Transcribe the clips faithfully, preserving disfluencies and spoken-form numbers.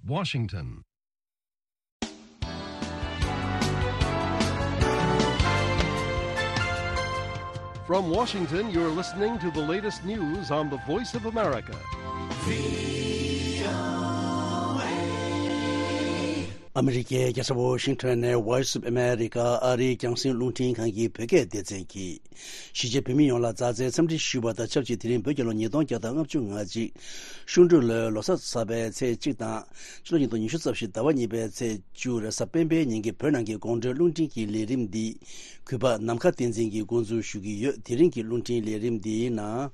Washington. From Washington, you're listening to the latest news on the Voice of America. ཨ་མི་རི་ཀའི་རྒྱལ་ས་ཝ་ཤིང་ཊོན་ནས་Voice of America ཨ་རིའི་རྒྱང་སྲིང་རླུང་འཕྲིན་ཁང་གི་བོད་སྐད་སྡེ་ཚན་གྱིས། གཞིས་བྱེས་བོད་མི་ཡོངས་ལ་མཛའ་བརྩེའི་འཚམས་འདྲི་ཞུས་པ་དང་ཆབས་ཅིག་དེ་རིང་བོད་རྒྱལ་ལོ་ཉིས་སྟོང་བརྒྱ་དང་ལྔ་བཅུ་ང་གཅིག་ཤུང་སྦྲུལ་ལོའི་ལོ་གསར་གསར་པའི་ཚེས་གཅིག་དང་། ཕྱི་ལོ་ཉིས་སྟོང་ཉི་ཤུ་རྩ་བཞི་ཟླ་བ་གཉིས་པའི་ཚེས་བཅུ་རེས་གཟའ་སྤེན་པའི་ཉིན་གྱི་བོད་ནང་གི་དགོང་དྲོའི་རླུང་འཕྲིན་གྱི་ལས་རིམ་འདི་གུས་པ་ནམ་མཁའ་བསྟན་འཛིན་གྱིས་འགོ་འཛུགས་ཞུ་གི་ཡོད། དེ་རིང་གི་རླུང་འཕྲིན་ལས་རིམ་འདིའི་ནང་།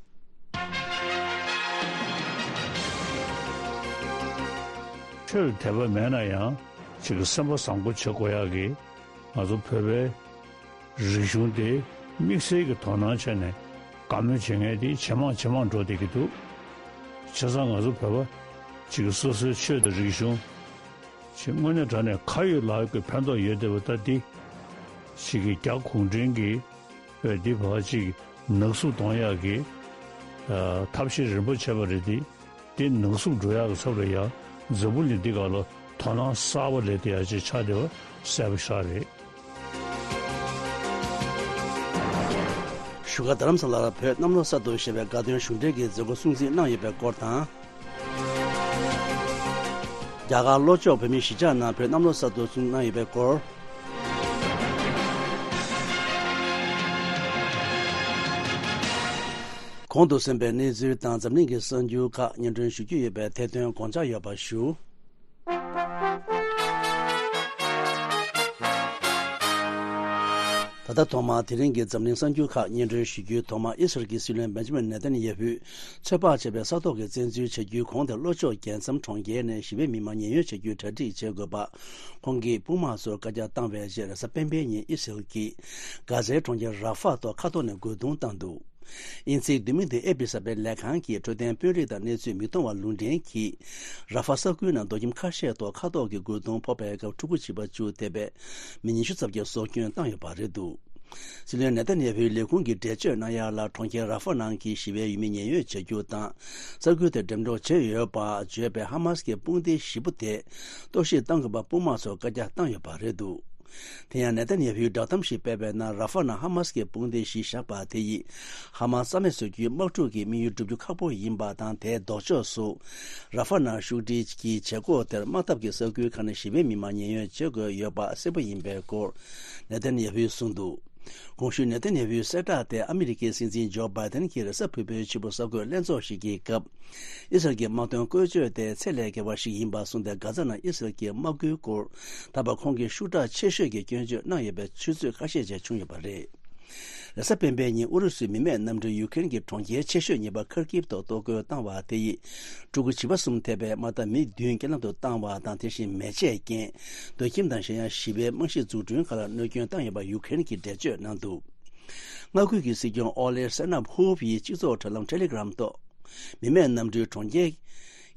ཆོས་ལ་དད་པ་མེད་ན་ཡང་ཅིག་གི་སེམས་པ་བཟང་པོ་བྱེད་དགོས་ཡག་གི་ང་ཚོ་བོད་པའི་རིག་གཞུང་དེ་དམིགས་བསལ་གྱི་དོ་སྣང་བྱས་ནས་དགའ་མོས་བྱེད་མཁན་དེ་ཇེ་མང་ཇེ་མང་འགྲོ་བསྡད་ཀྱི་འདུག་བྱས་ཙང་ང་ཚོ་བོད་པ་ཅིག་གི་སོ་སོའི་ཆོས་དང་རིག་གཞུང་ཅིག་དངོས་གནས་དྲང་གནས་ཁ་ཡོད་ལག་ཡོད་ཀྱི་ཕན་ཐོགས་ཡོད་བསྡད་པ་ད་འདི་ཅིག་གི་རྒྱ་གུང་ཁྲན་གྱིས་བོད་འདི་བ་ཅིག་ནག་བསུབ་གཏོང་ཡག་གི་ཐབས་ཤེས་རིམ་པ་བྱས་པ་རེད་དེ། དེ་ནག་བསུབ་འགྲོ་ཡག་གི་ཚབ་རེད་ཡ། འཛམ་བུ་གླིང་འདི་ག་ལ་དོ་སྣང་གསར་པ་ལས་དེ་ཡ་ཅིག་ཆགས་བསྡད་པ་གསལ་པོ་ཤར་རེད། བཞུགས་སྒར་རྡ་རམ་ས་ལར་བོད་གནམ་ལོ་གསར་དུ་བཞད་པའི་དགའ་སྟོན་གཞུང་འབྲེལ་གྱི་མཛད་སྒོ་སྲུང་བརྩི་གནང་ཡོད་པའི་སྐོར་དང་། རྒྱ་གར་ལྷོ་ཕྱོགས་བོད་མིའི་གཞིས་ཆགས་ནང་བོད་གནམ་ལོ་གསར་དུ་སྲུང་གནང་ཡོད་པའི་སྐོར། གོང་དུ་གསན་པའི་གནས་ཚུལ་དང་འཛམ་གླིང་གི་གསར་འགྱུར་ཁག་སྙན་སྒྲོན་ཞུ་རྒྱུ་ཡོད་པས་ཐད་གཏོང་དགོངས་འཇགས་ཡོད་པ་ཞུ། ད་ལྟ་ཐོག་མར་དེ་རིང་གི་འཛམ་གླིང་གསར་འགྱུར་ཁག་སྙན་སྒྲོན་ཞུ་རྒྱུའི་ཐོག་མར་ཨི་སི་རལ་གྱི་སྲིད་བློན་བེན་ཇི་མིན་ནེ་ཐན་ཡ་ཧུས་ཚོད་དཔག་བྱས་པའི་ས་ཐོག་གི་བཙན་འཛུལ་བྱ་རྒྱུའི་གོང་དེ་ལྷོ་ཕྱོགས་རྒྱལ་མཚམས་གྲོང་ཁྱེར་ནས་ཞི་བའི་མི་མང་ཉེན་གཡོལ་བྱ་རྒྱུའི་གྲ་སྒྲིག་བྱེད་དགོས་པ། ཁོང་གིས་དཔུང་དམག་ཚོར་བཀའ་རྒྱ་བཏང་བའི་རྗེས་རེས་གཟའ་སྤེན་པའི་ཉིན་ཨི་སི་རལ་གྱིས་གྷ་ཛའི་གྲོང་ཁྱེར་ར་ཧྥ་ཐོག་མཁའ་ཐོག་ནས་རྒོལ་རྡུང་བཏང་འདུག་དབྱིན་ཚིག་བསྡུས་མིང་དེ་ཨེ་ཕི་གསར་སྤེལ་ལས་ཁང་གིས་འཕྲོད་བསྟེན་དཔོན་རིགས་དང་གནས་ཚུལ་མི་མཐོང་བ་ལུང་འདྲེན་གྱིས། ར་ཧྥ་ས་ཁུལ་ནང་མདོ་ཁྱིམ་ཁ་ཤས་ཐོག་མཁའ་ཐོག་གི་རྒོལ་རྡུང་ཕོག་པའི་སྐབས་ཕྲུ་གུ་བྱིས་པ་བཅུ་ཐེ་བའི་མི་ཉི་ཤུ་རྩ་བརྒྱད་སྲོག་སྐྱོན་བཏང་ཡོད་པ་རེད་འདུག་སྲིད་བློན་ནེ་ཐན་ཡ་ཧུའི་ལས་ཁུངས་ཀྱིས་འགྲེལ་བརྗོད་གནང་ཡག་ལ། གྲོང་ཁྱེར་ར་ཧྥ་ནང་གི་ཞི་བའི་ཡུལ་མི་ཉེན་གཡོལ་བྱ་རྒྱུ་དང་། ས་ཁུལ་དེར་འགྲེམས་འགྲོགས་བྱས་ཡོད་པ་བརྗོད་པའི་ཧ་མ་སི་གི་དཔུང་སྡེ་བཞི་པོ་དེ་གཏོར་བཤིག་གཏང་དགོས་པ་དཔུང་དམག་ཚོར་བཀའ་རྒྱ་བཏང་ཡོད་པ་རེད་འདུག་དེ་ཡང་ནེ་ཐན་ཡ་ཧུས་བསྒྲགས་གཏམ་ཞིག་སྤེལ་བའི་ནང་། ར་ཧྥ་ནང་ཧ་མ་སི་གི་དཔུང་སྡེ་བཞི་བཞག་པ་དེ་ཡིས་ཧ་མ་སི་རྩ་མེད་བཟོ་རྒྱུའི་དམག་འཁྲུག་གི་དམིགས་ཡུལ་བསྒྲུབ་རྒྱུ་ཁག་པོ་ཡིན་པ་དང་། དེའི་ལྡོག་ཕྱོགས་སུ་ར་ཧྥ་ནང་ཤུགས་སྒྲིལ་གྱི་བྱེད་སྒོ་དེར་དམག་འཐབ་ཀྱི་ས་ཁུལ་ཁག་ནས་ཞི་བའི་མི་མང་ཉེན་གཡོལ་བྱེད་དགོས་ཡོད་པ་གསལ་པོ་ཡིན་པའི་སྐོར་ནེ་ཐན་ཡ་ཧུས་གསུངས་འདུག་གོང་ཞུས་ནེ་ཐན་ཡ་ཧུའི་གསལ་བསྒྲགས་དེ་ཨ་མི་རི་ཀའི་སྲིད་འཛིན་ཇོ་བྷའི་ཏན་གྱིས་རེས་གཟའ་ཕུར་བུའི་ཕྱི་པོ་གསར་འགོད་ལྷན་ཚོགས་ཤིག་གི་སྐབས། ཨི་སི་རལ་གྱི་དམག་དོན་བཀོལ་སྤྱོད་དེ་ཚད་ལས་བརྒལ་བ་ཞིག་ཡིན་པ་གསུངས་ཏེ། གྷ་ཛ་ནང་ཨི་སི་རལ་གྱི་དམག་སྐུལ་སྐོར་ད་བར་ཁོང་གིས་ཤུགས་དྲག་ཆེ་ཤོས་ཀྱི་སྐྱོན་བརྗོད་གནང་ཡོད་པའི་ཆུ་ཚོད་ཁ་ཤས་ཅིག་བྱུང་ཡོད་པ་རེད། རེས་གཟའ་སྤེན་པའི་ཉིན་ཨུ་རུ་སུའི་མི་མེད་གནམ་གྲུས་ཡུ་ཁེ་རན་གྱི་གྲོང་ཁྱེར་ཆེ་ཤོས་གཉིས་པ་ཁར་ཀིབ་ཐོག་གཏོར་རྒོལ་བཏང་བ་དེ་ཡིས་ཕྲུ་གུ་བྱིས་པ་གསུམ་ཐེ་བའི་དམག་འཐབ་མི་བདུན་རྐྱེན་ལམ་དུ་བཏང་བ་དང་། དེ་བཞིན་མེ་ལྕེས་རྐྱེན་མདོ་ཁྱིམ་དང་གཞན་ཡང་ཞི་བའི་རྨང་གཞི་འཛུགས་སྐྲུན་ཁག་ལ་གནོད་སྐྱོན་བཏང་ཡོད་པ་ཡུ་ཁེ་རན་གྱིས་འགྲེལ་བརྗོད་གནང་འདུག་མངའ་ཁུལ་གྱི་སྲིད་སྐྱོང་ཨོ་ལེ་སེ་ན་ཕུབ་ཡིས་སྤྱི་ཚོགས་དྲ་ལམ་ཊེ་ལི་གྷ་རམ་ཐོག་མི་མེད་གནམ་གྲུའི་གྲོང་ཁྱེར་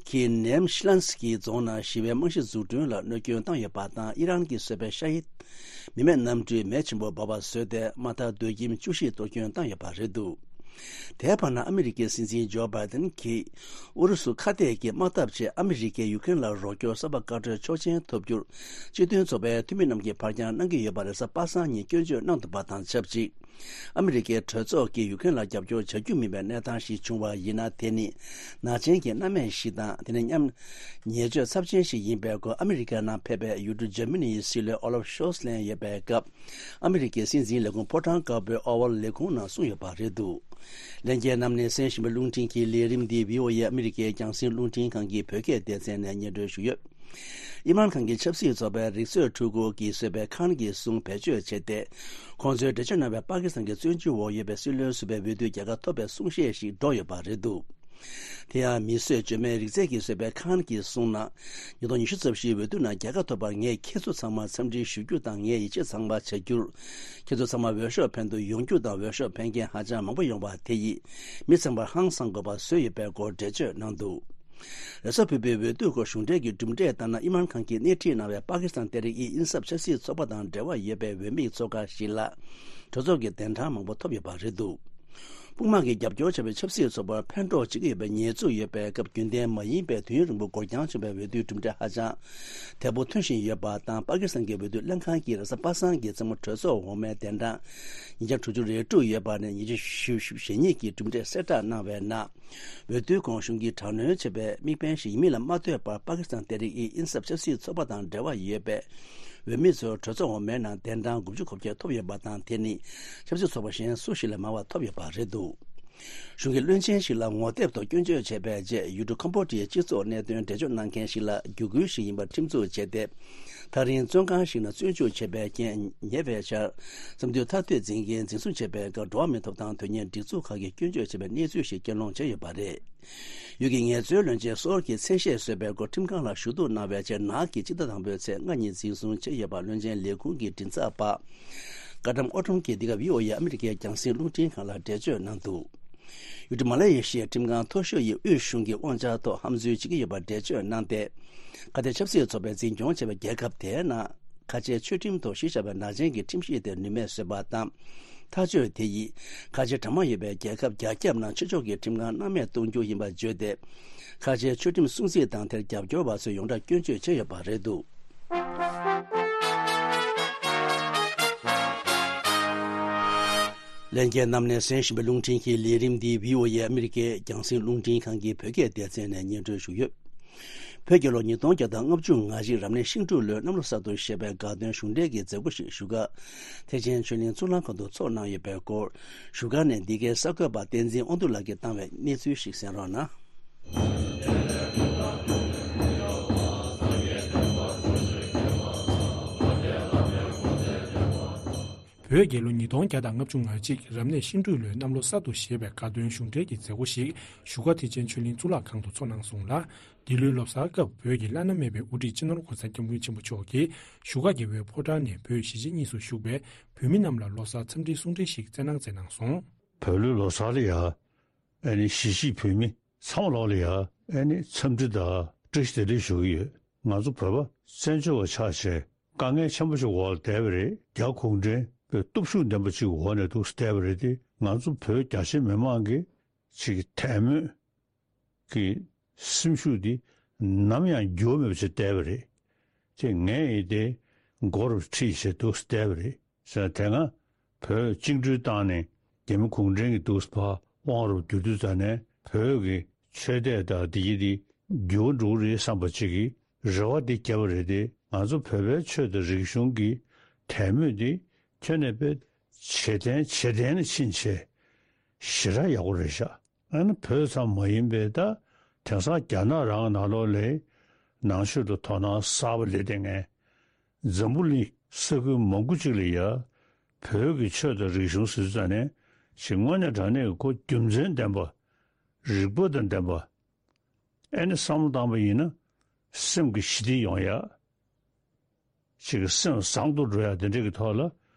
གྱི་ནེམ་ཤི་ལན་སི་ཀི་རྫོང་ནང་ཞི་བའི་རྨང་གཞི་འཛུགས་སྐྲུན་ལ་གནོད་སྐྱོན་བཏང་ཡོད་པ་དང་། ཨི་རན་གྱིས་བཟོས་པའི་ཤ་ཧིད་མི་མེད་གནམ་གྲུས་མེ་ཆེན་པོ་འབར་བ་བཟོས་ཏེ། དམག་འཐབ་མདོ་ཁྱིམ་བཅུ་བཞི་གཏོར་སྐྱོན་བཏང་ཡོད་པ་རེད་འདུག་དེའི་བར་ན། ཨ་མི་རི་ཀའི་སྲིད་འཛིན་ཇོ་བྷའི་ཏན་གྱིས་ཨུ་རུ་སུ་ཁ་གཏད་ཀྱི་དམག་འཐབ་ཆེད་ཨ་མི་རི་ཀས་ཡུ་ཁེ་རན་ལ་རོགས་སྐྱོར་གསར་པ་བཀའ་འཁྲོལ་ཆོག་མཆན་ཐོབ་རྒྱུར་སྤྱི་མཐུན་ཚོགས་པའི་འཐུས་མི་རྣམས་ཀྱིས་ཕར་འགྱངས་གནང་གི་ཡོད་པ་རེས་གཟའ་པ་སངས་ཉིན་སྐྱོན་བརྗོད་གནང་འདུག་པ་དང་ཆབས་ཅིག་ཨ་མི་རི་ཀའི་གྲོས་ཚོགས་ཀྱིས་ཡུ་ཁེ་རན་ལ་རྒྱབ་སྐྱོར་བྱ་རྒྱུ་མིན་པའི་གནས་སྟངས་ཤིག་བྱུང་བ་ཡིན་ན། དེ་ནི་ནག་ཅན་གྱི་སྣང་མེད་ཞིག་དང་། དེ་ནི་མཉམ་ཉེས་སྤྱོད་ཚབས་ཆེན་ཞིག་ཡིན་པའི་སྐོར་ཨ་མི་རི་ཀའི་ནང་ཕེབས་པའི་ཡུལ་གྲུ་འཇར་མ་ནིའི་སྲིད་བློན་ཨོ་ལབ་ཤོལ་ཚ་ལན་ཡོད་པའི་སྐབས། ཨ་མི་རི་ཀའི་སྲིད་འཛིན་ལས་ཁུངས་ཕོ་བྲང་དཀར་པོའི་ཨོ་ཝལ་ལས་ཁུངས་ནང་གསུངས་ཡོད་པ་རེད་འདུག་ལྷན་རྒྱས་རྣམས་ནས་གསན་བཞིན་པའི་རླུང་འཕྲིན་གྱི་ལས་རིམ་འདི་བྷི་ཨོ་ཨེ་ཨ་མི་རི་ཀའི་རྒྱང་སྲིང་རླུང་འཕྲིན་ཁང་གི་བོད་སྐད་སྡེ་ཚན་ནས་སྙན་སྒྲོན་ཞུ་ཡོད། ཨི་མན་ཁཱན་གྱི་ཆབ་སྲིད་ཚོགས་པའི་རིག་རྩོད་ཕྲུ་གུ་གིས་བཟོས་པའི་ཁཱན་གྱི་གསུང་བེད་སྤྱོད་བྱས་ཏེ། ཁོང་ཚོའི་འགྲེལ་བརྗོད་གནང་བའི་པ་ཀི་སི་ཐན་གྱི་བཙོན་འཇུག་འོག་ཡོད་པའི་སྲིད་བློན་ཟུར་པའི་འོས་བསྡུ་རྒྱལ་ཁ་ཐོབ་པའི་གསུང་བཤད་ཞིག་སྒྲོག་ཡོད་པ་རེད་འདུག་དེ་ཡང་མིས་བཟོས་བཅོས་མའི་རིག་རྩལ་གྱིས་བཟོས་པའི་ཁཱན་གྱི་གསུང་ནང་། ཉིས་སྟོང་ཉི་ཤུ་རྩ་བཞིའི་འོས་བསྡུ་ནང་རྒྱལ་ཁ་ཐོབ་པར་ངས་ཁྱེད་ཚོ་ཚང་མར་འཚམས་འདྲི་ཞུ་རྒྱུ་དང་། ངའི་ཡིད་ཆེས་ཚང་མ་བྱ་རྒྱུར། ཁྱེད་ཚོ་ཚང་མ་འོས་ཤོག་འཕེན་དུ་ཡོང་རྒྱུ་དང་། འོས་ཤོག་འཕེན་མཁན་ཧ་ཅང་མང་པོ་ཡོང་བ་དེ་ཡིས་མི་ཚང་མར་ཧང་སང་དགོས་པ་བཟོས་ཡོད་པའི་སྐོར་འགྲེལ་བརྗོད་གནང་འདུག་རེས་གཟའ་ཕུར་བུའི་འོས་བསྡུ་སྐོར་གཞུང་འབྲེལ་གྱི་གྲུབ་འབྲས་ལྟར་ན། ཨི་མན་ཁཱན་གྱིས་སྣེ་ཁྲིད་གནང་བའི་པ་ཀི་སི་ཐན་ཏེ་རིག་ཨི་ཨིན་སབ་ཆབ་སྲིད་ཚོགས་པ་དང་འབྲེལ་བ་ཡོད་པའི་འོས་མིའི་ཚོགས་ཁག་ཞིག་ལ་གྲོས་ཚོགས་ཀྱི་གདན་གྲངས་མང་པོ་ཐོབ་ཡོད་པ་རེད་འདུག་དཔུང་དམག་གིས་རྒྱབ་སྐྱོར་བྱས་པའི་ཆབ་སྲིད་ཚོགས་པར་ཕན་གྲོགས་བྱེད་ཀྱི་ཡོད་པའི་ཉེས་འཛུགས་ཡོད་པའི་སྐབས། རྒྱུན་ལྡན་མ་ཡིན་པའི་དུས་ཡུན་རིང་པོ་འགོར་འགྱངས་བྱུང་བའི་འོས་བསྡུའི་གྲུབ་འབྲས་ཧ་ཅང་དལ་པོ་ཐོན་བཞིན་ཡོད་པ་དང་། པ་ཀི་སི་ཐན་གྱི་འོས་བསྡུ་ལྷན་ཁང་གིས་རེས་གཟའ་པ་སངས་ཀྱི་མཚན་མོ་གྲོས་ཚོགས་འོག་མའི་གདན་གྲངས་ཉིས་བརྒྱ་དྲུག་ཅུ་རེ་དྲུག་ཡོད་པ་ནས་ཉིས་བརྒྱ་ཞེ་གཉིས་ཀྱི་གྲུབ་འབྲས་གསལ་བསྒྲགས་གནང་བའི་ནང་། འོས་བསྡུའི་གོང་གཞུང་གིས་དྲག་གནོན་བྱས་པའི་དམིགས་འབེན་ཞིག་ཡིན་མིན་ལ་མ་ལྟོས་པར། པ་ཀི་སི་ཐན་ཏེ་རིག་ཨི་ཨིན་སབ་ཆབ་སྲིད་ཚོགས་པ་དང་འབྲེལ་བ་ཡོད་པའི་འོས་མི་ཚོར་གྲོས་ཚོགས་འོག་མའི་ནང་གདན་གྲངས་དགུ་བཅུ་གོ་བརྒྱད་ཐོབ་ཡོད་པ་དང་། དེ་ནི་ཆབ་སྲིད་ཚོགས་པ་གཞན་སུ་ཞིག་ལས་མང་བ་ཐོབ་ཡོད་པ་རེད་འདུག་གཞུང་གིས་བློན་ཆེན་ཞིག་ལ་ངོ་དེབ་ཐོག་སྐྱོན་བརྗོད་བྱས་པའི་རྗེས། ཡུལ་གྲུ་ཁམ་བྷོ་ཌི་ཡའི་སྤྱི་ཚོགས་གནད་དོན་འགྲེལ་བརྗོད་གནང་མཁན་ཞིག་ལ་རྒྱུད་སྐུལ་ཞིག་ཡིན་པར་ཁྲིམས་འཛུགས་བྱས་ཏེ། ཐག་རིང་བཙོན་ཁང་ཞིག་ནང་བཙོན་འཇུག་བྱས་པའི་རྐྱེན། ཉེ་བའི་ཆར་བསམ་འདུན་ཐར་འདོད་འཛིན་མཁན་འཛིན་བཟུང་བྱས་པའི་སྐབས། འགྲོ་བ་མིའི་ཐོབ་ཐང་དོན་གཉེར་སྒྲིག་འཛུགས་ཁག་གིས་སྐྱོན་བརྗོད་བྱས་པའི་གནས་ཚུལ་ཞིག་རྐྱང་སློང་བྱས་ཡོད་པ་རེད། ཡུལ་གྱི་ངལ་རྩོལ་བློན་ཆེན་སོལ་གྱིས་མཚན་ཤས་བཟོས་པའི་སྐོར་ཁྲིམས་ཁང་ལ་ཞུ་གཏུག་གནང་བའི་རྗེས། ནག་གི་སྤྱི་ཟླ་དང་པོའི་ཚེས་ལྔ་ཉིན་འཛིན་བཟུང་བྱས་ཡོད་པ། བློན་ཆེན་ལས་ཁུངས་ཀྱི་མགྲིན་ཚབ་པ་ཀ་ཀྲམ་ཨོ་ཀྲོང་གིས་འདི་ག་བྷི་ཨོ་ཨེ་ཨ་མི་རི་ཀའི་རྒྱང་སྲིང་རླུང་འཕྲིན་ཁང་ལ་འགྲེལ་བརྗོད་གནང་འདུག་ཡུལ་གྲུ་མ་ལེ་ཤི་ཡའི་ཁྲིམས་ཁང་མཐོ་ཤོས་ཡིས་དབུས་གཞུང་གི་དབང་ཆ་ཐོག་ཧམ་འཛུལ་བྱེད་ཀྱི་ཡོད་པར་འགྲེལ་བརྗོད་གནང་སྟེ། ཁ་གཏད་ཆབ་སྲིད་ཚོགས་པས་འཛིན་སྐྱོང་བྱས་པའི་རྒྱལ་ཁབ་དེའི་ནང་། ཁ་ཆེའི་ཆོས་ཁྲིམས་ཐོག་གཞི་བཞག་པའི་ནག་ཅན་གྱི་ཁྲིམས་གཞི་དེ་ནུས་མེད་བཟོས་པ་དང་། ཐག་གཅོད་དེ་ཡིས་ཁ་ཆེའི་གྲངས་མང་ཡོད་པའི་རྒྱལ་ཁབ་རྒྱ་ཁྱབ་ནང་ཆོས་ཕྱོགས་ཀྱི་ཁྲིམས་ཁང་སྣང་མེད་གཏོང་རྒྱུ་ཡིན་པར་བརྗོད་དེ། ཁ་ཆེའི་ཆོས་ཁྲིམས་སྲུང་བརྩི་དང་དེར་རྒྱབ་སྐྱོར་བ་ཚོས་ཡོངས་གྲགས་སྐྱོན་བརྗོད་བྱས་ཡོད་པ་རེད་འདུག་ལྷན་རྒྱས་རྣམས་ནས་གསན་བཞིན་པའི་རླུང་འཕྲིན་གྱི་ལས་རིམ་འདི་བྷི་ཨོ་ཨེ་ཨ་མི་རི་ཀའི་རྒྱང་སྲིང་རླུང་འཕྲིན་ཁང་གི་བོད་སྐད་སྡེ་ཚན་ནས་སྙན་སྒྲོན་ཞུས་ཡོད། བོད་རྒྱལ་ལོ་ཉིས་སྟོང་བརྒྱ་དང་ལྔ་བཅུ་ང་གཅིག་རབ་གནས་ཤིང་འབྲུག་ལོའི་གནམ་ལོ་གསར་དུ་བཞད་པའི་དགའ་སྟོན་གཞུང་འབྲེལ་གྱི་མཛད་སྒོ་ཞིག་བཞུགས་སྒར་ཐེག་ཆེན་ཆོས་གླིང་གཙུག་ལག་ཁང་དུ་ཚོགས་གནང་ཡོད་པའི་སྐོར། བཞུགས་སྒར་ནས་འདི་གའི་གསར་འགོད་པ་བསྟན་འཛིན་དབང་འདུས་ལགས་ཀྱིས་བཏང་བའི་གནས་ཚུལ་ཞིག་གསན་རོགས་གནང་། བོད་རྒྱལ་ལོ་ཉིས་སྟོང་བརྒྱ་དང་ལྔ་བཅུ་ང་གཅིག་རབ་གནས་ཤིང་འབྲུག་ལོའི་གནམ་ལོ་གསར་དུ་བཞད་པའི་དགའ་སྟོན་གཞུང་འབྲེལ་གྱི་མཛད་སྒོ་ཞིག་བཞུགས་སྒར་ཐེག་ཆེན་ཆོས་གླིང་གཙུག་ལག་ཁང་དུ་ཚོགས་གནང་སོང་ལ། འདི་ལོའི་ལོ་གསར་སྐབས་བོད་ཀྱི་བླ་ན་མེད་པའི་དབུ་ཁྲིད་སྤྱི་ནོར་༸གོང་ས་༸སྐྱབས་མགོན་ཆེན་པོ་མཆོག་གིས་བཞུགས་སྒར་རྒྱལ་བའི་ཕོ་བྲང་ནས་བོད་གཞིས་བྱེས་གཉིས་སུ་བཞུགས་པའི་བོད་མི་རྣམས་ལ་ལོ་གསར་འཚམས་འདྲིའི་གསུང་འཕྲིན་ཞིག་སྩལ་གནང་མཛད་གནང་སོང་། བོད་ལོའི་ལོ་གསར་ལ་ཡ། ཨ་ནི་གཞིས་བྱེས་བོད་མི་ཚང་མ་ལོག་ལ་ཡ། ཨ་ནི་འཚམས་འདྲི་དང་བཀྲ་ཤིས་བདེ་ལེགས་ཞུ་གི་ཡོད། ང་ཚོ་བོད་པ་བཙན་བྱོལ་བ་ཆགས་བྱས་དཀའ་ངལ་ཆེན་པོ་ཞིག་འོག་ལ་བསྡད་པ་རེད། རྒྱ་གུང་ཁྲན་པའི་སྟོབས་ཤུགས་ལྡན་པ་ཅིག་འོག་ནས་འདུག་སེ་བསྡད་པ་རེད་དེ། ང་ཚོ་བོད་རྒྱ་ཆེ་མི་མང་གི་ཅིག་དད་མོས་ཀྱི་སེམས་ཤུགས་འདི་ནམ་ཡང་འགྱུར་བ་མེད་པ་ཞིག་བསྡད་པ་རེད། དེ་ངས་ཡིན་ཏེ་མགོ་རུ་ཁྲིད་བྱས་འདུག་སེ་བསྡད་པ་རེད་ཟེར། དེ་སྔ་བོད་བཅིངས་འགྲོལ་བཏང་ནས་རྒྱ་མི་གུང་ཁྲན་གྱིས་འདུག་སེ་ཕར་དབང་རུ་བསྒྱུར་དུས་ཙ་ནས་བོད་ཀྱི་ཆོས་དད་དང་འདི་ཡི་འདི་འགྱུར་བ་འགྲོ་གི་རེད་བསམ་པ་ཅིག་གི་རེ་བ་འདི་བརྒྱབ་པ་རེད་དེ། ང་ཚོ་བོད་པའི་ཆོས་དང་རིག་གཞུང་གི་དད་མོས་འདི་ཁྱོན་ནས་དཔེ་ཇེ་བརྟན་ཇེ་བརྟན་ལ་ཕྱིན་བྱས་ཞེ་དྲག་ཡག་པོ་རེད་ཤག་ཨ་ནི་བོད་ཙམ་མ་ཡིན་པའི་ད་དེང་སང་རྒྱ་ནག་རང་ནང་ལོགས་ལ་ནང་ཆོས་ལ་དོ་སྣང་གསར་པ་སླེབས་བསྡད་མཁན། འཛམ་བུ་གླིང་ས་ཁུལ་མང་པོ་ཅིག་ལ་ཡ་བོད་ཀྱི་ཆོས་དང་རིག་གཞུང་ཟེར་ཙ་ནས་ཅིག་དངོས་གནས་དྲང་གནས་ཀྱི་ཁོ་རྒྱུ་མཚན་ལྡན་པ། རིག་པ་དང་ལྡན་པ། ཨ་ནི་བསམ་བློ་བཏང་པ་ཡིན་ན་སེམས་ཀྱི་ཞི་བདེ་ཡོང་ཡ། ཅིག་གི་སེམས་བཟང་དུ་འགྲོ་ཡ་དེ་འདྲ་གི་ཐོག་ལ་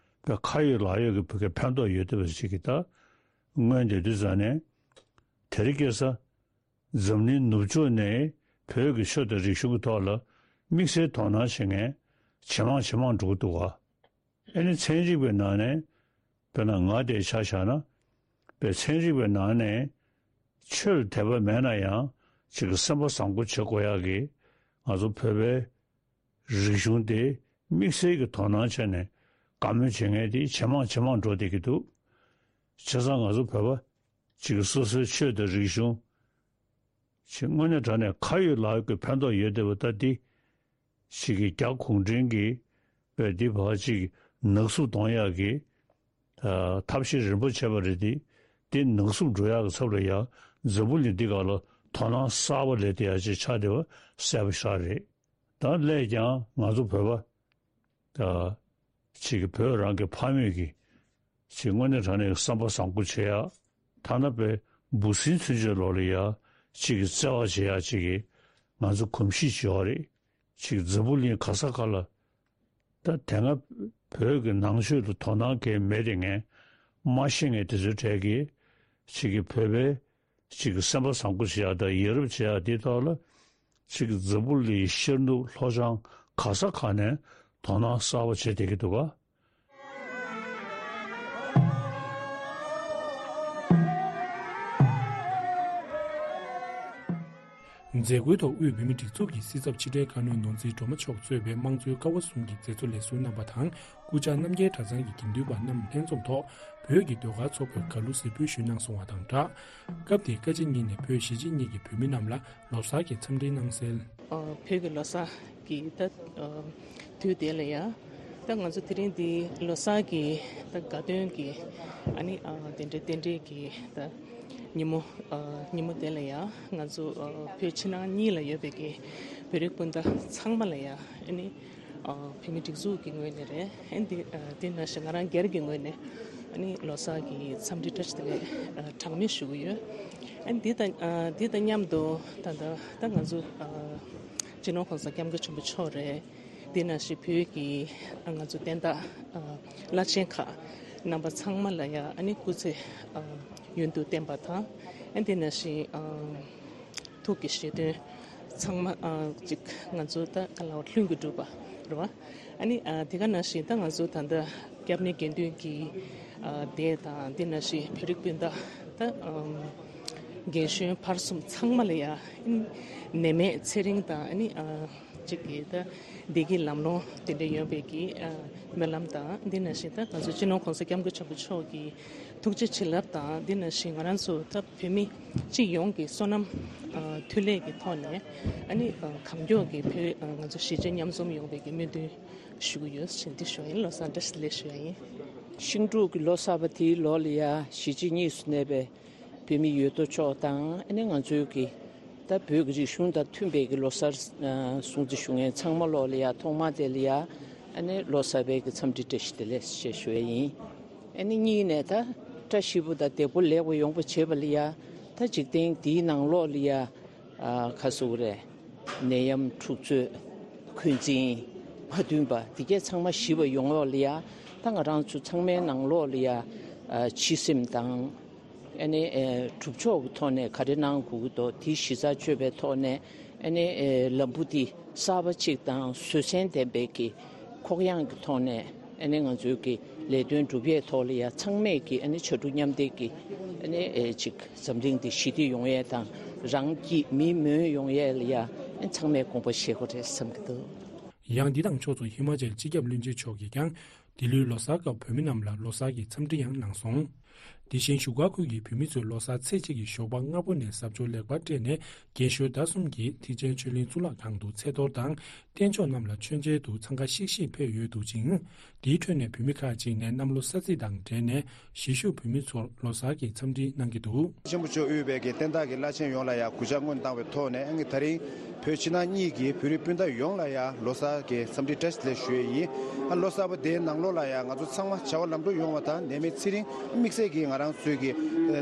བོད་ཁ་ཡོད་ལག་ཡོད་ཀྱི་བོད་སྐད་ཕན་ཐོགས་ཡོད་བསྡད་པ་ཅིག་གི་ད་མངོན་བསྡད་དུས་ཙ་ནས་དེ་རིང་ཁ་སང་འཛམ་གླིང་ནུབ་ཕྱོགས་ནས་བོད་ཀྱི་ཆོས་དང་རིག་གཞུང་གི་ཐོག་ལ་དམིགས་བསལ་དོ་སྣང་བྱེད་མཁན་ཇེ་མང་ཇེ་མང་འགྲོ་གི་འདུག་ག་ཨ་ནི་ཚན་རིག་པའི་ནང་ནས་དཔེར་ན་ང་དེ་ཆ་བཞག་ན་དཔེ་ཚན་རིག་པའི་ནང་ནས་ཆོས་ལ་དད་པ་མེད་ན་ཡང་ཅིག་གི་སེམས་པ་བཟང་པོ་བྱེད་དགོས་ཡག་གི་ང་ཚོ་བོད་པའི་རིག་གཞུང་དེ་དམིགས་བསལ་གྱི་དོ་སྣང་བྱས་ནས་དགའ་མོས་བྱེད་མཁན་དེ་ཇེ་མང་ཇེ་མང་འགྲོ་བསྡད་ཀྱི་འདུག་བྱས་ཙང་ང་ཚོ་བོད་པ་ཅིག་གི་སོ་སོའི་ཆོས་དང་རིག་གཞུང་ཅིག་དངོས་གནས་དྲང་གནས་ཁ་ཡོད་ལག་ཡོད་ཀྱི་ཕན་ཐོགས་ཡོད་བསྡད་པ་ད་འདི་ཅིག་གི་རྒྱ་གུང་ཁྲན་གྱིས་བས་འདི་བར་ཅིག་ནག་བསུབ་གཏོང་ཡག་གི་ཐབས་ཤེས་རིམ་པ་བྱས་པ་རེད་དེ། དེ་ནག་བསུབ་འགྲོ་ཡག་གི་ཚབ་ལ་ཡང་འཛམ་བུ་གླིང་འདི་སྒང་ལ་དོ་སྣང་གསར་པ་སླེབས་བསྡད་ཡག་ཅིག་ཆགས་བསྡད་པ་གསལ་པོ་ཞེ་དྲག་རེད། ད་སླད་ཀྱང་ང་ཚོ་བོད་པ་ད་ཅིག་གི་བོད་རང་གི་ཕ་མེས་ཀྱི་ཅིག་དངོས་གནས་དྲང་གནས་ཀྱི་བསམ་པ་བཟང་པོ་བྱེད་ཡག་ཐ་ན་དཔེ་འབུ་སྲིན་ཚུན་ཆད་ལོག་ལ་ཡ་ཅིག་གི་བརྩེ་བ་བྱེད་ཡག་ཅིག་གི་ང་ཚོ་གོམས་གཤིས་ཅིག་ཡོད་རེད། ཅིག་འཛམ་བུ་གླིང་ག་ས་ག་ལ་ད་དེ་སྔ་བོད་ཀྱི་ནང་ཆོས་ལ་དོ་སྣང་གང་ཡང་མེད་དེ་ངས་མ་ཤེས་མཁན་དེ་ཚོའི་གྲས་ཀྱིས་ཅིག་གི་བོད་པའི་ཅིག་གི་སེམས་པ་བཟང་པོ་བྱེད་ཡག་དང་ཡ་རབས་བྱེད་ཡག་དེའི་ཐོག་ལ་ཅིག་གི་འཛམ་བུ་གླིང་ཤར་ནུབ་ལྷོ་བྱང་ག་ས་ག་ནས་དོ་སྣང་གསར་པ་བྱེད་བསྡད་ཀྱི་འདུག་ག་མཛད་སྒོའི་ཐོག་དབུས་བོད་མིའི་སྒྲིག་འཛུགས་ཀྱི་སྲིད་ཚབ་ཕྱི་དྲིལ་བཀའ་བློན་ནོར་འཛིན་སྒྲོལ་མ་མཆོག་གཙོས་པའི་དམངས་གཙོའི་ཀ་བ་གསུམ་གྱི་མཛད་གཙོ་ལས་ཟུར་རྣམ་པ་དང་། སྐུ་བཅར་རྣམ་རྒྱལ་གྲྭ་ཚང་གི་དགེ་འདུན་པ་རྣམས་ལྷན་འཛོམས་ཐོག་བོད་ཀྱི་ཟློས་གར་ཚོགས་པའི་སྒ་ལུ་གཟིགས་འབུལ་ཞུས་གནང་སོང་བ་དང་སྦྲགས། སྐབས་དེའི་བཀའ་སྤྱི་གཉིས་ནས་བོད་གཞིས་བྱེས་གཉིས་ཀྱི་བོད་མི་རྣམས་ལ་ལོ་གསར་གྱི་འཚམས་འདྲི་གནང་གསལ། ཨ། བོད་ཀྱི་ལོ་གསར་གྱི་ད་ཨ་དུས་དེ་ལ་ཡ། ད་ང་ཚོ་དེ་རིང་འདི་ལོ་གསར་གྱི་ད་དགའ་སྟོན་གྱི་ཨ་ནི་ཨ་དེ་འདྲའི་རྟེན་འབྲེལ་གྱི་ད་ཉིན་མོ། ཨ་ཉིན་མོ་དེ་ལ་ཡ་ང་ཚོ་ཨ་བོད་ཕྱི་ནང་གཉིས་ལ་ཡོད་པའི་གི་བོད་རིགས་སྤུན་ཟླ་ཚང་མ་ལ་ཡ་ཨ་ནི་ཨ་བོད་མི་སྒྲིག་འཛུགས་ཀྱི་ངོས་ནས་རེད། ཨ་ནི་འདི་ཨ་འདི་ནང་བཞིན་ང་རང་སྒེར་གྱི་ངོས་ནས་ཨ་ནི་ལོ་གསར་གྱི་འཚམས་འདྲི་བཀྲ་ཤིས་བདེ་ལེགས་ཨ་གྲངས་མེད་ཞུ་གི་ཡོད། ཨ་ནི་འདི་དང་ཨ་འདི་དང་མཉམ་དུ་ད་ལྟ་ད་ང་ཚོ་ཨ་སྤྱི་ནོར་༸གོང་ས་༸སྐྱབས་མགོན་ཆེན་པོ་མཆོག་རེད། འདི་ནང་བཞིན་བོད་ཀྱི་ང་ཚོ་བསྟན་བདག་བླ་ཆེན་ཁག་རྣམ་པ་ཚང་མ་ལ་ཡང་ཨ་ནི་སྐུ་ཚེ་ཡུན་དུ་བརྟན་པ་དང་། ཨ་འདི་ནང་བཞིན་ཐུགས་ཀྱི་བཞེད་དོན་ཚང་མ་ཅིག་ང་ཚོ་ད་ག་ལ་བ་ལྷུན་གྱིས་གྲུབ་པ་རེད་བ། ཨ་ནི་དེ་ག་ནང་བཞིན་ད་ང་ཚོ་ད་ལྟ་སྐྱབས་གནས་དགེ་འདུན་གྱི་སྡེ་དང་། འདི་ནང་བཞིན་བོད་རིགས་སྤུན་ཟླ་ད་རྒན་གཞོན་བར་གསུམ་ཚང་མ་ལ་ཡང་ནད་མེད་ཚེ་རིང་དང་ཨ་ནི། གཅིག་གིས་ད་བདེ་སྐྱིད་ལམ་ལྷོང་དེ་འདྲ་ཡོང་བའི་གི་སྨོན་ལམ་དང་། འདི་ནང་བཞིན་ད་ང་ཚོ་སྤྱི་ནོར་༸གོང་ས་༸སྐྱབས་མགོན་ཆེན་པོ་མཆོག་གི་ཐུགས་རྗེ་བྱིན་རླབས་དང་། འདི་ནང་བཞིན་ང་རང་ཚོ་ད་བོད་མི་སྤྱི་ཡོངས་ཀྱི་བསོད་ནམས་མཐུ་ལས་ཀྱི་ཐོག་ནས་ཨ་ནི་གང་མགྱོགས་ཀྱི་བོད་ང་ཚོ་གཞིས་བྱེས་མཉམ་འཛོམས་ཡོང་བའི་གི་སྨོན་འདུན་ཞུ་གི་ཡོད་ཅེས་འདི་ཞུ་ཡ་ཡིན། ལོ་གསར་བཀྲ་ཤིས་བདེ་ལེགས་ཞུ་ཡ་ཡིན། ཤིང་འབྲུག་གི་ལོ་གསར་པ་དེའི་ལོ་ལ་ཡ་གཞིས་བྱེས་གཉིས་སུ་གནས་པའི་བོད་མི་ཡོད་དོ་ཅོག་དང་། ཨ་ནི་ང་ཚོའི་གི་ད་བོད་ཀྱི་རིག་གཞུང་དང་མཐུན་པའི་གི་ལོ་གསར་སྲུང་བརྩི་ཞུ་མཁན་ཚང་མ་ལོག་ལ་ཡ་ཐོག་མ་དེ་ལ་ཡ་ཨ་ནི་ལོ་གསར་པའི་གི་འཚམས་འདྲི་བཀྲ་ཤིས་བདེ་ལེགས་ཞེས་ཞུ་ཡ་ཡིན། ཨ་ནི་གཉིས་ནས་ད་བཀྲ་ཤིས་པོ་དང་བདེ་པོ་ལེགས་པོ་ཡོང་པ་བྱེད་པ་ལ་ཡ་ད་འཇིག་རྟེན་འདིའི་ནང་ལོགས་ལ་ཡ་ཨ་ག་ཟེར་དགོས་རེད། ནད་ཡམས་འཁྲུག་རྩོད་འཁོན་འཛིན་མ་མཐུན་པ་འདི་གས་ཚང་མ་ཞི་བ་ཡོང་བ་ལ་ཡ་ད་ང་རང་ཚོ་ཚང་མའི་ནང་ལོགས་ལ་ཡ་ཨ་ཕྱི་སེམས་དང་། ཨ་ནི་ཨེ་སྒྲུབ་ཕྱོགས་ཀྱི་ཐོག་ནས་ག་རེ་གནང་དགོས་ཀྱི་འདུག་དེ་གཞི་རྩར་བཅོལ་བའི་ཐོག་ནས་ཨ་ནི་ཨེ་ལམ་བུ་འདི་གསར་པ་གཅིག་དང་བཟོད་བསྲན་ལྡན་པའི་གི་ཁོག་ཡངས་ཀྱི་ཐོག་ནས་ཨ་ནི་ང་ཚོའི་གི་ལས་དོན་སྒྲུབ་ཡས་ཐོག་ལ་ཡ་ཚང་མས་ཀྱི་ཨ་ནི་ཕྱར་གྲུ་མཉམ་འདེགས་ཀྱི་ཨ་ནི་ཨེ་ཅིག་འཛམ་གླིང་འདི་ཞི་བདེ་ཡོང་ཡས་དང་རང་སྐྱིད་མི་མོས་ཡོང་ཡས་ལ་ཡ་ཨ་ནི་ཚང་མས་དགོངས་པ་བཞེས་དགོས་རེད་བསམ་གྱི་འདུག་ཡང་འདི་དང་ཕྱོགས་མཚུངས་ཧི་མ་ཅལ་སྤྱི་ཁྱབ་བློན་ཆེན་མཆོག་གིས་ཀྱང་། འདི་ལོའི་ལོ་གསར་སྐབས་བོད་མི་རྣམས་ལ་ལོ་གསར་གྱི་འཚམས་འདྲི་ཡང་གནང་སོང་། དེ་བཞིན་བཞུགས་སྒར་ཁུལ་གྱི་བོད་མི་ཚོས་ལོ་གསར་ཚེས་གཅིག་གི་ཞོགས་པ་སྔ་པོ་ནས་གཟབ་མཆོར་ལེགས་པར་སྤྲས་ནས་རྒན་གཞོན་ཟླ་གསུམ་གྱིས་ཐེག་ཆེན་ཆོས་གླིང་གཙུག་ལག་ཁང་དུ་ཚེས་གཏོར་དང་རྟེན་མཆོག་རྣམས་ལ་མཆོད་མཇལ་དུ་འཚང་ཁ་ཤིག་ཤིག་ཕེབས་ཡོད་འདུག་ཅིང་། དེའི་ཁྲོད་ནས་བོད་མི་ཁག་ཅིག་ནས་གནམ་ལོ་གསར་ཚེས་དང་འབྲེལ་ནས་གཞིས་བཞུགས་བོད་མི་ཚོར་ལོ་གསར་གྱི་འཚམས་འདྲི་གནང་གི་འདུག་ཆེན་པོ་མཆོག་དབུས་པའི་གི་བསྟན་བདག་གི་བླ་ཆེན་ཡོངས་ལ་ཡང་གུས་ཕྱག་སྔོན་བཏང་བའི་ཐོག་ནས་ཨ་ནི་ད་རིང་བོད་ཕྱི་ནང་གཉིས་ཀྱི་བོད་རིགས་སྤུན་ཟླ་ཡོངས་ལ་ཡང་ལོ་གསར་གྱི་འཚམས་འདྲི་བཀྲ་ཤིས་བདེ་ལེགས་ཞུ་ཡས་ཡིན། ཨ་ལོ་གསར་པ་དེའི་ནང་ལོགས་ལ་ཡང་ང་ཚོ་ཚང་མ་བྱ་བ་ལམ་འགྲོ་ཡོང་བ་དང་ནད་མེད་ཚེ་རིང་། དམིགས་བསལ་གྱིས་ང་རང་ཚོའི་གི་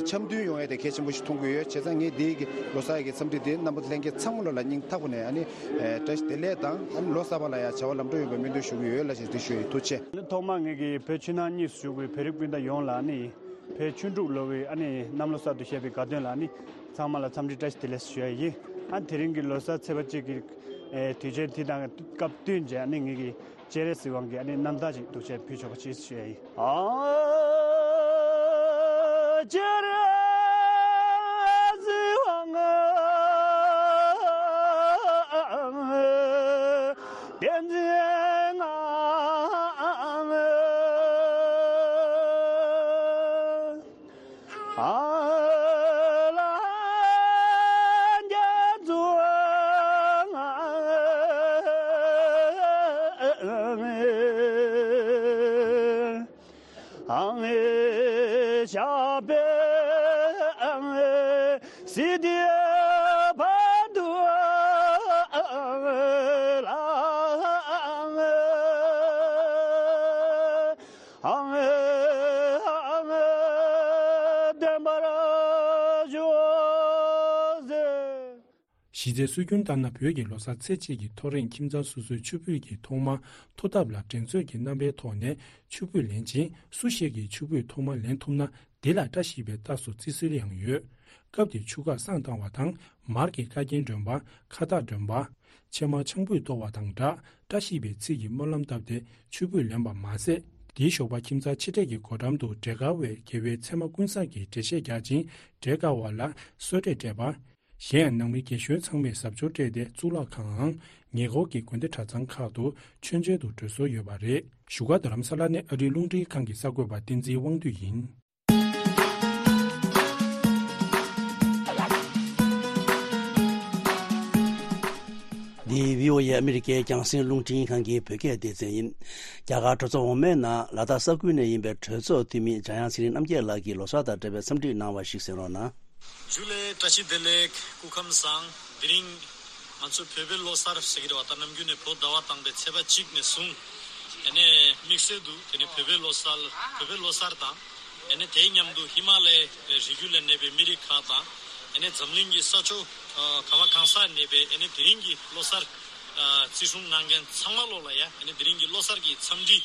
འཆམ་མཐུན་ཡོང་ཡས་དེ་གལ་ཆེན་པོ་ཞིག་མཐོང་གི་ཡོད། བྱས་ཙང་ངས་འདིའི་གི་ལོ་གསར་གྱི་འཚམས་འདྲི་དེ་རྣམ་པ་ལྷན་རྒྱས་ཚང་མ་ལ་ལ་སྙིང་ཐག་པ་ནས་ཨ་ནི་བཀྲ་ཤིས་བདེ་ལེགས་དང་ཨ་ནི་ལོ་གསར་པ་ལ་ཡང་བྱ་བ་ལམ་འགྲོ་ཡོང་བའི་སྨོན་འདུན་ཞུ་གི་ཡོད་ལ་ཞེས་དེ་ཞུ་ཡི། ཐུགས་རྗེ་ཆེ། ཐོག་མར་ངེད་ཀྱི་བོད་ཕྱི་ནང་གཉིས་སུ་བཞུགས་པའི་བོད་རིགས་སྤུན་ཟླ་ཡོངས་ལ་ཨ་ནི། བོད་ཆུ་འབྲུག་ལོ་འི་ཨ་ནི་གནམ་ལོ་གསར་དུ་བཞད་པའི་དགའ་སྟོན་ལ་ཨ་ནི་ཚང་མ་ལ་འཚམས་འདྲི་བཀྲ་ཤིས་བདེ་ལེགས་ཞུ་ཡ་ཡིན། ཨ་དེ་རིང་གི་ལོ་གསར་ཚེས་པ་གཅིག་གི་ཨེ་དུས་ཆེན་དེ་དང་སྐབས་བསྟུན་བྱས་ཨ་ནི་ངེད་ཀྱི་སྤྱན་རས་གཟིགས་དབང་གི་ཨ་ནི་རྣམ་ཐར་ཅིག་འདུག་བྱས་ཕུལ་ཆོག་པ་ཅིག་ཞུ་ཡ་ཡིན། ཨ་སྤྱན་རས་གཟིགས་དབང་བསྟན་འཛིན་ང་། ཨ་ལ་རྒྱ་མཚོ་ཨང་ཨང་ཞབས་པད་ཨང་སྲིད་པ་དུ་ཨང་ལ་ཨང་ཨང་ལྡན་པར་ཤོག་ཟེར། གཞི་རྩའི་སྲོལ་རྒྱུན་ལྟར་ན། བོད་ཀྱི་ལོ་གསར་ཚེས་གཅིག་གི་ཐོ་རེངས་ཁྱིམ་ཚང་སོ་སོའི་ཆུ་ཕུད་ཀྱི་ཐོག་མར་ཐོ་ཐབ་ལ་འགྲེང་ཚོད་ཀྱི་རྣམ་པའི་ཐོག་ནས་ཆུ་ཕུད་ལེན་ཅིང་། སུ་ཞིག་གིས་ཆུ་ཕུད་ཐོག་མར་ལེན་ཐུབ་ན། དེ་ལ་བཀྲ་ཤིས་པའི་རྟགས་སུ་བརྩི་སྲོལ་ཡང་ཡོད། སྐབས་དེར་ཆུ་ཁར་བསང་བཏང་བ་དང་། མར་གྱི་ཁ་རྒྱན་སྒྲོན་པ། ཁ་བཏགས་སྒྲོན་པ། ཕྱེ་མར་ཆང་ཕུད་གཏོར་བ་དང་སྦྲགས། བཀྲ་ཤིས་པའི་ཚིག་གི་སྨོན་ལམ་བཏབ་སྟེ་ཆུ་ཕུད་ལེན་པ་མ་ཟད། དེའི་ཞོགས་པ་ཁྱིམ་ཚང་ཆེ་གྲས་ཀྱི་སྒོ་འགྲམ་དུ་འབྲས་དཀར་བའི་རྒྱལ་བའི་མཚན་མ་ཀུན་བཟང་གི་འགྲེལ་བཤད་རྒྱག་ཅིང་། འབྲས་དཀར་བ་ལ་གསོལ་འབྲས་སྤྲད་པ། གཞན་ཡང་ནང་མི་རྒན་གཞོན་ཚང་མས་གཟབ་མཆོར་སྤྲས་ཏེ་གཙུག་ལག་ཁང་ངམ་ཉེ་འཁོར་གྱི་དགོན་སྡེ་གྲྭ་ཚང་ཁག་ཏུ་མཆོད་མཇལ་དུ་འགྲོ་སྲོལ་ཡོད་པ་རེད། བཞུགས་སྒར་རྡ་རམ་ས་ལ་ནས་ཨ་རིའི་རླུང་འཕྲིན་ཁང་གི་གསར་འགོད་པ་བསྟན་འཛིན་དབང་འདུས་ཡིན། འདི་བྷི་ཨོ་ཨེ་ཨ་མི་རི་ཀའི་རྒྱང་སྲིང་རླུང་འཕྲིན་ཁང་གི་བོད་སྐད་སྡེ་ཚན་ཡིན། རྒྱ་གར་གྲོས་ཚོགས་འོག་མའི་ནང་ལ་དྭགས་ས་ཁུལ་ནས་ཡིན་པའི་གྲོས་ཚོགས་འཐུས་མི་འཇམ་དབྱངས་ཚེ་རིང་རྣམ་རྒྱལ་ལགས་ཀྱིས་ལོ་གསར་དང་འབྲེལ་བའི་འཚམས་འདྲི་གནང་བ་ཞིག་གསན་རོགས་གནང་། ཇུ་ལེ། བཀྲ་ཤིས་བདེ་ལེགས། སྐུ་ཁམས་བཟང་། དེ་རིང་ང་ཚོ་བོད་པའི་ལོ་གསར་ཟེར་གྱི་རེད་བ། ད་ནམ་རྒྱུན་ནས་བོད་ཟླ་བ་དང་པའི་ཚེས་པ་གཅིག་ནས་བཟུང་ཨ་ནི་དམིགས་བསལ་དུ་དེ་ནི་བོད་པའི་ལོ་གསར་བོད་པའི་ལོ་གསར་དང་ཨ་ནི་དེའི་མཉམ་དུ་ཧི་མ་ལ་ཡའི་རི་རྒྱུད་ལ་གནས་པའི་མི་རིགས་ཁག་དང་ཨ་ནི་འཛམ་གླིང་གི་ས་ཕྱོགས་ག་བ་གང་སར་གནས་པའི་ཨ་ནི་དེ་རིང་གི་ལོ་གསར་བརྩི་སྲུང་གནང་མཁན་ཚང་མ་ལོ་ལ་ཡ་ཨ་ནི་དེ་རིང་གི་ལོ་གསར་གྱི་འཚམས་འདྲི་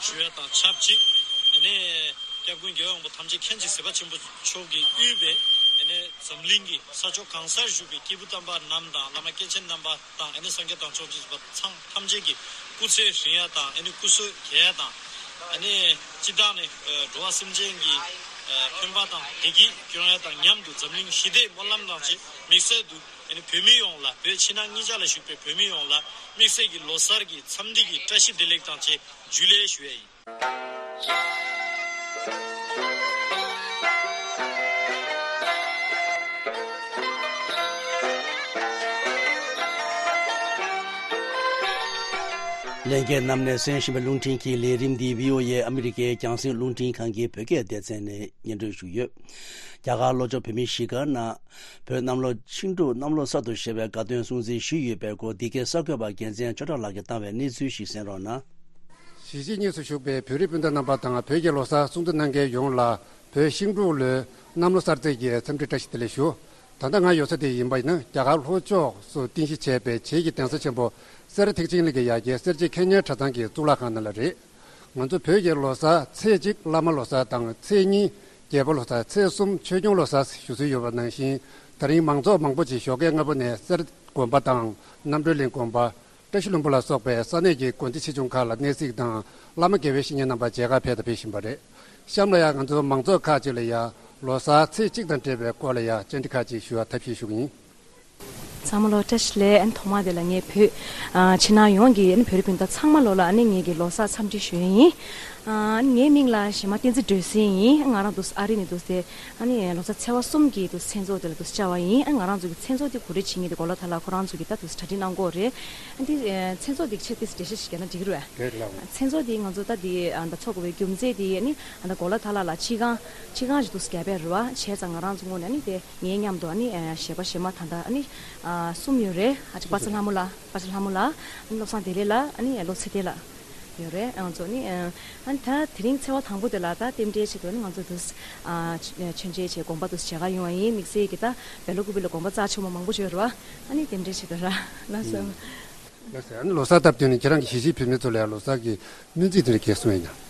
ཞུ་ཡ་དང་ཆབས་ཅིག་ཨ་ནི། སྐྱབས་མགོན་རྒྱལ་བ་དབང་པོ་ཐམས་ཅད་མཁྱེན་ཅིང་གཟིགས་པ་ཆེན་པོ་མཆོག་གིས་དབུས་པའི་ཨ་ནི་འཛམ་གླིང་གི་ས་ཕྱོགས་གང་སར་བཞུགས་པའི་སྐྱེས་བུ་དམ་པ་རྣམས་དང་བླ་མ་སྐྱེས་ཆེན་རྣམ་པ་དང་ཨ་ནི་སངས་རྒྱས་དང་ཆོས་རྗེ་ཚང་ཐམས་ཅད་ཀྱི་སྐུ་ཚེ་རིང་ཡ་དང་ཨ་ནི་སྐུ་གཟུགས་རྒྱས་ཡ་དང་ཨ་ནི་སྤྱི་བཏང་ནས་འགྲོ་བ་སེམས་ཅན་གྱི་ཕན་པ་དང་བདེ་སྐྱིད་སྐྱོང་ཡ་དང་མཉམ་དུ་འཛམ་གླིང་ཞི་བདེའི་སྨོན་ལམ་དང་བཅས་དམིགས་བསལ་དུ་ཨ་ནི་བོད་མི་ཡོངས་ལ་བོད་ཕྱི་ནང་གཉིས་ཆ་ལ་བཞུགས་པའི་བོད་མི་ཡོངས་ལ་དམིགས་བསལ་གྱི་ལོ་གསར་གྱི་འཚམས་འདྲི་གི་བཀྲ་ཤིས་བདེ་ལེགས་དང་བཅས་ཇུ་ལེ་ཞུ་ཡ་ཡིན། ལྷན་རྒྱས་རྣམས་ནས་གསན་བཞིན་པའི་རླུང་འཕྲིན་གྱི་ལས་རིམ་འདི་བྷི་ཨོ་ཨེ་ཨ་མི་རི་ཀའི་རྒྱང་སྲིང་རླུང་འཕྲིན་ཁང་གི་བོད་སྐད་སྡེ་ཚན་ནས་སྙན་སྒྲོན་ཞུས་ཡོད། རྒྱ་གར་ལྷོ་ཕྱོགས་བོད་མིའི་གཞིས་སྒར་ནང་བོད་གནམ་ལོ་ཤིང་འབྲུག་གནམ་ལོ་གསར་དུ་བཞད་པའི་དགའ་སྟོན་སྲུང་བརྩི་ཞུས་ཡོད་པའི་སྐོར་འདི་གའི་གསར་འགོད་པ་རྒྱལ་མཚན་ཆོས་གྲགས་ལགས་ཀྱིས་བཏང་བའི་གནས་ཚུལ་ཞིག་གསན་རོགས་གནང་། གཞིས་བྱེས་གཉིས་སུ་བཞུགས་པའི་བོད་རིགས་སྤུན་ཟླ་རྣམ་པ་དང་བོད་ཀྱི་ལོ་གསར་སྲུང་བརྩི་གནང་མཁན་ཡོངས་ལ་བོད་ཤིང་འབྲུག་ལོའི་གནམ་ལོ་གསར་ཚེས་ཀྱི་འཚམས་འདྲི་བཀྲ་ཤིས་བདེ་ལེགས་ཞུ། ད་ལྟ་ང་ཡོད་ས་དེ་ཡིན་པ་ཡིན་ན་རྒྱ་གར་ལྷོ་ཕྱོགས་སུ་རྟེན་གཞི་བྱས་པའི་བྱེས་ཀྱི་གདན་ས་ཆེན་པོ་སེ་ར་ཐེག་ཆེན་གླིང་གི་ཡ་གྱལ་སེར་བྱེས་མཁས་སྙན་གྲྭ་ཚང་གི་གཙུག་ལག་ཁང་ནང་ལ་རེད། ང་ཚོ་བོད་ཀྱི་ལོ་གསར་ཚེས་གཅིག་བླ་མ་ལོ་གསར་དང་ཚེས་གཉིས་རྒྱལ་པོ་ལོ་གསར། ཚེས་གསུམ་ཆོས་སྐྱོང་ལོ་གསར་ཞུ་སྲོལ་ཡོད་པ་ནང་བཞིན། ད་རིང་མང་ཚོགས་མང་པོ་ཅིག་ཞོགས་ཀས་སྔ་པོ་ནས་གསེར་དགོན་པ་དང་རྣམ་གྲོལ་གླིང་དགོན་པ། བཀྲ་ཤིས་ལྷུན་པོ་ལ་སོགས་པའི་ས་གནས་ཀྱི་དགོན་སྡེ་ཆེ་ཆུང་ཁག་ལ་གནས་གཟིགས་དང་བླ་མ་དགེ་བའི་བཤེས་གཉེན་རྣམ་པ་མཇལ་ཁ་ཕེབས་དང་ཕེབས་བཞིན་པ་རེད། གཤམ་ལ་ཡང་ང་ཚོ་མང་ཚོགས་ཁག་ཅིག་ལ་ཡང་ལོ་གསར་ཚེས་གཅིག་དང་འབྲེལ་བའི་སྐོར་ལ་ཡང་བཅར་འདྲི་ཁག་ཅིག་ཞུ་བར་ཐབས་ཤེས་ཞུ་གི་ཡིན། ཚང་མ་ལོ་བཀྲ་ཤིས་བདེ་ལེགས། ཨ་ནི་ཐོག་མ་དེ་ལ་ངས་བོད་ཨ་ཕྱི་ནང་ཡོངས་ཀྱི་ཨ་ནི་བོད་རིགས་སྤུན་ཟླ་ཚང་མ་ལོ་ལ་ཨ་ནི་ངེད་ཀྱི་ལོ་གསར་འཚམས་འདྲི་ཞུ་ཡས་ཡིན། ཨ་ནི་ངའི་མིང་ལ་གཞས་མ་བསྟན་འཛིན་བགྲོད་བསྲན་ཡིན། ང་རང་དུས་ཨ་རི་ནས་དུས་དེ་ཨ་ནི་ལོ་གསར་ཚེས་པ་གསུམ་གྱི་དུས་མཚན་ཚོགས་དེ་ལ་དུས་བཅར་བ་ཡིན། ཨ་ང་རང་ཚོ་གི་མཚན་ཚོགས་དེ་གོ་སྒྲིག་བྱེད་མཁན་དེ་གོ་ལ་ཐ་ལ་ཁོ་རང་ཚོ་གི་ད་དུས་གྲ་སྒྲིག་གནང་གི་ཡོད་རེད། ཨ་འདི་མཚན་ཚོགས་དེ་ཆེད་དུ་འགྲེལ་བཤད་ཞིག་རྒྱག་ན་འགྲིག་གི་རེད་བས། རེད་ལགས། མཚན་ཚོགས་དེ་ང་ཚོ་ད་དེ་ཨ་ད་ཚོགས་དགོས་པའི་རྒྱུ་མཚན་དེ་ཨ་ནི་ཨ་ད་གོ་ལ་ཐ་ལ་ལ་ཕྱི་ཁང་ཕྱི་ཁང་ཞིག་དུས་བརྒྱབ་པའི་རེད་བ། བྱས་ཙང་ང་རང་ཚོ་ངོས་ནས་ཨ་ནི་དེ། ངའི་མཉམ་དུ་ཨ་ནི་ཨ་གཞས་པ་གཞས་མ་ད་ལྟ་ཨ་ནི་ཨ་གསུམ་ཡོད་རེད། ཨ་ཅག་པ་སངས་ལྷ་མོ་ལགས། པ་སངས་ལྷ་མོ་ལགས། ཨ་ནི་བློ་བཟང་བདེ་ལེགས་ལགས། ཨ་ནི་བློ་ཚེ་བརྟན་ལགས་ཡོད་རེད། ང་ཚོ་ཨ་ནི་ཨ་ཨ་ནི་ད་དེ་རིང་ཚེས་པ་དང་པོ་དེ་ལ་ད་རྟེན་འབྲེལ་ཆེད་དུ་ཨ་ནི་ང་ཚོ་དུས་ཨ་མཆོད་མཇལ་བྱེད་དགོན་པ་དུས་མཇལ་ཁ་ཡོང་བ་ཡིན། དམིགས་བསལ་གྱི་ད་བལ་ལོ་ཀུ་པི་ལ་དགོན་པ་རྩ་ཆེན་མོ་མང་པོ་ཡོད་རེད་བ། ཨ་ནི་རྟེན་འབྲེལ་ཆེད་དུ་ར་ལགས་སོ། ལགས་སོ། ཨ་ནི་ལོ་གསར་སྟབས་བསྟུན་ནས་ཁྱེད་རང་གི་གཞིས་བྱེས་བོད་མི་ཚོ་ལ་ཡང་ལོ་གསར་གྱི་སྨོན་ཚིག་དེ་འདྲ་གས་གསུངས་ཡིན་ན།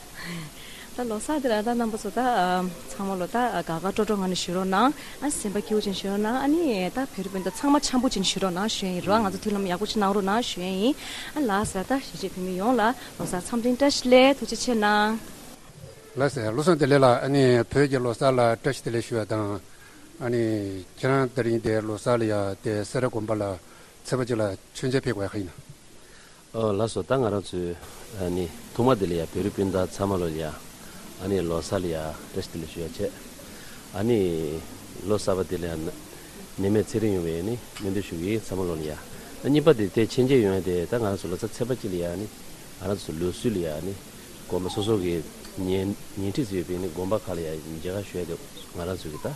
ད་ལོ་གསར་དེ་ལ་ད་རྣམ་པ་ཚོ་ད་ཨ་ཚང་མ་ལོ་ད་དགའ་དགའ་སྤྲོ་སྤྲོ་ངང་ནས་བཞུགས་རོགས་གནང་། ཨ་སེམས་པ་སྐྱིད་པོ་ཅན་བཞུགས་རོགས་གནང་། ཨ་ནི་ད་བོད་རིགས་སྤུན་ཟླ་ཚང་མ་འཆམ་པོ་ཅན་བཞུགས་རོགས་གནང་ཞུ་ཡ་ཡིན་རོགས། ང་ཚོ་མཐུན་ལམ་ཡག་པོ་ཅིག་གནང་རོགས་གནང་ཞུ་ཡ་ཡིན། ཨ་ལགས་སོ། ད་གཞིས་བྱེས་བོད་མི་ཡོངས་ལ་ལོ་གསར་འཚམས་འཕྲིན་བཀྲ་ཤིས་བདེ་ལེགས། ཐུགས་རྗེ་ཆེ་གནང་། ལགས་སོ། བློ་བཟང་བདེ་ལེགས་ལགས། ཨ་ནི་བོད་ཀྱི་ལོ་གསར་ལ་བཀྲ་ཤིས་བདེ་ལེགས་ཞུ་བ་དང་། ཨ་ནི་ཁྱེད་རང་དེ་རིང་དེ་ལོ་གསར་ལ་ཡ་དེ་སེ་ར་དགོན་པ་ལ་ཚེས་པ་གཅིག་ལ་མཆོད་མཇལ་ཕེབས་དགོས་ཡ་ག་ཡིན་ན། ཨོ་ལགས་སོ། ད་ང་རང་ཚོའི་ཨ་ནི་ཐོག་མ་དེ་ལ་ཡ་བོད་རིགས་སྤུན་ཟླ་ཚང་མ་ལོ་ལ་ཡ་ཨ་ནི་ལོ་གསར་ལ་ཡ་བཀྲ་ཤིས་བདེ་ལེགས་ཞུ་ཡ་བྱས། ཨ་ནི་ལོ་གསར་པ་དེ་ལ་ཡ་ནད་མེད་ཚེ་རིང་ཡོང་བའི་ཨ་ནི་སྨོན་འདུན་ཞུ་གི་ཡིན་ཚང་མ་ལོ་ལ་ཡ། ཨ་གཉིས་པ་དེ་དེ་མཆོད་མཇལ་ཡོང་ཡ་དེ་ད་ང་རང་ཚོ་ལོ་གསར་ཚེས་པ་གཅིག་ལ་ཡ་ཨ་ནི་ང་རང་ཚོ་ལུགས་སྲོལ་ལ་ཡ་ཨ་ནི་དགོན་པ་སོ་སོ་གི་ཉེ་ཉེ་འཁྲིས་སུ་ཡོད་པའི་ཨ་ནི་དགོན་པ་ཁག་ལ་ཡ་མཇལ་ཁ་ཞུ་ཡ་དེ་ང་རང་ཚོ་གི་ད་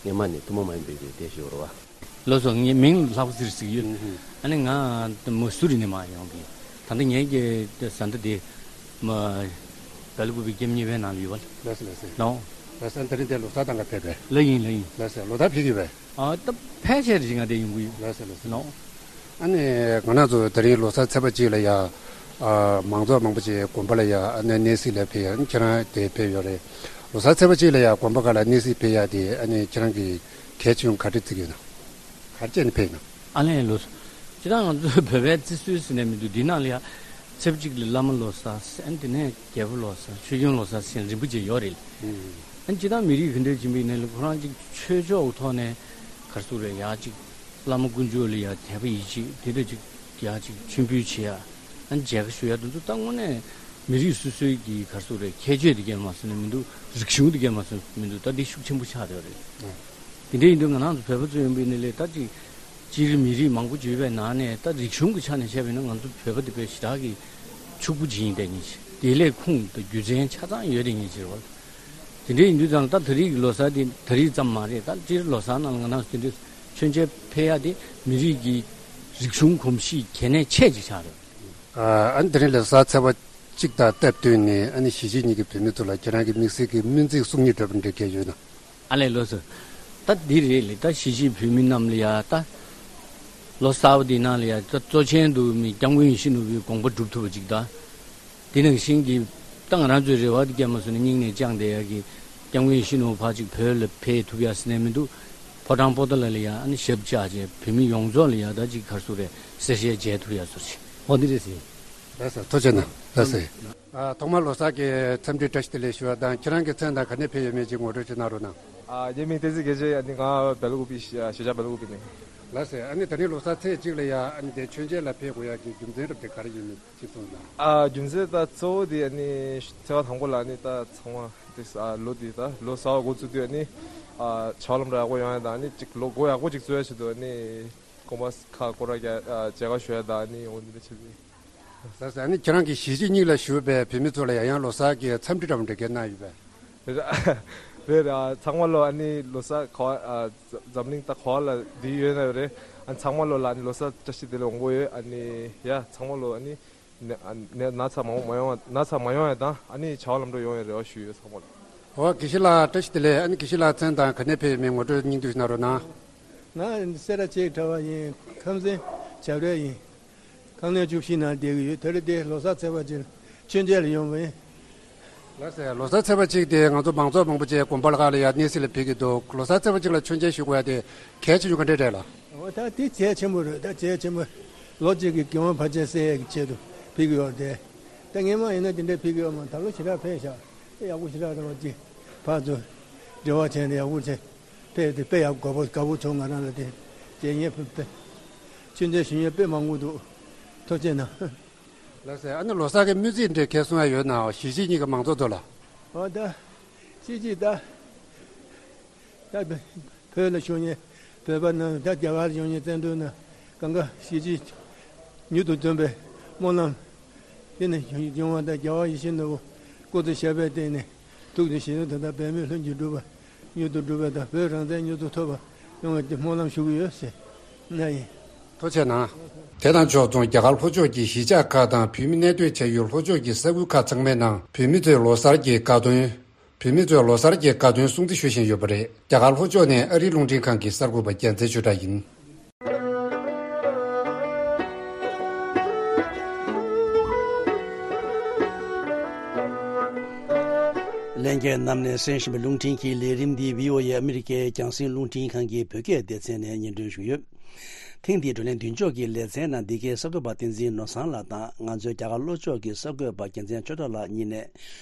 སྔོན་མ་ནས་ཐུན་མོང་མ་ཡིན་པའི་གི་དེ་ཞུ་བ་རེད་བ། ལགས་སོ། ངའི་མིང་ལྷག་པ་ཚེ་རིང་ཟེར་གྱི་ཡོད། ཨ་ནི་ང་མ་སུ་རི་ནས་མར་ཡོང་གི། ད་ལྟ་ངའི་གི་བཟའ་ཟླ་དེ་མ་བལ་ཀུ་པའི་ཀེམ་གཉིས་པའི་ནང་ལ་ཡོད་པ། ལགས་སོ་ལགས་སོ། ལགས་སོ། ད་རིང་དེ་ལོ་གསར་གཏོང་ག་ཕེབས་པས། ལགས་ཡིན་ལགས་ཡིན། ལགས་སོ། ལོ་ཟླ་ཕེབས་ཀྱི་བས། ཨ་ད་ཕལ་ཆེར་ཞིག་ང་དེ་ཡོང་གི་ཡོད། ལགས་སོ་ལགས་སོ། ལགས། ཨ་ནི་ང་རང་ཚོ་དེ་རིང་ལོ་གསར་ཚེས་པ་གཅིག་ལ་ཡ། ཨ་མང་ཚོགས་མང་པོ་ཅིག་དགོན་པ་ལ་ཡ་ཨ་ནི་གནས་གཟིགས་ལ་ཕེབས་ཡ། ཁྱེད་རང་དེ་ཕེབས་ཡོད་རེད། ལོ་གསར་ཚེས་པ་གཅིག་ལ་ཡ་དགོན་པ་ཁག་ལ་གནས་གཟིགས་ཕེབས་ཡ་དེ་ཨ་ནི་ཁྱེད་རང་གི་གལ་ཆེ་ཆུང་ག་འདྲ་བརྩི་གི་ཡོད་ན། ག་རེ་བྱས་ནས་ཕེབས་ཡིན་ན། ཨ་ལས་ལོ། སྤྱིར་བཏང་ང་ཚོའི་བོད་པའི་བརྩི་སྲོལ་ཟེར་ནས་མི་འདུག་འདི་ནང་ལ་ཡ། ཚེས་པ་གཅིག་ལ་བླ་མ་ལོ་གསར་ཟེར། ཨ་ནི་དེ་ནས་རྒྱལ་པོ་ལོ་གསར། ཆོས་སྐྱོང་ལོ་གསར་ཟེར་རིམ་པ་ཅིག་ཡོད་རེད། ཨ་ནི་སྤྱིར་བཏང་མི་རིགས་ག་འདྲ་ཡིན་པ་ཡིན་ནའི་ཁོ་རང་ཅིག་ཆོས་ཕྱོགས་ཀྱི་ཐོག་ནས་ག་རེ་ཟེར་དགོས་རེད། ཡ་ཅིག་ བླ་མ་དཀོན་མཆོག་ལ་ཡ་དད་པ་ཡིད་ཆེས་དེ་འདྲ་ཅིག་ཡ་ཅིག་མཆོད་འབུལ་བྱེད་ཡ། ཨ་ནི་མཇལ་ཁ་ཞུ་ཡ་དེ་ཚོ་ད་དངོས་གནས་མི་རིགས་སོ་སོའི་གི་ག་རེ་ཟེར་རེད། ཁྱད་ཆོས་དེ་གས་མ་སོང་ནས་མི་འདུག་རིག་གཞུང་དེ་གས་མ་སོང་མི་འདུག་ད་འདི་ཤུགས་ཆེན་པོ་ཆགས་བསྡད་ཡོད་རེད། དེ་འདྲ་ཡིན་དུས་ང་རང་ཚོ་བོད་པ་ཚོ་ཡིན་པའི་ནི་ལས་ད་ཅིག་སྤྱིར་མི་རིགས་མང་པོ་ཅིག་ཡོད་པའི་ནང་ནས་ད་རིག་གཞུང་གི་ཆ་ནས་བཤད་པ་ཡིན་ན་ང་ཚོ་བོད་པ་དེ་དཔེ་ཞེ་དྲག་གི་ཕྱུག་པོ་ཅིག་ཡིན་བསྡད་མཁན་ཅིག་དེ་ལས་ཁུངས་དང་རྒྱུ་མཚན་ཆ་ཚང་ཡོད་བསྡད་མཁན་ཅིག་རེད་བ། དེ་འདྲ་ཡིན་དུས་ཙང་ད་ད་རེས་ཀྱི་ལོ་གསར་དེ་ད་རེས་ཙམ་མ་རེད། ད་སྤྱིར་ལོ་གསར་ནང་ལ་ང་རང་ཚོ་དེ་འདྲའི་མཆོད་མཇལ་ཕེབས་ཡ་དེ་མི་རིགས་ཀྱི་རིག་གཞུང་གོམས་གཤིས་གལ་གནད་ཆེ་ཅིག་ཆགས་རེད། ཨ་ནི་དེ་རིང་ལོ་གསར་ཚེས་པ་གཅིག་དང་སྟབས་བསྟུན་ནས་ཨ་ནི་གཞིས་བྱེས་གཉིས་ཀྱི་བོད་མི་ཚོ་ལ་ཁྱེད་རང་གི་དམིགས་བསལ་གྱི་སྨོན་ཚིག་གསུང་སྙིང་འདོད་པ་འདྲ་གལ་ཡོད་ན། ཨ་ལས་ལགས་སོ། ད་འདི་རེད་ལེ། ད་གཞིས་བྱེས་བོད་མི་རྣམས་ལ་ཡ་ད་ལོ་གསར་པ་འདི་ནང་ལ་ཡ་ད་གཙོ་ཆེན་དུ་མི་སྐྱབས་མགོན་ཡིད་བཞིན་ནོར་བུའི་དགོངས་པ་སྒྲུབ་ཐུབ་པ་ཅིག་དང་། དེ་ནང་བཞིན་གྱི་ད་ང་རང་ཚོའི་རེ་བ་འདི་སྐྱེས་མ་སོང་ནས་སྙིང་ནས་བཅངས་བསྡད་ཡ་གི་སྐྱབས་མགོན་ཡིད་བཞིན་ནོར་བུ་ཕར་ཅིག་བོད་ལ་ཕེབས་ཐུབ་ཡ་ཟེར་ནས་མི་འདུག་ཕོ་བྲང་པོ་ཏཱ་ལ་ལ་ཡ་ཨ་ནི་ཞབས་བཅགས་བྱས་བོད་མི་ཡོངས་རྫོགས་ལ་ཡ་ད་ཅིག་ག་རེ་ཟེར་རེད། གསལ་བཤད་མཇལ་ཐུབ་ཡ་བཟོ་ཅིག་འོ་འདི་རེད་ཟེར། ལགས་སོ། ཐུགས་རྗེ་གནང་། ལགས་སོ། ཨ། ཐོག་མར་ལོ་གསར་གྱི་འཚམས་འདྲི་བཀྲ་ཤིས་བདེ་ལེགས་ཞུ་བ་དང་། ཁྱེད་རང་གི་མཚན་དང་ག་ནས་ཕེབས་ཡོད་མེད་ཅིག་ངོ་སྤྲོད་ཅིག་གནང་རོགས་གནང་། ཨ། ངའི་མིང་བསྟན་འཛིན་རྒྱལ་མཚན། ཨ་ནི་ང་སྦེལ་ཀོབ་པི་གཞིས་ཆགས་སྦེལ་ཀོབ་པི་ནས། ལགས་སོ། ཨ་ནི་ད་རིང་ལོ་གསར་ཚེས་གཅིག་ལ་ཡ་ཨ་ནི་དེ་མཆོད་མཇལ་ལ་ཕེབས་དགོས་ཡ་གི་རྒྱུ་མཚན་རབ་དེ་ག་རེ་ཡིན་མིན་ཅིག་གསུངས་དང་། ཨ། རྒྱུ་མཚན་ད་གཙོ་བོ་དེ་ཨ་ནི་ཚེས་པ་དང་པོ་ལ་ཨ་ནི་ད་ཚང་མ་དེ་ཨ་ལོ་དེ་ད་ལོ་གསར་པ་འགོ་བཙུགས་དུས་ཨ་ནི་ཨ་བྱ་བ་ལམ་འགྲོ་ཡག་པོ་ཡོང་ཡ་དང་། ཨ་ནི་གཅིག་ལོ་འགོ་ཡག་པོ་ཅིག་བཙུགས་ཡ་ཆེད་དུ་ཨ་ནི་དགོན་པ་ཁག་སྐོར་ར་རྒྱ་ཨ་མཇལ་ཁ་ཞུ་ཡ་དང་། ཨ་ནི་འོ་འདི་འདྲ་བྱེད་དུས། ལགས་སོ། ཨ་ནི་ཁྱེད་རང་གི་གཞིས་བྱེས་གཉིས་ལ་བཞུགས་པའི་བོད་མི་ཚོ་ལ་ཡང་ཡང་ལོ་གསར་གྱི་འཚམས་འདྲི་འདྲ་བོ་འདྲ་གས་གནང་ཡོད་པས། རེད་རེད། ཨ་ཚང་མ་ལོ་ཨ་ནི་ལོ་གསར་ག་བ་ཨ་འཛམ་གླིང་ད་ག་བ་ལ་འདི་ཡོད་ན་རེད། ཨ་ཚང་མ་ལོ་ལ་ཨ་ནི་ལོ་གསར་བཀྲ་ཤིས་བདེ་ལེགས་འོང་གི་ཡོད། ཨ་ནི་ཡ་ཚང་མ་ལོ་ཨ་ནི་ན་ན་ན་ཚ་མང་པོ་མ་ཡོང་བ། ན་ཚ་མ་ཡོང་ཡ་དང་། ཨ་ནི་བྱ་བ་ལམ་འགྲོ་ཡོང་ཡ་རེ་བ་ཞུ་ཡོད་ཚང་མ་ལ། འོ་དགེ་བཤེས་ལགས་བཀྲ་ཤིས་བདེ་ལེགས། ཨ་ནི་དགེ་བཤེས་ལགས་མཚན་དང་ག་ནས་ཕེབས་ཡོད་མེད་ངོ་སྤྲོད་སྙིང་བསྡུས་ཤིག་གནང་རོགས་གནང་། ང་སེ་ར་བྱེས་གྲྭ་པ་ཡིན། ཁམས་ཚན་བྱ་བྲལ་ཡིན། ཁང་གནས་བཅུ་བཞི་ནང་བསྡད་ཀྱི་ཡོད། དེ་རིང་འདི་ལོ་གསར་ཚེས་པ་གཅིག་མཆོད་མཇལ་ལ་ཡོང་བ་ཡིན། ལགས་སོ། ལོ་གསར་ཚེས་པ་གཅིག་དེ་ང་ཚོ་མང་ཚོགས་མང་པོ་ཅིག་དགོན་པ་ལ་ཁག་ལ་ཡ་གནས་གཟིགས་ལ་ཕེབས་ཀྱི་འདུག་ལོ་གསར་ཚེས་པ་གཅིག་ལ་མཆོད་མཇལ་ཞུ་དགོས་ཡ་དེ་གལ་ཆེ་ཆུང་ག་འདྲས་རེད་ལགས། འོ་ད་དེ་གལ་ཆེན་པོ་རེད། ད་གལ་ཆེན་པོ། ལོ་གཅིག་གི་རྒྱལ་དབང་བར་ཆད་སེལ་ཡ་གི་ཆེད་དུ་ཕེབས་ཀྱི་ཡོད་རེད་དེ། ད་སྔོན་མ་ཡིན་ན་དེ་འདྲས་ཕེབས་ཀྱི་ཡོད་མ། ད་ལོ་ཞེ་དྲག་ཕེབས་ཤག་ཡག་པོ་ཞེ་དྲག་རེད་བ། ཅིག་ཕར་ཚུར་འབྲེལ་བ་བྱས་ནས་ཡག་པོ་བྱས། དཔེ་དེ་དཔེ་ཡག་དགའ་པོ་དགའ་པོ་བྱུང་། ང་རང་ལ་དེ་དེ་ངས་དཔེ་དཔེ་ཆུ་འཛིན་ཞུ་མཁན་དཔེ་མང་པོ་འདུག་ཐུགས་རྗེ་གནང་། ལགས་སོ། ཨ་ནི་ལོ་གསར་གྱི་སྨོན་ཚིག་འདྲ་གས་གསུང་ཡ་ཡོད་ན། གཞིས་བྱེས་གཉིས་ཀྱི་མང་ཚོགས་ཚོ་ལ། འོ་ད་གཞིས་བྱེས་ད་ད་བོད་ལ་བཞུགས་མཁན་བོད་པ་རྣམས། ད་རྒྱ་གར་ལ་བཞུགས་མཁན་བཙན་བྱོལ་ནང་གང་ག་གཞིས་བྱེས་མྱུར་དུ་འདོན་པའི་སྨོན་ལམ། དེ་ནས་ཡོང་བ་དང་རྒྱལ་བ་ཡིད་བཞིན་ནོར་བུ་སྐུ་ཚེ་ཞབས་པད་བརྟན་ནས་ཐུགས་ཀྱི་བཞེད་དོན་དང་པདྨའི་ལྷུན་གྱིས་འགྲུབ་པ་མྱུར་དུ་འགྲུབ་པ་དང་། བོད་རང་བཙན་མྱུར་དུ་ཐོབ་པ་ཡོང་བའི་སྨོན་ལམ་ཞུ་གི་ཡོད་ཟེར་གནང་ཡིན། ཐུགས་རྗེ་གནང་། དེ་དང་ཕྱོགས་མཚུངས་རྒྱ་གར་ལྷོ་ཕྱོགས་ཀྱི་གཞིས་ཆགས་ཁག་དང་བོད་མི་གནས་སྡོད་བྱ་ཡུལ་ལྷོ་ཕྱོགས་ཀྱི་ས་ཁུལ་ཁག་ཚང་མའི་ནང་བོད་མི་ཚོས་ལོ་གསར་གྱི་དགའ་སྟོན། བོད་མི་ཚོས་ལོ་གསར་གྱི་དགའ་སྟོན་སྲུང་བརྩི་ཞུ་བཞིན་ཡོད་པ་རེད། རྒྱ་གར་ལྷོ་ཕྱོགས་ནས་ཨ་རིའི་རླུང་འཕྲིན་ཁང་གི་གསར་འགོད་པ་རྒྱལ་མཚན་ཆོས་གྲགས་ཡིན། ལྷན་རྒྱས་རྣམས་ནས་གསན་བཞིན་པའི་རླུང་འཕྲིན་གྱི་ལས་རིམ་འདི་བྷི་ཨོ་ཨེ་ཨ་མི་རི་ཀའི་རྒྱང་སྲིང་རླུང་འཕྲིན་ཁང་གི་བོད་སྐད་སྡེ་ཚན་ནས་སྙན་སྒྲོན་ཞུ་གི་ཡོད། ཐེངས་འདིའི་བགྲོ་གླེང་མདུན་ལྕོག་གི་ལེ་ཚན་ནང་འདི་གའི་གསར་འགོད་པ་བསྟན་འཛིན་ནོར་བཟང་ལགས་དང་། ང་ཚོའི་རྒྱ་གར་ལྷོ་ཕྱོགས་ཀྱི་གསར་འགོད་པ་རྒྱལ་མཚན་ཆོས་གྲགས་ལགས་གཉིས་ནས།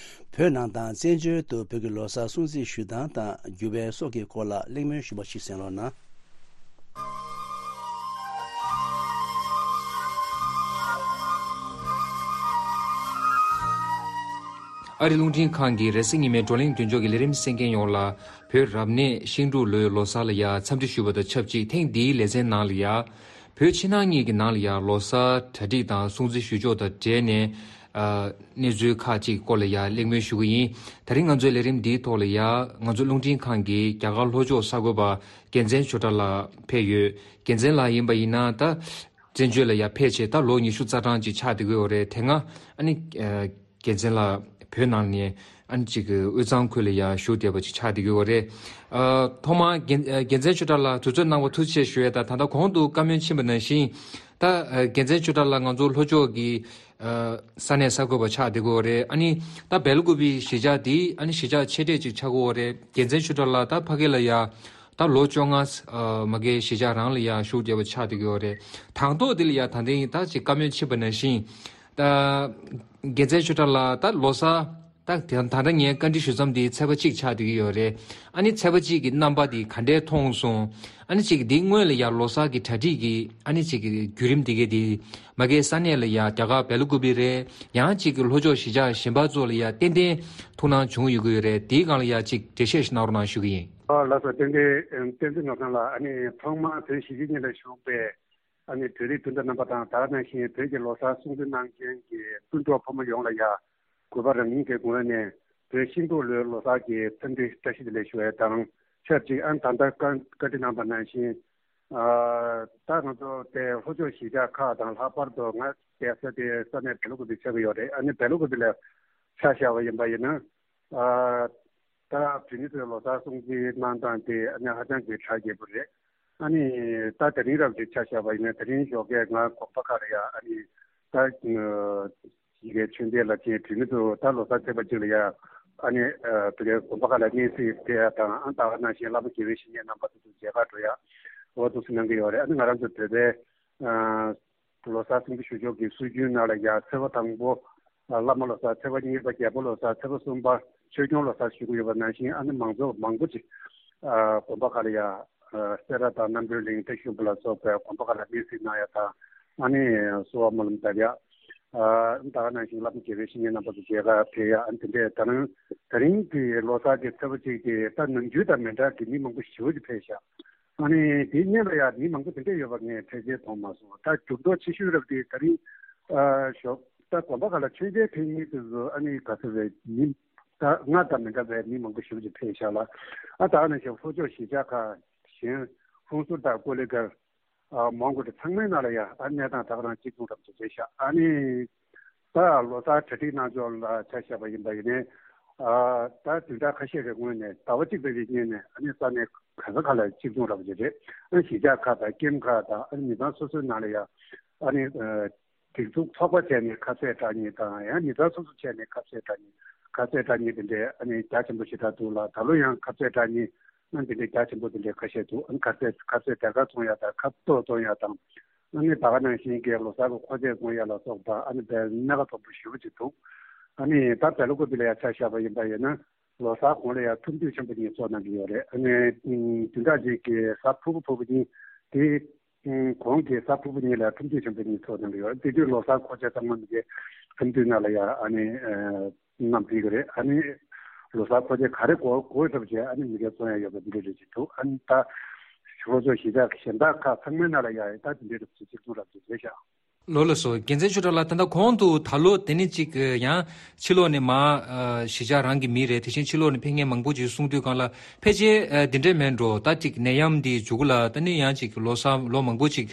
བོད་ནང་དང་བཙན་བྱོལ་དུ་བོད་ཀྱི་ལོ་གསར་སྲུང་བརྩི་ཞུ་སྟངས་དང་འགྱུར་བའི་སོགས་ཀྱི་སྐོར་ལ་གླེང་མོལ་ཞུས་པ་ཞིག་གསན་རོགས་གནང་། ཨ་རི་རླུང་འཕྲིན་ཁང་གི་རེས་གཟའ་ཉི་མའི་བགྲོ་གླེང་མདུན་ལྕོག་གི་ལས་རིམ་གསན་མཁན་ཡོངས་ལ། བོད་རབ་གནས་ཤིང་འབྲུག་ལོའི་ལོ་གསར་ལ་ཡ་འཚམས་འདྲི་ཞུ་བ་དང་ཆབས་ཅིག་ཐེངས་འདིའི་ལེ་ཚན་ནང་ལ་ཡ། བོད་ཕྱི་ནང་གཉིས་ཀྱི་ནང་ལ་ཡ་ལོ་གསར་གྲ་སྒྲིག་དང་སྲུང་བརྩི་ཞུ་ཕྱོགས་དང་འབྲེལ་ནས། ཨ། གནས་ཚུལ་ཁག་ཅིག་སྐོར་ལ་ཡ་གླེང་མོལ་ཞུ་གི་ཡིན། དེ་རིང་ང་ཚོའི་ལས་རིམ་འདིའི་ཐོག་ལ་ཡ་ང་ཚོ་རླུང་འཕྲིན་ཁང་གི་རྒྱ་གར་ལྷོ་ཕྱོགས་གསར་འགོད་པ་རྒྱལ་མཚན་ཆོས་གྲགས་ལགས་ཕེབས་ཡོད། རྒྱལ་མཚན་ལགས་ཡིན་པ་ཡིན་ན་ད་བཙན་བྱོལ་ལ་ཡ་ཕེབས་བྱས་ད་ལོ་ཉི་ཤུ་རྩ་གྲངས་ཅིག་ཆགས་བསྡད་ཀྱི་ཡོད་རེད། དེ་སྔ་ཨ་ནི། ཨ། རྒྱལ་མཚན་ལགས་བོད་ནང་ནས་ཨ་ནི་ཅིག་དབུས་གཙང་ཁུལ་ལ་ཡ་བཞུགས་བསྡད་པ་ཅིག་ཆགས་བསྡད་ཀྱི་ཡོད་རེད། ཨ། ཐོག་མར་རྒྱལ་རྒྱལ་མཚན་ཆོས་གྲགས་ལགས་དུས་ཚོད་གནང་བ་ཐུགས་རྗེ་ཆེ་ཞུ་ཡས་དང་། ད་ལྟ་གོང་དུ་བཀའ་མོལ་ཕྱིན་པ་ནང་བཞིན། ད་རྒྱལ་མཚན་ཆོས་གྲགས་ལགས་ང་ཚོ་ལྷོ་ཕྱོགས་ཀྱི་ས་གནས་གསར་འགོད་པ་ཆགས་བསྡད་ཀྱི་ཡོད་རེད། ཨ་ནི་ད་སྦེལ་ཀོབ་པི་གཞིས་ཆགས་འདི་ཨ་ནི་གཞིས་ཆགས་ཆེ་གྲས་ཅིག་ཆགས་ཀྱི་ཡོད་རེད། རྒྱལ་མཚན་ཆོས་གྲགས་ལགས་ད་ཕ་གི་ལ་ཡ་ད་ལོ་བཅོ་ལྔ་མ་གི་གཞིས་ཆགས་རང་ལ་ཡ་བཞུགས་བསྡད་པ་ཆགས་བསྡད་ཀྱི་ཡོད་རེད། དང་ཐོག་འདི་ལ་ཡ་ད་ཐེངས་ད་ཅིག་བཀའ་མོལ་ཕྱིན་པ་ནང་བཞིན། ད་རྒྱལ་མཚན་ཆོས་གྲགས་ལགས་ད་ལོ་གསར་ ད་ད་ད་ལྟ་ངས་བཀའ་འདྲི་ཞུ་མཚམས་འདི་ཚེས་པ་གཅིག་ཆགས་བསྡད་ཀྱི་ཡོད་རེད། ཨ་ནི་ཚེས་པ་གཅིག་གི་རྣམ་པ་འདི་ག་འདྲས་མཐོང་སོང་། ཨ་ནི་གཅིག་འདི་སྔོན་ལ་ཡང་ལོ་གསར་གྱི་གྲ་སྒྲིག་གི་ཨ་ནི་གཅིག་གི་བརྒྱུད་རིམ་འདི་གའི་འདི་མ་གིའི་ས་གནས་ལ་ཡང་རྒྱ་གར་སྦེལ་ཀོབ་རེད། ཡང་གཅིག་གི་ལྷོ་ཕྱོགས་གཞིས་ཆགས་གཞན་པ་ཚོ་ལ་ཡང་ཏན་ཏན་ཐུགས་སྣང་བྱུང་ཡོད་ཀྱི་ཡོད་རེད། དེའི་སྒང་ལ་ཡང་གཅིག་འགྲེལ་བཤད་ཞིག་གནང་རོགས་གནང་ཞུ་གི་ཡིན། ཨ་ལགས་སོ། ཏན་ཏན་བསྟན་འཛིན་ནོར་བཟང་ལགས། ཨ་ནི་ཐོག་མར་བོད་གཞིས་བྱེས་གཉིས་ལ་བཞུགས་པའི་ཨ་ནི་བོད་རིགས་སྤུན་ཟླ་རྣམ་པ་དང་། ད་ག་ནང་བཞིན་བོད་ཀྱི་ལོ་གསར་སྲུང་བརྩི་གནང་མཁན་གྱི་སྤུན་གྲོགས་ཕོ་མོ་ཡོངས་ལ་ཡང་གུས་པ་རང་ཉིད་ཀྱི་ངོས་ནས་བོད་ཤིང་འབྲུག་ལོའི་ལོ་གསར་གྱི་འཚམས་འདྲི་བཀྲ་ཤིས་བདེ་ལེགས་ཞུ་བ་དང་ཆབས་ཅིག་ཨ་ནི་ད་ལྟ་བཀའ་བཀའ་འདྲི་གནང་པ་ནང་བཞིན། ཨ་ད་ང་ཚོ་དེ་ལྷོ་ཕྱོགས་གཞིས་ཆགས་ཁག་དང་། ལྷག་པར་དུ་ང་བསྡད་ས་དེ་ས་གནས་སྦེལ་ཀོབ་ཆགས་ཀྱི་ཡོད་རེད། ཨ་ནི་སྦེལ་ཀོབ་ལ་ཆ་བཞག་པ་ཡིན་པ་ཡིན་ན། ཨ་ད་བོད་མི་ཚོས་ལོ་གསར་སྲུང་བརྩི་གནང་སྟངས་དེ་ཨ་ནི་ཧ་ཅང་གི་གྲ་རྒྱས་པོ་རེད། ཨ་ནི་ད་དེ་རིང་རབ་ཅིག་ཆ་བཞག་པ་ཡིན་ན། དེ་རིང་ཞོགས་ཀས་ང་དགོན་པ་ཁག་ལ་ཡ་ཨ་ནི་ད་ཡི་གེ་མཆོད་མཇལ་ལ་ཕྱིན། བོད་མི་ཚོ་ད་ལོ་གསར་ཚེས་པ་གཅིག་ལ་ཡ་ཨ་ནི་ཨ་དེ་གའི་དགོན་པ་ཁག་ལ་གནས་གཟིགས་ཕེབས་ཡ་དང་། ཨ་ད་ག་ནང་བཞིན་བླ་མ་དགེ་བའི་བཤེས་གཉེན་རྣམ་པ་ཚོ་དང་མཇལ་ཁ་འགྲོ་ཡ། འོ་འདུག་སེ་གནང་གི་ཡོད་རེད། ཨ་ནི་ང་རང་ཚོ་བོད་པའི་ཨ་ལོ་གསར་སྲུང་བརྩི་ཞུ་ཕྱོགས་ཀྱི་སྲོལ་རྒྱུན་ནང་ལ་ཡ་ཚེས་པ་དང་པོ་ཨ་བླ་མ་ལོ་གསར། ཚེས་པ་གཉིས་པ་རྒྱལ་པོ་ལོ་གསར། ཚེས་པ་གསུམ་པ་ཆོས་སྐྱོང་ལོ་གསར་ཞུ་གི་ཡོད་པ་ནང་བཞིན། ཨ་ནི་མང་ཚོགས་མང་པོ་ཅིག་ཨ་དགོན་པ་ཁག་ལ་ཡ་ཨ་སེ་ར་དང་རྣམ་གྲོལ་གླིང་། བཀྲ་ཤིས་ལྷུན་པོ་ལ་སོགས་པའི་དགོན་པ་ཁག་ལ་གནས་གཟིགས་གནང་ཡ་དང་། ཨ་ནི་གསོལ་བ་སྨོན་ལམ་འདེབས་ཡ། ཨ་ད་ག་ནང་བཞིན་བླ་མ་དགེ་བའི་བཤེས་གཉེན་རྣམ་པ་ཚོ་མཇལ་ཁ་ཕེབས་ཡ། ཨ་ནི་དེ་འདྲས། ད་རིང་དེ་རིང་གི་ལོ་གསར་གྱི་ཚེས་པ་གཅིག་དེ་ད་ནམ་རྒྱུན་དང་མི་འདྲ་གི་མི་མང་པོ་ཞེ་པོ་ཅིག་ཕེབས་ཤག་ཨ་ནི་དེའི་སྔོན་ལ་ཡང་མི་མང་པོ་དེ་འདྲས་ཡོད་པ་ངས་ཕལ་ཆེར་མཐོང་མ་སོང་། ད་འགྱུར་ལྡོག་ཆེ་ཤོས་རབ་དེ་ད་རིང་ཨ་ཞོགས་ད་དགོན་པ་ཁག་ལ་མཆོད་མཇལ་ཕེབས་མཁན་དེ་ཚོ་ཨ་ནི་ག་ཚོད་རེད། མི་ད་སྔར་དང་མི་འདྲ་བའི་མི་མང་པོ་ཞེ་པོ་ཅིག་ཕེབས་ཤག་ལ། ཨ་ད་ག་ནང་བཞིན་ལྷོ་ཕྱོགས་གཞིས་ཆགས་ཁག་གཞན་ཧུན་སུར་དང་ཀོ་ལི་གྷལ། ཨ་མོན་གྷོ་དེ་ཚང་མའི་ནང་ལ་ཡ་ཨ་གནས་སྟངས་ད་ག་རང་གཅིག་མཚུངས་རབ་ཅིག་རེད་ཤག་ཨ་ནི་ད་ལོ་གསར་གྲ་སྒྲིག་གནང་ཕྱོགས་ལ་ཆ་བཞག་པ་ཡིན་པ་ཡིན་ནའི། ཨ་ད་བདུན་ཕྲག་ཁ་ཤས་ཀྱི་སྔོན་ནས་ཟླ་བ་གཅིག་ཙམ་གྱི་སྔོན་ནས་ཨ་ནི་ས་གནས་ག་ས་ག་ལ་གཅིག་མཚུངས་རབ་ཅིག་རེད། ཨ་ནི་གཞིས་ཆགས་ཁག་དང་ཀེམ་ཁག་དང་། ཨ་ནི་མི་ཚང་སོ་སོའི་ནང་ལ་ཡ་ཨ་ནི་ཨ་སྒྲིག་འཛུགས་ཚོགས་པ་བྱས་ནས་ཁ་ཟས་གྲ་སྙེག་དང་། ཡང་མི་ཚང་སོ་སོ་བྱས་ནས་ཁ་ཟས་གྲ་སྙེག་ཁ་ཟས་གྲ་སྙེག་དེ་འདྲའི་ཨ་ནི་རྒྱ་ཆེན་པོ་ཞེ་དྲག་འདུག་ལ། ད་ལོ་ཡང་ཁ་ཟས་གྲ་སྙེག་ཨ་ནི་དེ་འདྲའི་རྒྱ་ཆེན་པོ་དེ་འདྲའི་ཁ་ཤས་འདུག་ཨ་ནི་ཁ་ཟས་ཁ་ཟས་སྡེར་ཁ་བཙོང་ཡ་དང་། ཁ་ལྟོ་བཙོང་ཡ་དང་། ཨ་ནི་ད་ག་ནང་བཞིན་གྱི་ལོ་གསར་གྱི་མཁོ་ཆས་བཙོང་ཡ་ལ་སོགས་པ་ཨ་ནི་དཔེ་གནད་འགག་དོད་པོ་ཞེ་པོ་ཅིག་འདུག་ཨ་ནི་ད་སྦེལ་ཀོབ་ལ་ཡ་ཆ་བཞག་པ་ཡིན་པ་ཡིན་ན། ལོ་གསར་གོང་ལ་ཡང་ཐུམ་དུས་ཆེན་པོ་གཉིས་ཚོགས་གནང་གི་ཡོད་རེད། ཨ་ནི་བདུན་ཕྲག་གཅིག་གི་གཟའ་ཕུར་བུ་ཕུར་བུ་གཉིས་དེ། གོང་གི་གཟའ་ཕུར་བུ་གཉིས་ལ་ཐུམ་དུས་ཆེན་པོ་གཉིས་ཚོགས་གནང་གི་ཡོད་རེད། དེ་དུས་ལོ་གསར་མཁོ་ཆས་ཚང་མ་མི་སྒེར་ཐུམ་དུས་ནང་ལ་ཡང་ཨ་ནི་ཨ་བསྣམས་ཕུལ་གི་རེད། ཨ་ནི་ལོ་གསར་མཁོ་ཆས་ག་རེ་དགོས་དགོས་ཐུབ་བྱས་ཨ་ནི་མི་སྒེར་བཙོང་ཡ་ཡོད་པ་འདི་འདྲ་རེད་ཅིག་འདུག་ཨ་ནི་ད་ལྷོ་ཕྱོགས་གཞིས་ཆགས་གཞན་དག་ཁག་ཚང་མའི་ནང་ལ་ཡང་ད་དེ་འདྲའི་རབ་ཅིག་གཅིག་མཚུངས་རབ་ཅིག་རེད་ཤག་ལགས་སོ། རྒྱལ་མཚན་ཆོས་གྲགས་ལགས། ད་ལྟ་གོང་དུ་ད་ལོ་དེ་ནི་གཅིག་ཡང་ཕྱི་ལོགས་ནས་མར་ཨ་གཞིས་ཆགས་རང་གི་མི་རེད། དེ་བཞིན་ཕྱི་ལོགས་ནས་ཕེབས་མཁན་མང་པོ་ཅིག་གསུང་དུས་སྒང་ལ་ཕལ་ཆེར་ཨ་འདི་འདྲས་མེད་འགྲོ། ད་གཅིག་ནད་ཡམས་འདི་མཇུག་ལ་ད་ནི་ཡང་གཅིག་ལོ་གསར་ལོ་མང་པོ་ཅིག་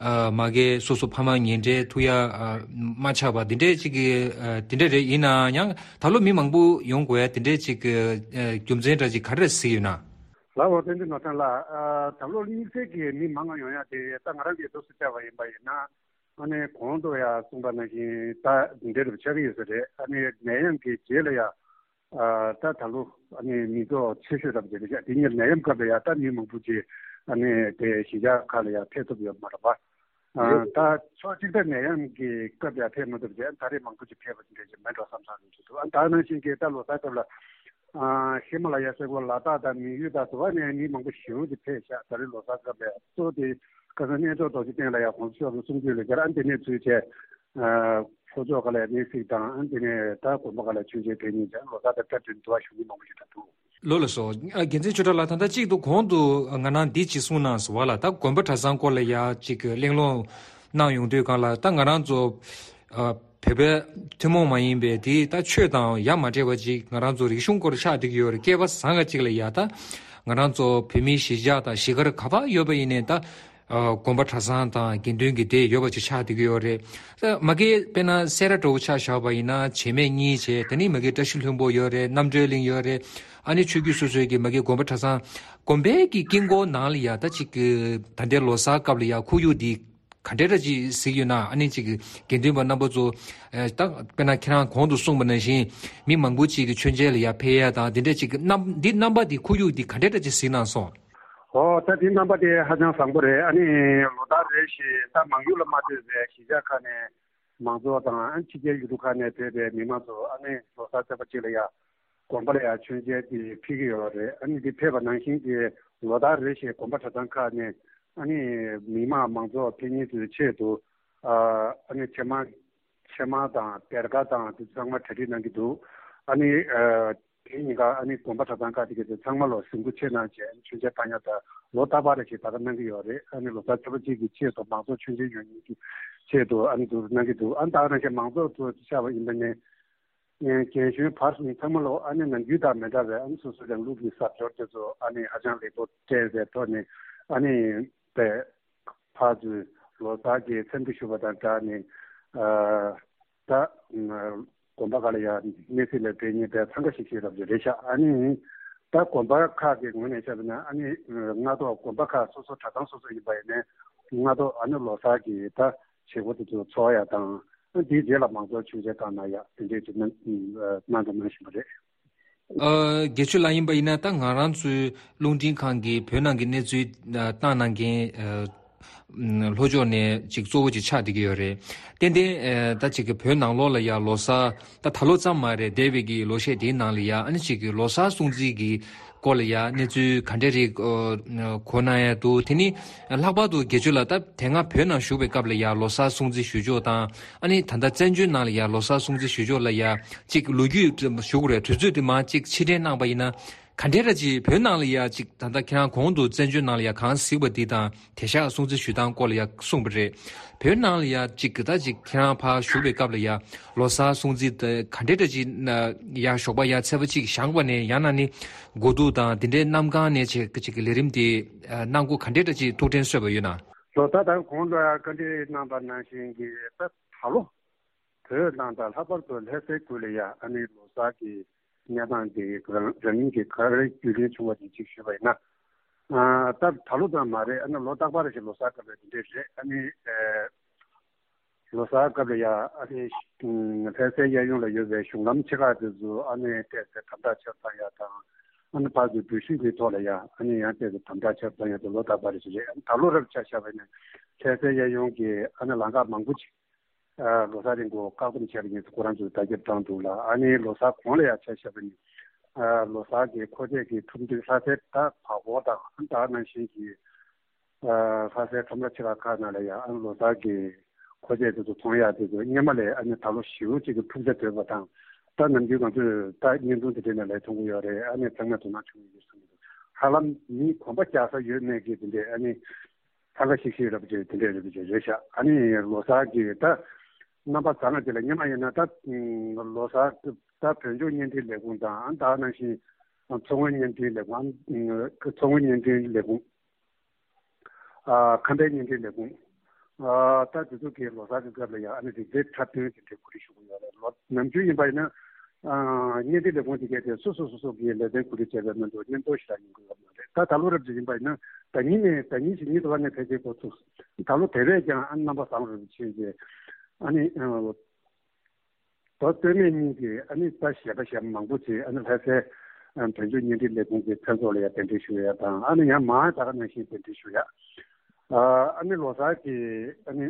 ཨ་མ་གིའི་སོ་སོ་ཕ་མ་ཉེ་འབྲེལ་ཐུག་ཡ་ཨ་མ་ཆགས་པ་འདི་འདྲས་ཅིག་གི་ཨ་འདི་འདྲས་རེད། ཡིན་ནའང་ད་ལོ་མི་མང་པོ་ཡོང་དགོས་ཡ་འདི་འདྲས་ཅིག་གི་ཨ་རྒྱུ་མཚན་འདྲ་ཅིག་ག་རེ་གཟིགས་ཡོད་ན། ལགས་འོ། བསྟན་འཛིན་ནོར་བཟང་ལགས། ཨ་ད་ལོ་དམིགས་བསལ་གྱི་མི་མང་ང་ཡོང་ཡ་དེ་ད་ང་རང་གིས་འདུག་སེ་བལྟས་པ་ཡིན་པ་ཡིན་ན། ཨ་ནི་གོང་དུ་ཡང་གསུངས་པ་ནང་བཞིན་ད་འདི་འདྲ་རུ་ཆགས་ཀྱི་ཡོད་ས་རེད། ཨ་ནི་ནད་ཡམས་ཀྱི་རྗེས་ལ་ཡང་ཨ་ད་ད་ལོ་ཨ་ནི་མི་ཚོགས་ཆེ་ཤོས་རབ་ཅིག་རེད་ཤག་དེ་ཉིད་ནད་ཡམས་སྐབས་ལ་ཡང་ད་མི་མང་པོ་ཅིག་ཨ་ནི་དེ་གཞིས་ཆགས་ཁག་ལ་ཡང་ཕེབས་ཐུབ་ཡོད་མ་རེད་པ། ཨ་ད་ཕྱོགས་གཅིག་ད་ནད་ཡམས་ཀྱི་སྐབས་ལ་ཕེབས་མ་ཐུབ་ཅེས་ད་རེས་མང་པོ་ཅིག་ཕེབས་པ་དེ་འདྲ་ཅིག་མེད་འགྲོ་བསམ་བསམ་ཡོང་གི་འདུག་ཨ་ད་ནང་བཞིན་གྱི་ད་ལོ་གསར་སྐབས་ལ། ཨ་ཧི་མ་ལ་ཡ་ས་ཁུལ་ལ་དྭགས་དང་མི་ཡུལ་དང་དུ་བ་ནས་མི་མང་པོ་ཞེ་པོ་ཅིག་ཕེབས་ཤག་ད་རེས་ལོ་གསར་སྐབས་ལ་གཙོ་དེ་ཁ་སང་གནས་མཆོག་རྡོ་རྗེ་གདན་ལ་ཡ་གོང་ས་མཆོག་གི་གསུང་ཆོས་ལ་སྦྱར། ཨ་དེ་ནས་ཚུར་བྱས། ཨ་ལྷོ་ཕྱོགས་ཁག་ལ་གནས་གཟིགས་དང་། ཨ་དེ་ནས་ད་དགོན་པ་ཁག་ལ་མཆོད་མཇལ་ཕེབས་མཁན་བྱས། ལོ་གསར་དང་སྐབས་དེར་འདུ་བ་ཞུ་མཁན་མང་པོ་ཞིག་འདུག་ལགས་སོ། ཨ་རྒྱལ་མཚན་ཆོས་གྲགས་ལགས། ད་ལྟ་གཅིག་ཏུ་གོང་དུ་ང་རང་འདི་ཅིག་གསུངས་གནང་སོང་བ་ལ། ད་དགོན་པ་གྲྭ་ཚང་སྐོར་ལ་ཡ་ཅིག་གླེང་སློང་གནང་ཡོང་དུས་སྒང་ལ་ད་ང་རང་ཚོ་ཨ་བོད་པའི་ཐུན་མོང་མ་ཡིན་པའི་དེ་ད་ཆོས་དང་ཡ་མ་བྲལ་བ་ཅིག་ང་རང་ཚོ་རིག་གཞུང་སྐོར་ཆགས་བསྡད་ཀྱི་ཡོད་རེད། སྐལ་བ་བཟང་ཁ་ཅིག་ལ་ཡ་ད་ང་རང་ཚོ་བོད་མིའི་གཞིས་ཆགས་དང་གཞིས་སྒར་ག་པར་ཡོད་པ་ཡིན་ནའི་ད་ཨ་དགོན་པ་གྲྭ་ཚང་དང་དགེ་འདུན་གྱི་སྡེ་ཡོད་པ་ཅིག་ཆགས་བསྡད་ཀྱི་ཡོད་རེད། ད་མ་གི་དཔེར་ན་སེ་ར་འདྲ་བོ་ཆ་བཞག་པ་ཡིན་ན་བྱེས་སྨད་གཉིས་བྱས། དེ་ནི་མ་གི་བཀྲ་ཤིས་ལྷུན་པོ་ཡོད་རེད། རྣམ་གྲོལ་གླིང་ཡོད་རེད། ཨ་ནི་ཆོས་བརྒྱུད་སོ་སོའི་གི་མ་གི་དགོན་པ་གྲྭ་ཚང་། དགོན་པའི་གི་དཀྱིལ་འཁོར་ནང་ལ་ཡ་ད་ཅིག་གི་ད་ལྟའི་ལོ་གསར་སྐབས་ལ་ཡ་ཁོར་ཡུག་འདི་ག་འདྲས་འདྲ་ཅིག་གཟིགས་ཡོད་ན། ཨ་ནི་ཅིག་གི་དགེ་འདུན་པ་རྣམ་པ་ཚོ་ཨ་ད་དཔེར་ན་ཁྱེད་རང་གོང་དུ་གསུངས་པ་ནང་བཞིན་མི་མང་པོ་ཅིག་གི་མཆོད་མཇལ་ལ་ཡ་ཕེབས་ཡ་དང་དེ་འདྲས་ཅིག་གི་རྣམ་འདི་རྣམ་པ་འདི་ཁོར་ཡུག་འདི་ག་འདྲས་འདྲ་ཅིག་གཟིགས་གནང་སོང་། ཨོ་ད་དེ་རྣམ་པ་དེ་ཧ་ཅང་བཟང་པོ་རེད། ཨ་ནི་ལོ་ལྟར་རེ་བཞིན་ད་མང་ཡུལ་ལ་མ་ལྟོས་པའི་གཞིས་ཆགས་ཁག་ནས་ མང་ཚོགས་དང་ཕྱི་རྒྱལ་ཡུལ་གྲུ་ཁག་ནས་ཕེབས་པའི་མི་མང་ཚོ་ཨ་ནི་ལོ་གསར་ཚེས་པ་གཅིག་ལ་ཡ་དགོན་པ་ལ་ཡ་མཆོད་མཇལ་དེ་ཕེབས་ཀྱི་ཡོད་རེད། ཨ་ནི་དེ་ཕེབས་པ་ནང་བཞིན་གྱི་ལོ་ལྟར་རེ་བཞིན་དགོན་པ་གྲྭ་ཚང་ཁག་ནས་ཨ་ནི་མི་མང་མང་ཚོགས་ཕེབས་མཁན་ཚོའི་ཆེད་དུ་ཨ་ནི་ཕྱེ་མར་ཕྱེ་མར་དང་སྡེར་ཁ་དང་དེ་ཚང་མ་གྲ་སྒྲིག་གནང་གི་འདུག་ཨ་ནི་དེ་ཉིན་ཀ་ཨ་ནི་དགོན་པ་གྲྭ་ཚང་ཁག་དེ་ག་ཚོད་ཚང་མ་ལོ་གཟིམ་འཁུར་ཆེ་གནང་བྱས་ཨ་ནི་མཆོད་མཇལ་བཏང་ཡག་དང་ལོ་རྟག་པར་རེ་བཞིན་ད་ག་གནང་གི་ཡོད་རེད། ཨ་ནི་ལོ་གསར་ཚེས་པ་གཅིག་གི་ཆེད་དུ་མང་ཚོགས་མཆོད་མཇལ་ཡོང་མཁན་གྱི་ཆེད་དུ་ཨ་ནི་འདུག་གནང་གི་འདུག་ཨ་ནི་ད་ག་ནང་བཞིན་མང་ཚོགས་ཚོ་ཆ་བ་ཡིན་པ་ནས་རྒན་གཞོན་བར་གསུམ་ཚང་མ་ལོ་ཨ་ནི་ནམ་རྒྱུན་དང་མི་འདྲ་བའི་ཨ་ནི་སོ་སོའི་རང་ལུགས་ཀྱི་གཟབ་མཆོར་དེ་ཚོ་ཨ་ནི་ཧ་ཅང་ལེགས་པོ་སྤྲས་པའི་ཐོག་ནས་ཨ་ནི་པའི་ཕར་ཚུར་ལོ་གསར་གྱི་འཚམས་འདྲི་ཞུ་བ་དང་སྦྲགས་ནས་ཨ་ད་དགོན་པ་ཁག་ལ་ཡང་གནས་ཚུལ་ལ་ཕེབས་མཁན་པའི་འཚང་ཁ་ཤིག་ཤིག་རབ་ཅིག་རེད་ཤག་ཨ་ནི་ད་དགོན་པ་ཁག་གི་ངོས་ནས་བཤད་པ་ན་ཨ་ནི་སྔ་ཐོག་དགོན་པ་ཁག་སོ་སོ་གྲྭ་ཚང་སོ་སོ་ཡིན་པ་ཡིན་ནའི་སྔ་ཐོག་ཨ་ནི་ལོ་གསར་གྱི་ད་བྱེད་སྒོ་དེ་ཚོ་ཚོགས་ཡ་དང་ཨ་དེའི་རྗེས་ལ་མང་ཚོགས་མཆོད་མཇལ་བཏང་ན་ཡ་དེ་འདྲས་ཅིག་གནང་གནང་དང་གནང་བཞིན་པ་རེད། ཨ་དགེ་ཆོས་ལགས་ཡིན་པ་ཡིན་ན་ད་ང་རང་ཚོའི་རླུང་འཕྲིན་ཁང་གི་བོད་ནང་གི་གནས་ཚུལ་ཨ་བཏང་གནང་མཁན་ཨ་ལྷོ་ཕྱོགས་ནས་ཅིག་གཙོ་བོ་ཅིག་ཆགས་བསྡད་ཀྱི་ཡོད་རེད། ཏན་ཏན་ཨ་ད་ཅིག་གི་བོད་ནང་ལོགས་ལ་ཡ་ལོ་གསར་ད་ད་ལོ་ཙམ་མ་རེད། འདས་པའི་གི་ལོ་ཤས་དེའི་ནང་ལ་ཡ་ཨ་ནི་ཅིག་གི་ལོ་གསར་སྲུང་བརྩི་གི་སྐོར་ལ་ཡ་གནས་ཚུལ་ག་འདྲ་རེ་ཨ་གོ་གནང་ཡ་འདུག་དེ་ནི་ལྷག་པར་དུ་དགེ་ཆོས་ལགས་ད་དེ་སྔ་བོད་ནང་བཞུགས་པའི་སྐབས་ལ་ཡ་ལོ་གསར་སྲུང་བརྩི་ཞུ་ཕྱོགས་དང་ཨ་ནི་ད་ལྟ་བཙན་བྱོལ་ནང་ལ་ཡ་ལོ་གསར་སྲུང་བརྩི་ཞུ་ཕྱོགས་ལ་ཡ་ཅིག་ལོ་རྒྱུས་ཞུ་དགོས་རེད། དུས་ཚོད་དེ་མར་ཅིག་ཕྱིར་དྲན་གནང་པ་ཡིན་ན་ག་འདྲས་ར་ཅིག་བོད་ནང་ལ་ཡ་ཅིག་ད་ལྟ་ཁྱེད་རང་གོང་དུ་བཙན་བྱོལ་ནང་ལ་ཡ་གང་གཟིགས་པ་འདི་དང་དེང་སང་སྲུང་བརྩི་ཞུ་སྟངས་སྐོར་ལ་ཡ་གསུངས་པ་རེད། བོད་ནང་ལ་ཡ་ཅིག་ད་ཅིག་ཁྱེད་རང་ཕར་བཞུགས་པའི་སྐབས་ལ་ཡ་ལོ་གསར་སྲུང་བརྩི་ད་ག་འདྲས་ར་ཅིག་ན་ཡ་ཞོགས་པ་ཡ་ཚེས་པ་གཅིག་བཞེངས་པ་ནས་ཡང་ན་ནི་དགུ་ཐུག་དང་འདི་འདྲའི་གནམ་གང་ནས་ཅིག་ཅིག་གི་ལས་རིམ་དེ་གནང་སྒོ་ག་འདྲས་ར་ཅིག་ཐུགས་དྲན་གསོས་པ་ཡོད་ན། ལོ་ད་ལྟ་གོང་དུ་བཀའ་འདྲི་གནང་པ་ནང་བཞིན་གྱི་ད་ད་ལོ། བོད་ནང་དང་ལྷག་པར་དུ་ལྷ་སའི་ཁུལ་ལ་ཡ་ཨ་ནི་ལོ་གསར་གྱི་གནས་སྟངས་དེ་རང་རང་ཉིད་ཀྱི་ག་རེ་རྒྱུས་ལོན་བྱུང་བ་དེ་གཅིག་ཞུས་པ་ཡིན་ན། ཨ་ད་ད་ལོ་ཙམ་མ་རེད། ཨ་ནི་ལོ་རྟག་པར་ཞིག་ལོ་གསར་སྐབས་ལ་དེ་འདྲས་རེད། ཨ་ནི་ཨེ་ལོ་གསར་སྐབས་ལ་ཡ་ཨ་ནི་ལྷ་སའི་གཡས་གཡོན་ལ་ཡོད་པའི་གཞུང་ལམ་ཆེ་ཁག་དེ་ཚོ་ཨ་ནི་བལྟས་ཚེ་དམ་དྲག་ཆེར་བཏང་ཡ་དང་། ཨ་ནི་ཕར་ཚུར་འགྲུལ་བཞུད་ཀྱི་ཐོག་ལ་ཡ་ཨ་ནི་ཡང་བལྟས་ཚེ་དམ་དྲག་ཆེར་བཏང་ཡ་དེ་ལོ་རྟག་པར་ཞིག་རེད། ཨ་ནི་ད་ལོ་རབ་ཆ་བཞག་པ་ཡིན་ན་ལྷ་སའི་གཡས་གཡོན་གྱི་ཨ་ནི་ལམ་ཁ་མང་པོ་ཅིག་ལོ་གསར་རིང་པོ་བཀག་སྡོམ་བྱས་པ་ཡིན་ཚེ་ཁོ་རང་ཚོས་བརྡ་ཁྱབ་བཏང་འདུག་ལ། ཨ་ནི་ལོ་གསར་གོང་ལ་ཡང་ཆ་བཞག་པ་ཡིན། ལོ་གསར་གྱི་མཁོ་ཆས་ཀྱི་འཁྲུག་འདུས་ལྷ་སའི་ད་བར་སྐོར་དང་ད་ནང་བཞིན་གྱི་ལྷ་སའི་ཁྲོམ་ར་ཆེ་ཁག་ཁག་ནང་ལ་ཡང་ཨ་ནི་ལོ་གསར་གྱི་མཁོ་ཆས་དེ་ཚོ་ཚོང་ཡག་དེ་ཚོ་སྔོན་མ་ལས་ཨ་ནི་ད་ལོ་ཞེ་པོ་ཅིག་གི་འཁྲུག་ཆ་དོད་པ་དང་། ད་ནམ་རྒྱུན་ང་ཚོས་ད་བརྙན་ཐུང་དེ་འདྲའི་ནང་ལས་མཐོང་གི་ཡོད་རེད། ཨ་ནི་ཚང་མས་དོ་སྣང་བྱུང་ཡོད་བསམ་གྱི་འདུག་ཧ་ལམ་མི་གོམ་པ་རྒྱག་ས་ཡོད་མེད་ཀྱི་དེ་འདྲའི་ཨ་ནི། ཐང་ག་ཤིག་ཤིག་རབ་ཅིག་དེ་འདྲས་རེད་པ་ཅིག་རེད་ཤག་ཨ་ནི་ལོ་གསར་གྱི་ད་རྣམ་པ་བཟང་ང་ཅིག་ལ་སྔོན་མ་ཡིན་ན་ད་ལོ་གསར་ད་བོད་ལྗོངས་བརྙན་འཕྲིན་ལས་ཁུངས་དང་ཨ་ད་ནང་བཞིན་མཚོ་སྔོན་བརྙན་འཕྲིན་ལས་ཁུངས་ཨ་མཚོ་སྔོན་བརྙན་འཕྲིན་ལས་ཁུངས་ཨ་ཁམས་པའི་བརྙན་འཕྲིན་ལས་ཁུངས་ཨ་ད་དེ་ཚོ་གི་ལོ་གསར་གྱི་སྐབས་ལ་ཡང་ཨ་ནི་རིག་རྩལ་འཁྲབ་སྟོན་དེ་འདྲའི་གོ་སྒྲིག་ཞུ་གི་ཡོད་རེད། ལོ་ནམ་རྒྱུན་ཡིན་པ་ཡིན་ན་ཨ་བརྙན་འཕྲིན་ལས་ཁུངས་དེ་གས་དེ་སོ་སོ་སོ་སོ་གི་ལས་དོན་གོ་སྒྲིག་བྱས་པའི་མི་འདུག་མཉམ་དུ་ཞེ་དྲག་ཡོང་གི་ཡོད་མ་རེད། ད་ད་ལོ་རབ་ཅིག་ཡིན་པ་ཡིན་ན་ཟླ་ཉིན་ནས་ཟླ་ཉིན་ཞིག་ཉིན་དུ་བ་ནས་ཕལ་ཆེར་འགོ་ཚུགས། ད་ལོ་དེ་བས་ཀྱང་ཨ་རྣམ་པ་བཟང་རུ་ཕྱིན་རྗེས་ཨ་ནི་ཨ་མདོ་སྟོད་སྨད་གཉིས་ཀྱི་ཨ་ནི་ད་གཞས་པ་གཞས་མ་མང་པོ་ཅིག་ཨ་ནི་ལྷ་སའི་ཨ་བོད་ལྗོངས་བརྙན་འཕྲིན་ལས་ཁུངས་ཀྱི་མཚན་ཚོགས་ལ་ཡང་གདན་འདྲེན་ཞུ་ཡ་དང་། ཨ་ནི་ཡང་མང་ད་ག་ནང་བཞིན་གདན་འདྲེན་ཞུ་ཡ། ཨ་ནི་ལོ་གསར་གྱི་ཨ་ནི་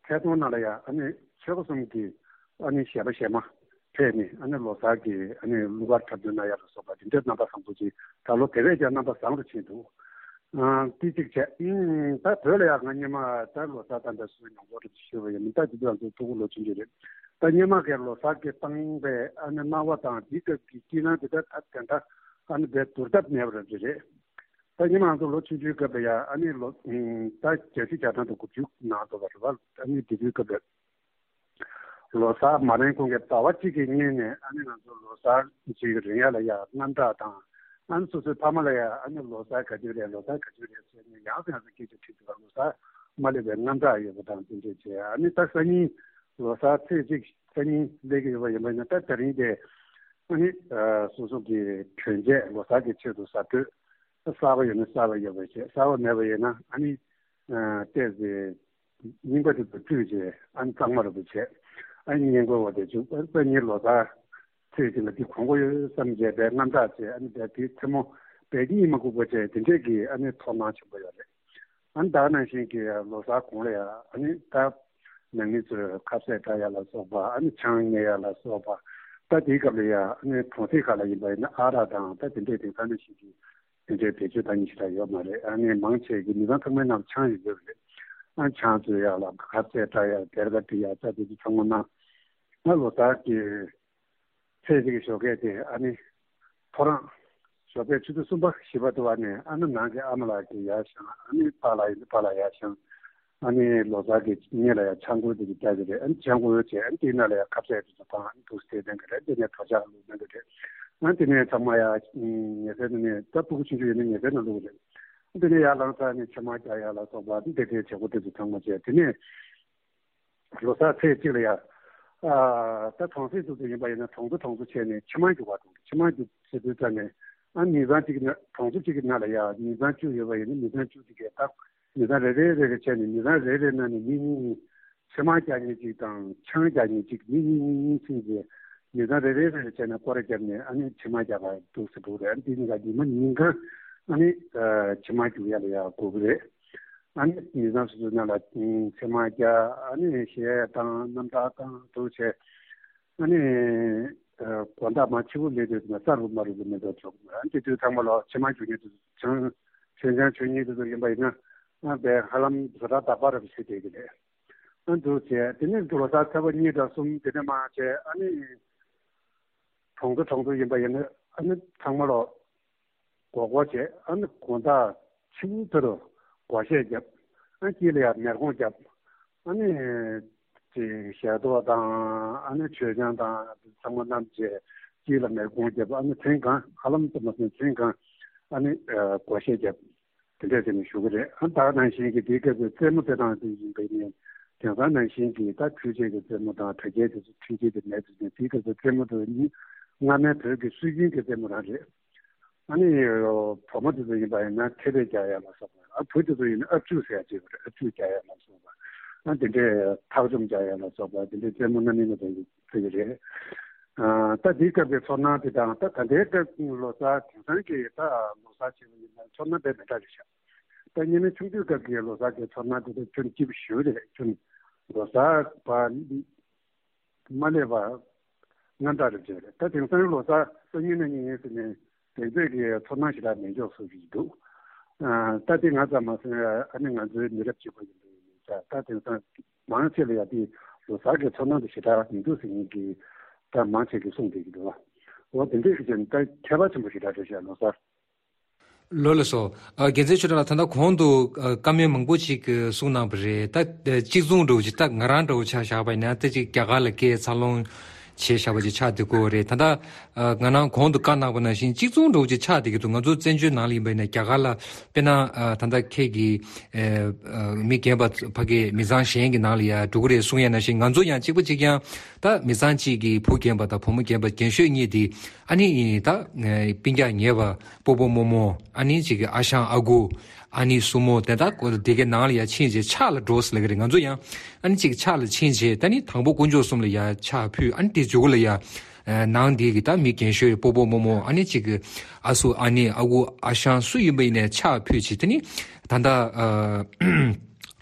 ཐད་གཏོང་ནང་ལ་ཡང་ཨ་ནི་ཆོལ་ཁ་གསུམ་གྱི་ཨ་ནི་གཞས་པ་གཞས་མ་ཕེབས་ནས་ཨ་ནི་ལོ་གསར་གྱི་ཨ་ནི་གླུ་གར་འཁྲབ་སྟོན་གནང་ཡ་ལ་སོགས་པ་དེ་འདྲའི་རྣམ་པ་བཟང་པོ་ཅིག་ད་ལོ་དེ་བས་ཀྱང་རྣམ་པ་བཟང་རུ་ཕྱིན་འདུག་ཨ་དེ་གཅིག་བྱས། ཨ་ད་བོད་ལ་ཡང་ང་སྔོན་མ་ད་ལོ་གསར་དང་འདྲ་སུ་མྱོང་ཚོར་རེ་ཞུས་པ་ཡིན་ན། ད་དེ་དུས་ང་ཚོ་ཕྲུ་གུ་ལོ་ཆུང་ཆུང་རེད། ད་སྔོན་མ་གའི་ལོ་གསར་གྱི་བཏང་པའི་ཨ་ནི་སྣང་བ་དང་དེའི་སྐབས་ཀྱི་སྐྱིད་སྣང་དེ་ད་ད་དེ་འདྲ་ཨ་ནི་བས་བསྡུར་ཐབས་མེད་པ་རེད་རེད། ད་སྔོན་མ་ང་ཚོ་ལོ་ཆུང་ཆུང་སྐབས་ལ་ཡ་ཨ་ནི་ལོ་ད་བརྒྱད་ཅུ་གྱ་གྲངས་དང་དགུ་བཅུ་ནང་འདུག་པ་རེད་བ། ཨ་ནི་དེ་དུས་སྐབས་ལ་ལོ་གསར་མ་རན་གོང་གི་ཟླ་བ་གཅིག་གི་སྔོན་ནས་ཨ་ནི་ང་ཚོ་ལོ་གསར་ཅིག་རིང་ཡ་ལ་ཡ་དངངས་སྐྲག་དང་། ཨ་ནི་སོ་སོའི་ཕ་མ་ལ་ཡ་ཨ་ནི་ལོ་གསར་ག་དུས་རེད་ལོ་གསར་ག་དུས་རེད་ཟེར་ནས་ཡང་སེ་ཡང་སེ་སྐད་ཆ་དྲིས་དུས་ལོ་གསར་མ་སླེབས་པའི་དངངས་སྐྲག་ཡོད་པ་དང་དེ་འདྲས་བྱས། ཨ་ནི་ད་སང་ཉིན་ལོ་གསར་ཚེས་གཅིག་སང་ཉིན་སླེབས་ཀྱི་ཡོད་པ་ཡིན་པ་ཡིན་ན། ད་དེ་རིང་དེ་ཨ་ནི་སོ་སོ་གི་གྱོན་ཆས་ལོ་གསར་གྱི་ཆེད་དུ་གཟབ་སྤྲོས་གསར་པ་ཡོད་ན་གསར་པ་ཡོད་པ་བྱས། གསར་པ་མེད་པ་ཡོད་ན་ཨ་ནི་ཨ་བལྟས་ཚེ་རྙིང་པ་དེ་ཚོ་བཀྲུས་བྱས་ཨ་ནི་གཙང་མ་རུ་བྱས། ཨ་ནི་སྔས་མགོའི་འོག་དེ་བྱུག་ཨ་ནི་ལོ་གསར་ཚེས་གཅིག་ལ་འདི་གོན་དགོས་ཡོད་བསམ་བྱས་པའི་དངངས་སྐྲག་བྱས། ཨ་ནི་དེ་དེའི་མཚན་མོ་བས་ཀྱི་ཉི་མ་ལྐུགས་པ་བྱས་དེ་འདྲས་ཀྱི་ཨ་ནི་ཚོར་སྣང་བྱུང་བ་ཡོད་རེད། ཨ་ནི་ད་ག་ནང་བཞིན་གྱི་ལོ་གསར་གོང་ལ་ཡ་ཨ་ནི་ད་ ནང་མི་ཚོས་ཁ་ཟས་བཀྲ་ཡག་ལ་སོགས་པ། ཨ་ནི་ཆང་ཉལ་ཡག་ལ་སོགས་པ། ད་དེའི་སྐབས་ལ་ཡ་ཨ་ནི་གྲོང་གསེབ་ཁག་ལ་ཡིན་པ་ཡིན་ན་ཨ་རག་དང་ད་དེ་འདྲའི་དེང་སང་ནང་བཞིན་གྱི་དེ་འདྲའི་བེད་སྤྱོད་བཏང་མཁན་ཞེ་དྲག་ཡོད་མ་རེད། ཨ་ནི་མང་ཆེ་གི་མི་ཚང་ཚང་མའི་ནང་ཆང་ཡོད་ཡོད་རེད། ཨ་ཆང་བཙོས་ཡག་ལ་ཁ་ཟས་བཀྲ་ཡག་སྡེར་ཁ་སྒྲིག་ཡག་ད་དེ་ཚོ་ཚང་མ་གནང་། ཨ་ལོ་གསར་གྱི་ཚེས་གཅིག་གི་ཞོགས་ཀས་དེ་ཨ་ནི་ཐོ་རངས་ཞོགས་པའི་ཆུ་ཚོད་གསུམ་པ་བཞི་པ་དུ་བ་ནས་ཨ་ནི་ནང་གི་ཨ་མ་ལགས་ཀྱིས་ཡར་བཞེངས། ཨ་ནི་པཱ་ལགས་ཡིན་ན་པཱ་ལགས་ཡར་བཞེངས། ཨ་ནི་ལོ་གསར་གྱི་སྔོན་ལ་ཡ་ཆང་ཁོལ་དེ་ཚོ་རྒྱག་གི་རེད། ཨ་ནི་ཆང་ཁོལ་བྱས་ཨ་ནི་དེའི་ནང་ལ་ཡ་ཁ་ཟས་དེ་ཚོ་བཏང་ཨ་ནི་འདུག་སེ་བསྡད་གི་རེད། དེ་ནས་དྲོ་ཇ་བླུགས་གནང་གི་རེད། ཨ་ནི་དེ་ནས་ཚང་མ་ཡ་ཉལ་སའི་ནང་ནས་ད་སྤུ་གུ་ཆུང་ཆུང་ཡིན་ན་ཉལ་སའི་ནང་བླུགས་རེད། ཨ་ནི་དེ་ནས་ཡར་ལངས་ཚར་ནས་ཕྱེ་མར་རྒྱག་ཡག་ལ་སོགས་པ་ཨ་ནི་དེ་འདྲའི་བྱེད་སྒོ་དེ་ཚོ་ཚང་མ་བྱས། དེ་ནས་ལོ་གསར་ཚེས་གཅིག་ལ་ཡ། ཨ་ད་གྲོང་གསེབ་ཚོ་ཚོ་ཡིན་པ་ཡིན་ན་གྲོང་ཚོ་གྲོང་ཚོ་བྱས་ནས་ཕྱེ་མར་རྒྱུག་པ་དང་། ཕྱེ་མར་རྒྱུག་བྱེད་དུས་ཙམ་ནས་ཨ་མི་ཚང་གཅིག་གི་ནང་གྲོང་ཚོ་གཅིག་གི་ནང་ལ་ཡ་མི་ཚང་བཅུ་ཡོད་པ་ཡིན་ན་མི་ཚང་བཅུ་དེ་གས་ད་མི་ཚང་རེ་རེ་རེ་རེ་བྱས་ནས་མི་ཚང་རེ་རེ་ནང་ནས་མི་གཉིས་གཉིས་ཕྱེ་མར་རྒྱག་མཁན་གཅིག་དང་ཆང་རྒྱག་མཁན་གཅིག་མི་གཉིས་གཉིས་གཉིས་ཕྱིན་ཚེ་མི་ཚང་རེ་རེ་རེ་རེ་བྱས་ནས་སྐོར་ར་བརྒྱབ་ནས་ཨ་ནི་ཕྱེ་མར་རྒྱག་པ་འདུག་སེ་འདུག་རེད། ཨ་ནི་དེ་གཉིས་ཀ་ཉི་མ་ཉིན་གང་ཨ་ནི་ཕྱེ་མར་རྒྱུག་ཡག་ལ་ཡ་དགོས་ཀྱི་རེད། ཨ་ནི་མི་ཚང་སོ་སོའི་ནང་ལ་ཕྱེ་མར་རྒྱག་ཨ་ནི་གཞས་བཏང་རྣམ་ཐར་བཏང་འདུག་བྱས། ཨ་ནི་དགོང་དག་མ་ཕྱི་པོ་མེད་དུས་ན་ས་རུབ་མ་རུབ་མེད་པར་འཇོག་གི་རེད། ཨ་ནི་དེ་དུས་ཚང་མ་ལོ་ཕྱེ་མར་རྒྱུག་མཁན་དེ་ཚོ་ཆང་ཆོས་ཆང་ཆོས་ཉིད་དེ་ཚོ་ཡིན་པ་ཡིན་ན་ཨ་བས་ཧ་ལམ་བཟོ་གྲྭ་དག་པ་རབ་བྱེད་བསྡད་ཀྱི་རེད། ཨ་འདུག་བྱས་དེ་ནས་ལོ་གསར་ཚེས་པ་གཉིས་དང་གསུམ་དེ་ནས་མར་བྱས། ཨ་ནི་གྲོང་ཚོ་གྲོང་ཚོ་ཡིན་པ་ཡིན་ན་ཨ་ནི་ཚང་མ་ལོ་སྒོར་སྒོར་བྱས། ཨ་ནི་དགོང་དག་ཕྱི་པོ་དེ་རུ་སྒོར་གཞས་བརྒྱབ། ཨ་དཀྱིལ་ལ་ཡ་མེར་གོང་བརྒྱབ། ཨ་ནི་ཅིག་ཞལ་ཏོག་དང་ཨ་ནི་མཆོད་ཆང་དང་ཚང་མ་བསྣམས་བྱས་དཀྱིལ་ལ་མེར་གོང་བརྒྱབ། ཨ་ནི་མཚན་གང་ཧ་ལམ་ཙམ་མ་ཟིན་མཚན་གང་ཨ་ནི་སྒོར་གཞས་བརྒྱབ། དེ་འདྲ་བྱས་ནས་བཞུགས་ཀྱི་རེད། ཨ་ད་ག་ནང་བཞིན་གྱི་དེའི་སྐབས་ཀྱི་རྩེད་མོ་རྩེ་སྟངས་དེ་ཡིན་པ་ཡིན་ནའི་དེང་སང་ནང་བཞིན་གྱི་ད་འཕྲུལ་ཆས་ཀྱི་རྩེད་མོ་དང་དྲ་རྒྱའི་དེ་ཚོ་འཕྲུལ་ཆས་དེ་མེད་དུས་ནས་དེའི་སྐབས་ཀྱི་རྩེད་མོ་དེ་ནི་སྔ་མའི་བོད་ཀྱི་སྲོལ་རྒྱུན་གྱི་རྩེད་མོ་རང་རེད། ཨ་ནི་བུ་མོ་དེ་ཚོ་ཡིན་པ་ཡིན་ན་ཐེ་བེ་རྒྱག་ཡ་ལ་སོགས་པ། ཨ་བུ་དེ་ཚོ་ཡིན་ན་ཨབ་ཅུག་ཟེར་ཡ་ཅིག་ཡོད་རེད། ཨབ་ཅུག་རྒྱག་ཡ་ལ་སོགས་པ། ཨ་དེ་འདྲའི་ཐག་ཆོམ་རྒྱག་ཡ་ལ་སོགས་པ་དེ་འདྲའི་རྩེད་མོ་སྣ་མིན་སྣ་ཚོགས་ཀྱི་རྩེ་གི་རེད། ཨ་ད་དེའི་སྐབས་ཀྱི་ཚོར་སྣང་དེ་དང་ད་ད་ལྟའི་སྐབས་ལོ་གསར་དེང་སང་གི་ད་ལོ་གསར་བྱེད་པ་ཡིན་ན་ཚོར་སྣང་དཔེ་མི་འདྲ་རེད་ཤག་ད་སྔོན་མའི་ཆུང་དུས་སྐབས་ཀྱི་ལོ་གསར་གྱི་ཚོར་སྣང་དེ་ད་ཁྱོན་སྐྱིད་པོ་ཞེ་པོ་རེད། ཁྱོན་ལོ་གསར་པ་མ་སླེབས་པ་སྔ་དྲགས་རེད་བྱས་རེད། ད་དེང་སང་ལོ་གསར་སང་ཉིན་གནངས་ཉིན་ཟེར་ནས་དེང་ཚོད་ཀྱི་ཚོར་སྣང་ཞེ་དྲག་མེད་འཇོག་བཟོ་གི་འདུག་ཨ་ད་དེ་ང་ཙམ་མ་ཟད་ཨ་ནི་ང་ཚོའི་མི་རབས་གཅིག་པ་ཡིན་པ་ཡིན་ཙང་ད་དེང་སང་མང་ཆེ་ལ་ཡ་དེ་ལོ་གསར་གྱི་ཚོར་སྣང་དེ་ཞེ་དྲག་མི་འདུག་ཟེར་མཁན་གྱི་ད་མང་ཆེ་གིས་གསུངས་བསྡད་ཀྱི་འདུག་འོ་དེ་འདྲས་ཀྱི་ཅན་ད་ཁྱད་པར་ཆེན་པོ་ཞེ་དྲག་རེད་ཤག་ལོ་གསར། ལགས་ལགས་སོ། ཨ་རྒྱལ་མཚན་ཆོས་གྲགས་ལགས། ད་ལྟ་གོང་དུ་ཨ་བཀའ་མོལ་མང་པོ་ཅིག་གསུངས་གནང་བ་རེད། ད་ཨ་གཅིག་མཚུངས་འདྲ་བོ་ཅིག་ད་ང་རང་འདྲ་བོ་ཆ་བཞག་པ་ཡིན་ན་ད་ཅིག་རྒྱ་གར་ལ་སྐད་འཚར་ལོངས་བྱས་བཞག་པ་ཅིག་ཆགས་བསྡད་ཀྱི་ཡོད་རེད། ད་ལྟ་ཨ་ང་རང་གོང་དུ་བཀའ་གནང་བ་ནང་བཞིན་གཅིག་མཚུངས་འདྲ་བོ་ཅིག་ཆགས་བསྡད་ཀྱི་འདུག་ང་ཚོ་བཙན་བྱོལ་ནང་ལ་ཡིན་པ་ཡིན་ན་རྒྱ་གར་ལ་དཔེར་ན་ཨ་ད་ལྟ་ཁྱེད་ཀྱིས་ཨ་ཨ་མི་རྒན་པ་ཕ་གི་མི་ཚང་གཞན་གྱི་ནང་ལ་ཡ་འགྲོ་གི་རེད་གསུང་ཡ་ནང་བཞིན་ང་ཚོ་ཡང་གཅིག་པ་གཅིག་རྐྱང་ད་མི་ཚང་གཅིག་གི་བུ་རྒན་པ་དང་བུ་མོ་རྒན་པ་རྒན་ཤོས་གཉིས་དེ་ཨ་ནི་ད་ཨ་སྤུན་ཀྱག་ཉེ་བ། སྤོ་བོ་རྨོ་མོ། ཨ་ནི་གཅིག་གི་ཨ་ཞང་ཨ་ཁུ། ཨ་ནི་སྲུ་མོ་དེ་དག་གོ་དེ་གའི་ནང་ལ་ཡ་ཕྱིན་རྗེས་ཕྱག་ལ་འགྲོ་ཟེར་ལབ་ཀྱི་རེད། ང་ཚོ་ཡང་ཨ་ནི་གཅིག་ཕྱག་ལ་ཕྱིན་རྗེས་ད་ནི་དང་པོ་དཀོན་མཆོག་གསུམ་ལ་ཡ་ཕྱག་ཕུལ། ཨ་ནི་དེ་མཇུག་ལ་ཡ་ཨ་ནང་དེ་གི་ད་མི་རྒན་ཤོས་སྤོ་བོ་རྨོ་མོ། ཨ་ནི་གཅིག་གི་ཨ་སྲུ་ཨ་ནེ་ཨ་ཁུ་ཨ་ཞང་སུ་ཡིན་པ་ཡིན་ནའི་ཕྱག་ཕུལ་བྱས་ད་ནི་ད་ལྟ་ཨ།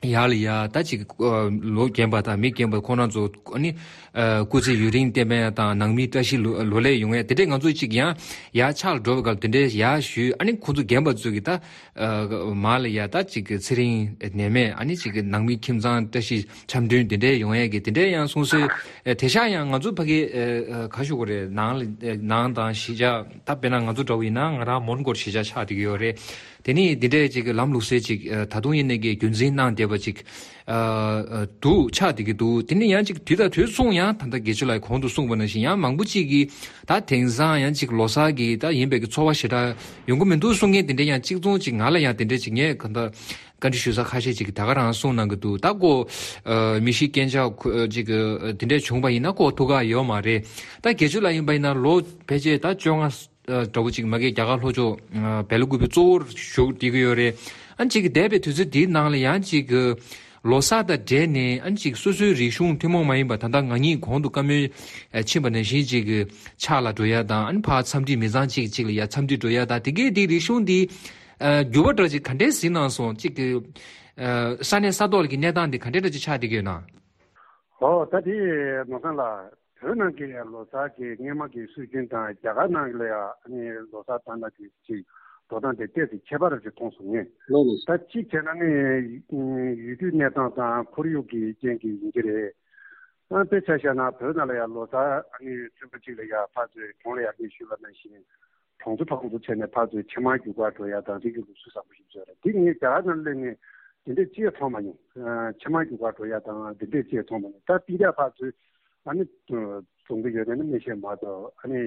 ཡར་ལ་ཡ་ད་ཅིག་ཨ་ལོ་རྒན་པ་དང་མི་རྒན་པ་ཁོང་རང་ཚོ་ཨ་ནི་ཨ་སྐུ་ཚེ་ཡུན་རིང་བརྟན་པ་དང་ནང་མི་བཀྲ་ཤིས་ལོ་ལོ་ལེགས་ཡོང་ཡ་དེ་འདྲས་ང་ཚོ་ཅིག་ཡང་ཡར་ཕྱག་ལ་འགྲོ་བའི་སྐབས་དེ་འདྲས་ཡར་ཞུས། ཨ་ནི་ཁོང་ཚོ་རྒན་པ་ཚོ་གིས་ད་ཨ་མར་ལ་ཡ་ད་ཅིག་ཚེ་རིང་ནད་མེད། ཨ་ནི་ཅིག་ནང་མི་ཁྱིམ་ཚང་བཀྲ་ཤིས་འཆམ་མཐུན་དེ་འདྲས་ཡོང་ཡ་གི་དེ་འདྲས་ཡང་གསུང་སྲོལ། ཨ་དེང་སང་ཡང་ང་ཚོ་ཕ་གི་ཨ་ཨ་ག་ཞུ་དགོས་རེད། ནང་ལ་ཨ་ནང་དང་གཞིས་ཆགས་ད་དཔེར་ན་ང་ཚོ་འདྲ་བོ་ཡིན་ན་ང་རང་མོན་གྷོར་གཞིས་ཆགས་ཆགས་བསྡད་ཀྱི་ཡོད་རེད། དེ་ནི་འདི་འདྲའི་ཅིག་ལམ་ལུགས་སྲོལ་ཅིག་ཨ་ད་དུང་ཡིན་ནའི་གི་རྒྱུན་འཛིན་གནང་བསྡད་པ་ཅིག་ཨ་ཨ་འདུག་ཆགས་བསྡད་ཀྱི་འདུག་དེ་ནི་ཡང་ཅིག་དུས་དང་དུས་མཚུངས་ཡང་ད་ལྟ་དགེ་ཆོས་ལགས་གོང་དུ་གསུངས་པ་ནང་བཞིན་ཡང་མང་པོ་ཅིག་གིས་ད་དེང་སང་ཡང་ཅིག་ལོ་གསར་གྱི་ད་ཡིན་པའི་གི་ཚོར་བ་ཞེ་དྲག་ཡོང་གི་མི་འདུག་གསུང་མཁན་དེ་འདྲ་ཡང་གཅིག་མཚུངས་ཅིག་ང་ལ་ཡང་དེ་འདྲ་ཅིག་ངས་ག་ད་བཀའ་འདྲི་ཞུ་ས་ཁ་ཤས་ཅིག་གིས་ད་ག་རང་གསུངས་གནང་གི་འདུག་ད་ཁོ་ཨ་མི་ཤི་རྐྱེན་ཆག་ཁོ་ཅིག་ཨ་དེ་འདྲ་བྱུང་བ་ཡིན་ན་ཁོ་ཐུག་ག་ཡོད་མ་རེད། ད་དགེ་ཆོས་ལགས་ཡིན་པ་ཡིན་ན་ལོ་ཕལ་ཆེར་ད་བཅོ་ལྔ། ཨ་འདྲ་བོ་ཅིག་མ་གི་རྒྱ་གར་ལྷོ་ཕྱོགས་ཨ་སྦེལ་ཀོབ་གཙོ་བོར་བཞུགས་བསྡད་ཀྱི་ཡོད་རེད། ཨ་ཅིག་འདས་པའི་དུས་ཚོད་འདིའི་ནང་ལ་ཡང་ཅིག་ལོ་གསར་དང་འབྲེལ་ནས་ཨ་ཅིག་སོ་སོའི་རིག་གཞུང་ཐུན་མོང་མ་ཡིན་པ་ད་ལྟ་ང་གཉིས་གོང་དུ་བཀའ་མོལ་ཨ་ཕྱིན་པ་ནང་བཞིན་ཅིག་ཕྱག་ལ་འགྲོ་ཡ་དང་ཨ་ནི་ཕར་འཚམས་འདྲི་མི་ཚང་གཅིག་གཅིག་ལ་ཡ་འཚམས་འདྲི་འགྲོ་ཡ་དང་དེ་གའི་དེའི་རིག་གཞུང་འདི་ཨ་འགྱུར་བ་འདྲ་ཅིག་ག་འདྲས་ཟིན་གནང་སོང་། ཅིག་ཨ་ས་གནས་ས་ཐོག་ལ་གི་གནས་སྟངས་འདི་ག་འདྲས་འདྲ་ཅིག་ཆགས་བསྡད་ཀྱི་ཡོད་ན། ཨོ་ད་དེ་ནོར་བཟང་ལགས། བོད་ནང་གི་ལོ་གསར་གྱི་སྔོན་མ་གི་སྲོལ་རྒྱུན་དང་རྒྱ་གར་ནང་ལ་ཡང་ཨ་ནི་ལོ་གསར་དང་ལ་གི་ཅིག་འགྲོ་སྟངས་དེ་ཏོག་ཙམ་ཁྱད་པར་ཅིག་མཐོང་སོང་ངས། ལགས་ལགས། ད་གཅིག་བྱས་ན་ནི་ཡུལ་དུས་གནས་སྟངས་དང་ཁོར་ཡུག་གི་རྐྱེན་གྱིས་ཡིན་གྱི་རེད། ཨ་དཔེ་ཆ་བཞག་ན་བོད་ནང་ལ་ཡང་ལོ་གསར་ཨ་ནི་ཚུན་པ་གཅིག་ལ་ཡང་ཕར་ཚུར་གྲོང་ལ་ཡར་རྒྱས་ཞུས་པ་ནང་བཞིན། གྲོང་ཚོ་གྲོང་ཚོ་བྱས་ནས་ཕར་ཚུར་ཕྱེ་མར་རྒྱུག་གར་འགྲོ་ཡ་དང་རིགས་ཀྱི་ལུགས་སྲོལ་བཟང་པོ་ཞིག་བཟོས་རེད། འདི་ངས་རྒྱ་གར་ནང་སླེབས་ནས་འདི་འདྲས་ཅིག་མཐོང་མ་མྱོང་། ཕྱེ་མར་རྒྱུག་གར་འགྲོ་ཡ་དང་འདི་འདྲས་ཅིག་མཐོང་མ་མྱོང་། ད་སྤུན་ཀྱག་ཕར་ཚུར་ཨ་ནི་རྫོང་གི་ཡོད་ན་ནི་མི་ཤེས་མ་གཏོགས། ཨ་ནི་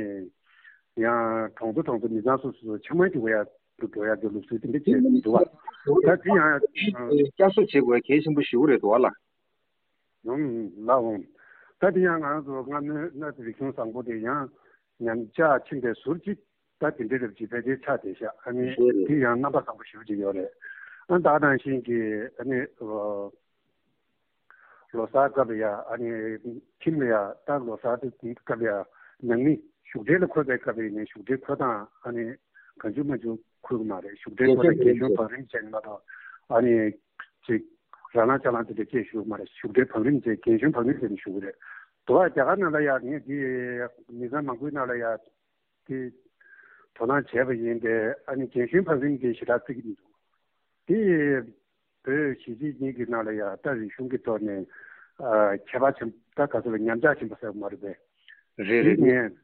ཡང་གྲོང་ཚོ་གྲོང་ཚོ་མི་ཚང་སོ་སོ་ཕྱེ་མར་རྒྱུག་ཡ་འགྲོ་ཡ་གི་ལུགས་སྲོལ་འདི་འདྲས་ཅིག་མི་འདུག་བ། ད་དེ་ཡང་བསྐྱར་གསོ་བྱེད་དགོས་གལ་ཆེན་པོ་ཞིག་རེད་འདུག་བ་ལ། ཡོང་ལ་འོང་། ད་དེ་ཡང་ང་ཚོ་སྔ་མོའི་གནའ་རིག་གཞུང་བཟང་པོ་དེ་ཡང་ཉམས་ཆག་ཕྱིན་པའི་ཟུར་གཅིག་ད་དེ་འདྲའི་རབ་ཅིག་ཕལ་ཆེར་ཆགས་བསྡད་ཤག་ཨ་ནི་རེད་རེད། དེ་ཡང་རྣམ་པ་བཟང་པོ་ཞེ་པོ་ཅིག་ཡོད་རེད། ཨ་ད་ག་ནང་བཞིན་གྱི་ཨ་ནི་ལོ་གསར་སྐབས་ལ་ཡ་ཨ་ནི་ཁྱིམ་ལ་ཡ་ད་ལོ་གསར་དེ་སྐབས་ལ་ཡ་ནང་མི་བཞུགས་གྲལ་ལ་འཁོད་པའི་སྐབས་ཡིན་ནའི་བཞུགས་གྲལ་འཁོད་སྟངས་ཨ་ནི་གང་བྱུང་མང་བྱུང་འཁོད་ཀྱི་མ་རེད། བཞུགས་གྲལ་འཁོད་སྟངས་རྒན་གཞོན་བང་རིམ་བྱས་ནས་མ་གཏོགས་ཨ་ནི། ཅིག་ར་ལང་ཅ་ལང་དེ་འདྲ་སྐད་ཞུ་གི་མ་རེད། བཞུགས་གྲལ་བང་རིམ་བྱས་རྒན་གཞོན་བང་རིམ་བྱས་ནས་བཞུགས་གི་རེད། དུ་བ་རྒྱ་གར་ནང་ལ་ཡ་ངས་འདི་མི་ཚང་མང་པོའི་ནང་ལ་ཡ་དེ་དོ་སྣང་བྱས་པ་ཡིན་པས་ཨ་ནི་རྒན་གཞོན་བང་རིམ་དེ་ཞེ་དྲག་བརྩི་གི་མི་འདུག་དེ་བོད་གཞིས་བྱེས་གཉིས་ཀྱི་ནང་ལ་ཡ་ད་རིག་གཞུང་གི་ཐོག་ནས་ཨ་ཁྱད་པར་ཆེན་ད་ག་ཚོད་ལ་ཉམས་ཆག་ཕྱིན་པ་ཟེར་བ་མ་རེད་པས། རེད་རེད། དེ་ངས་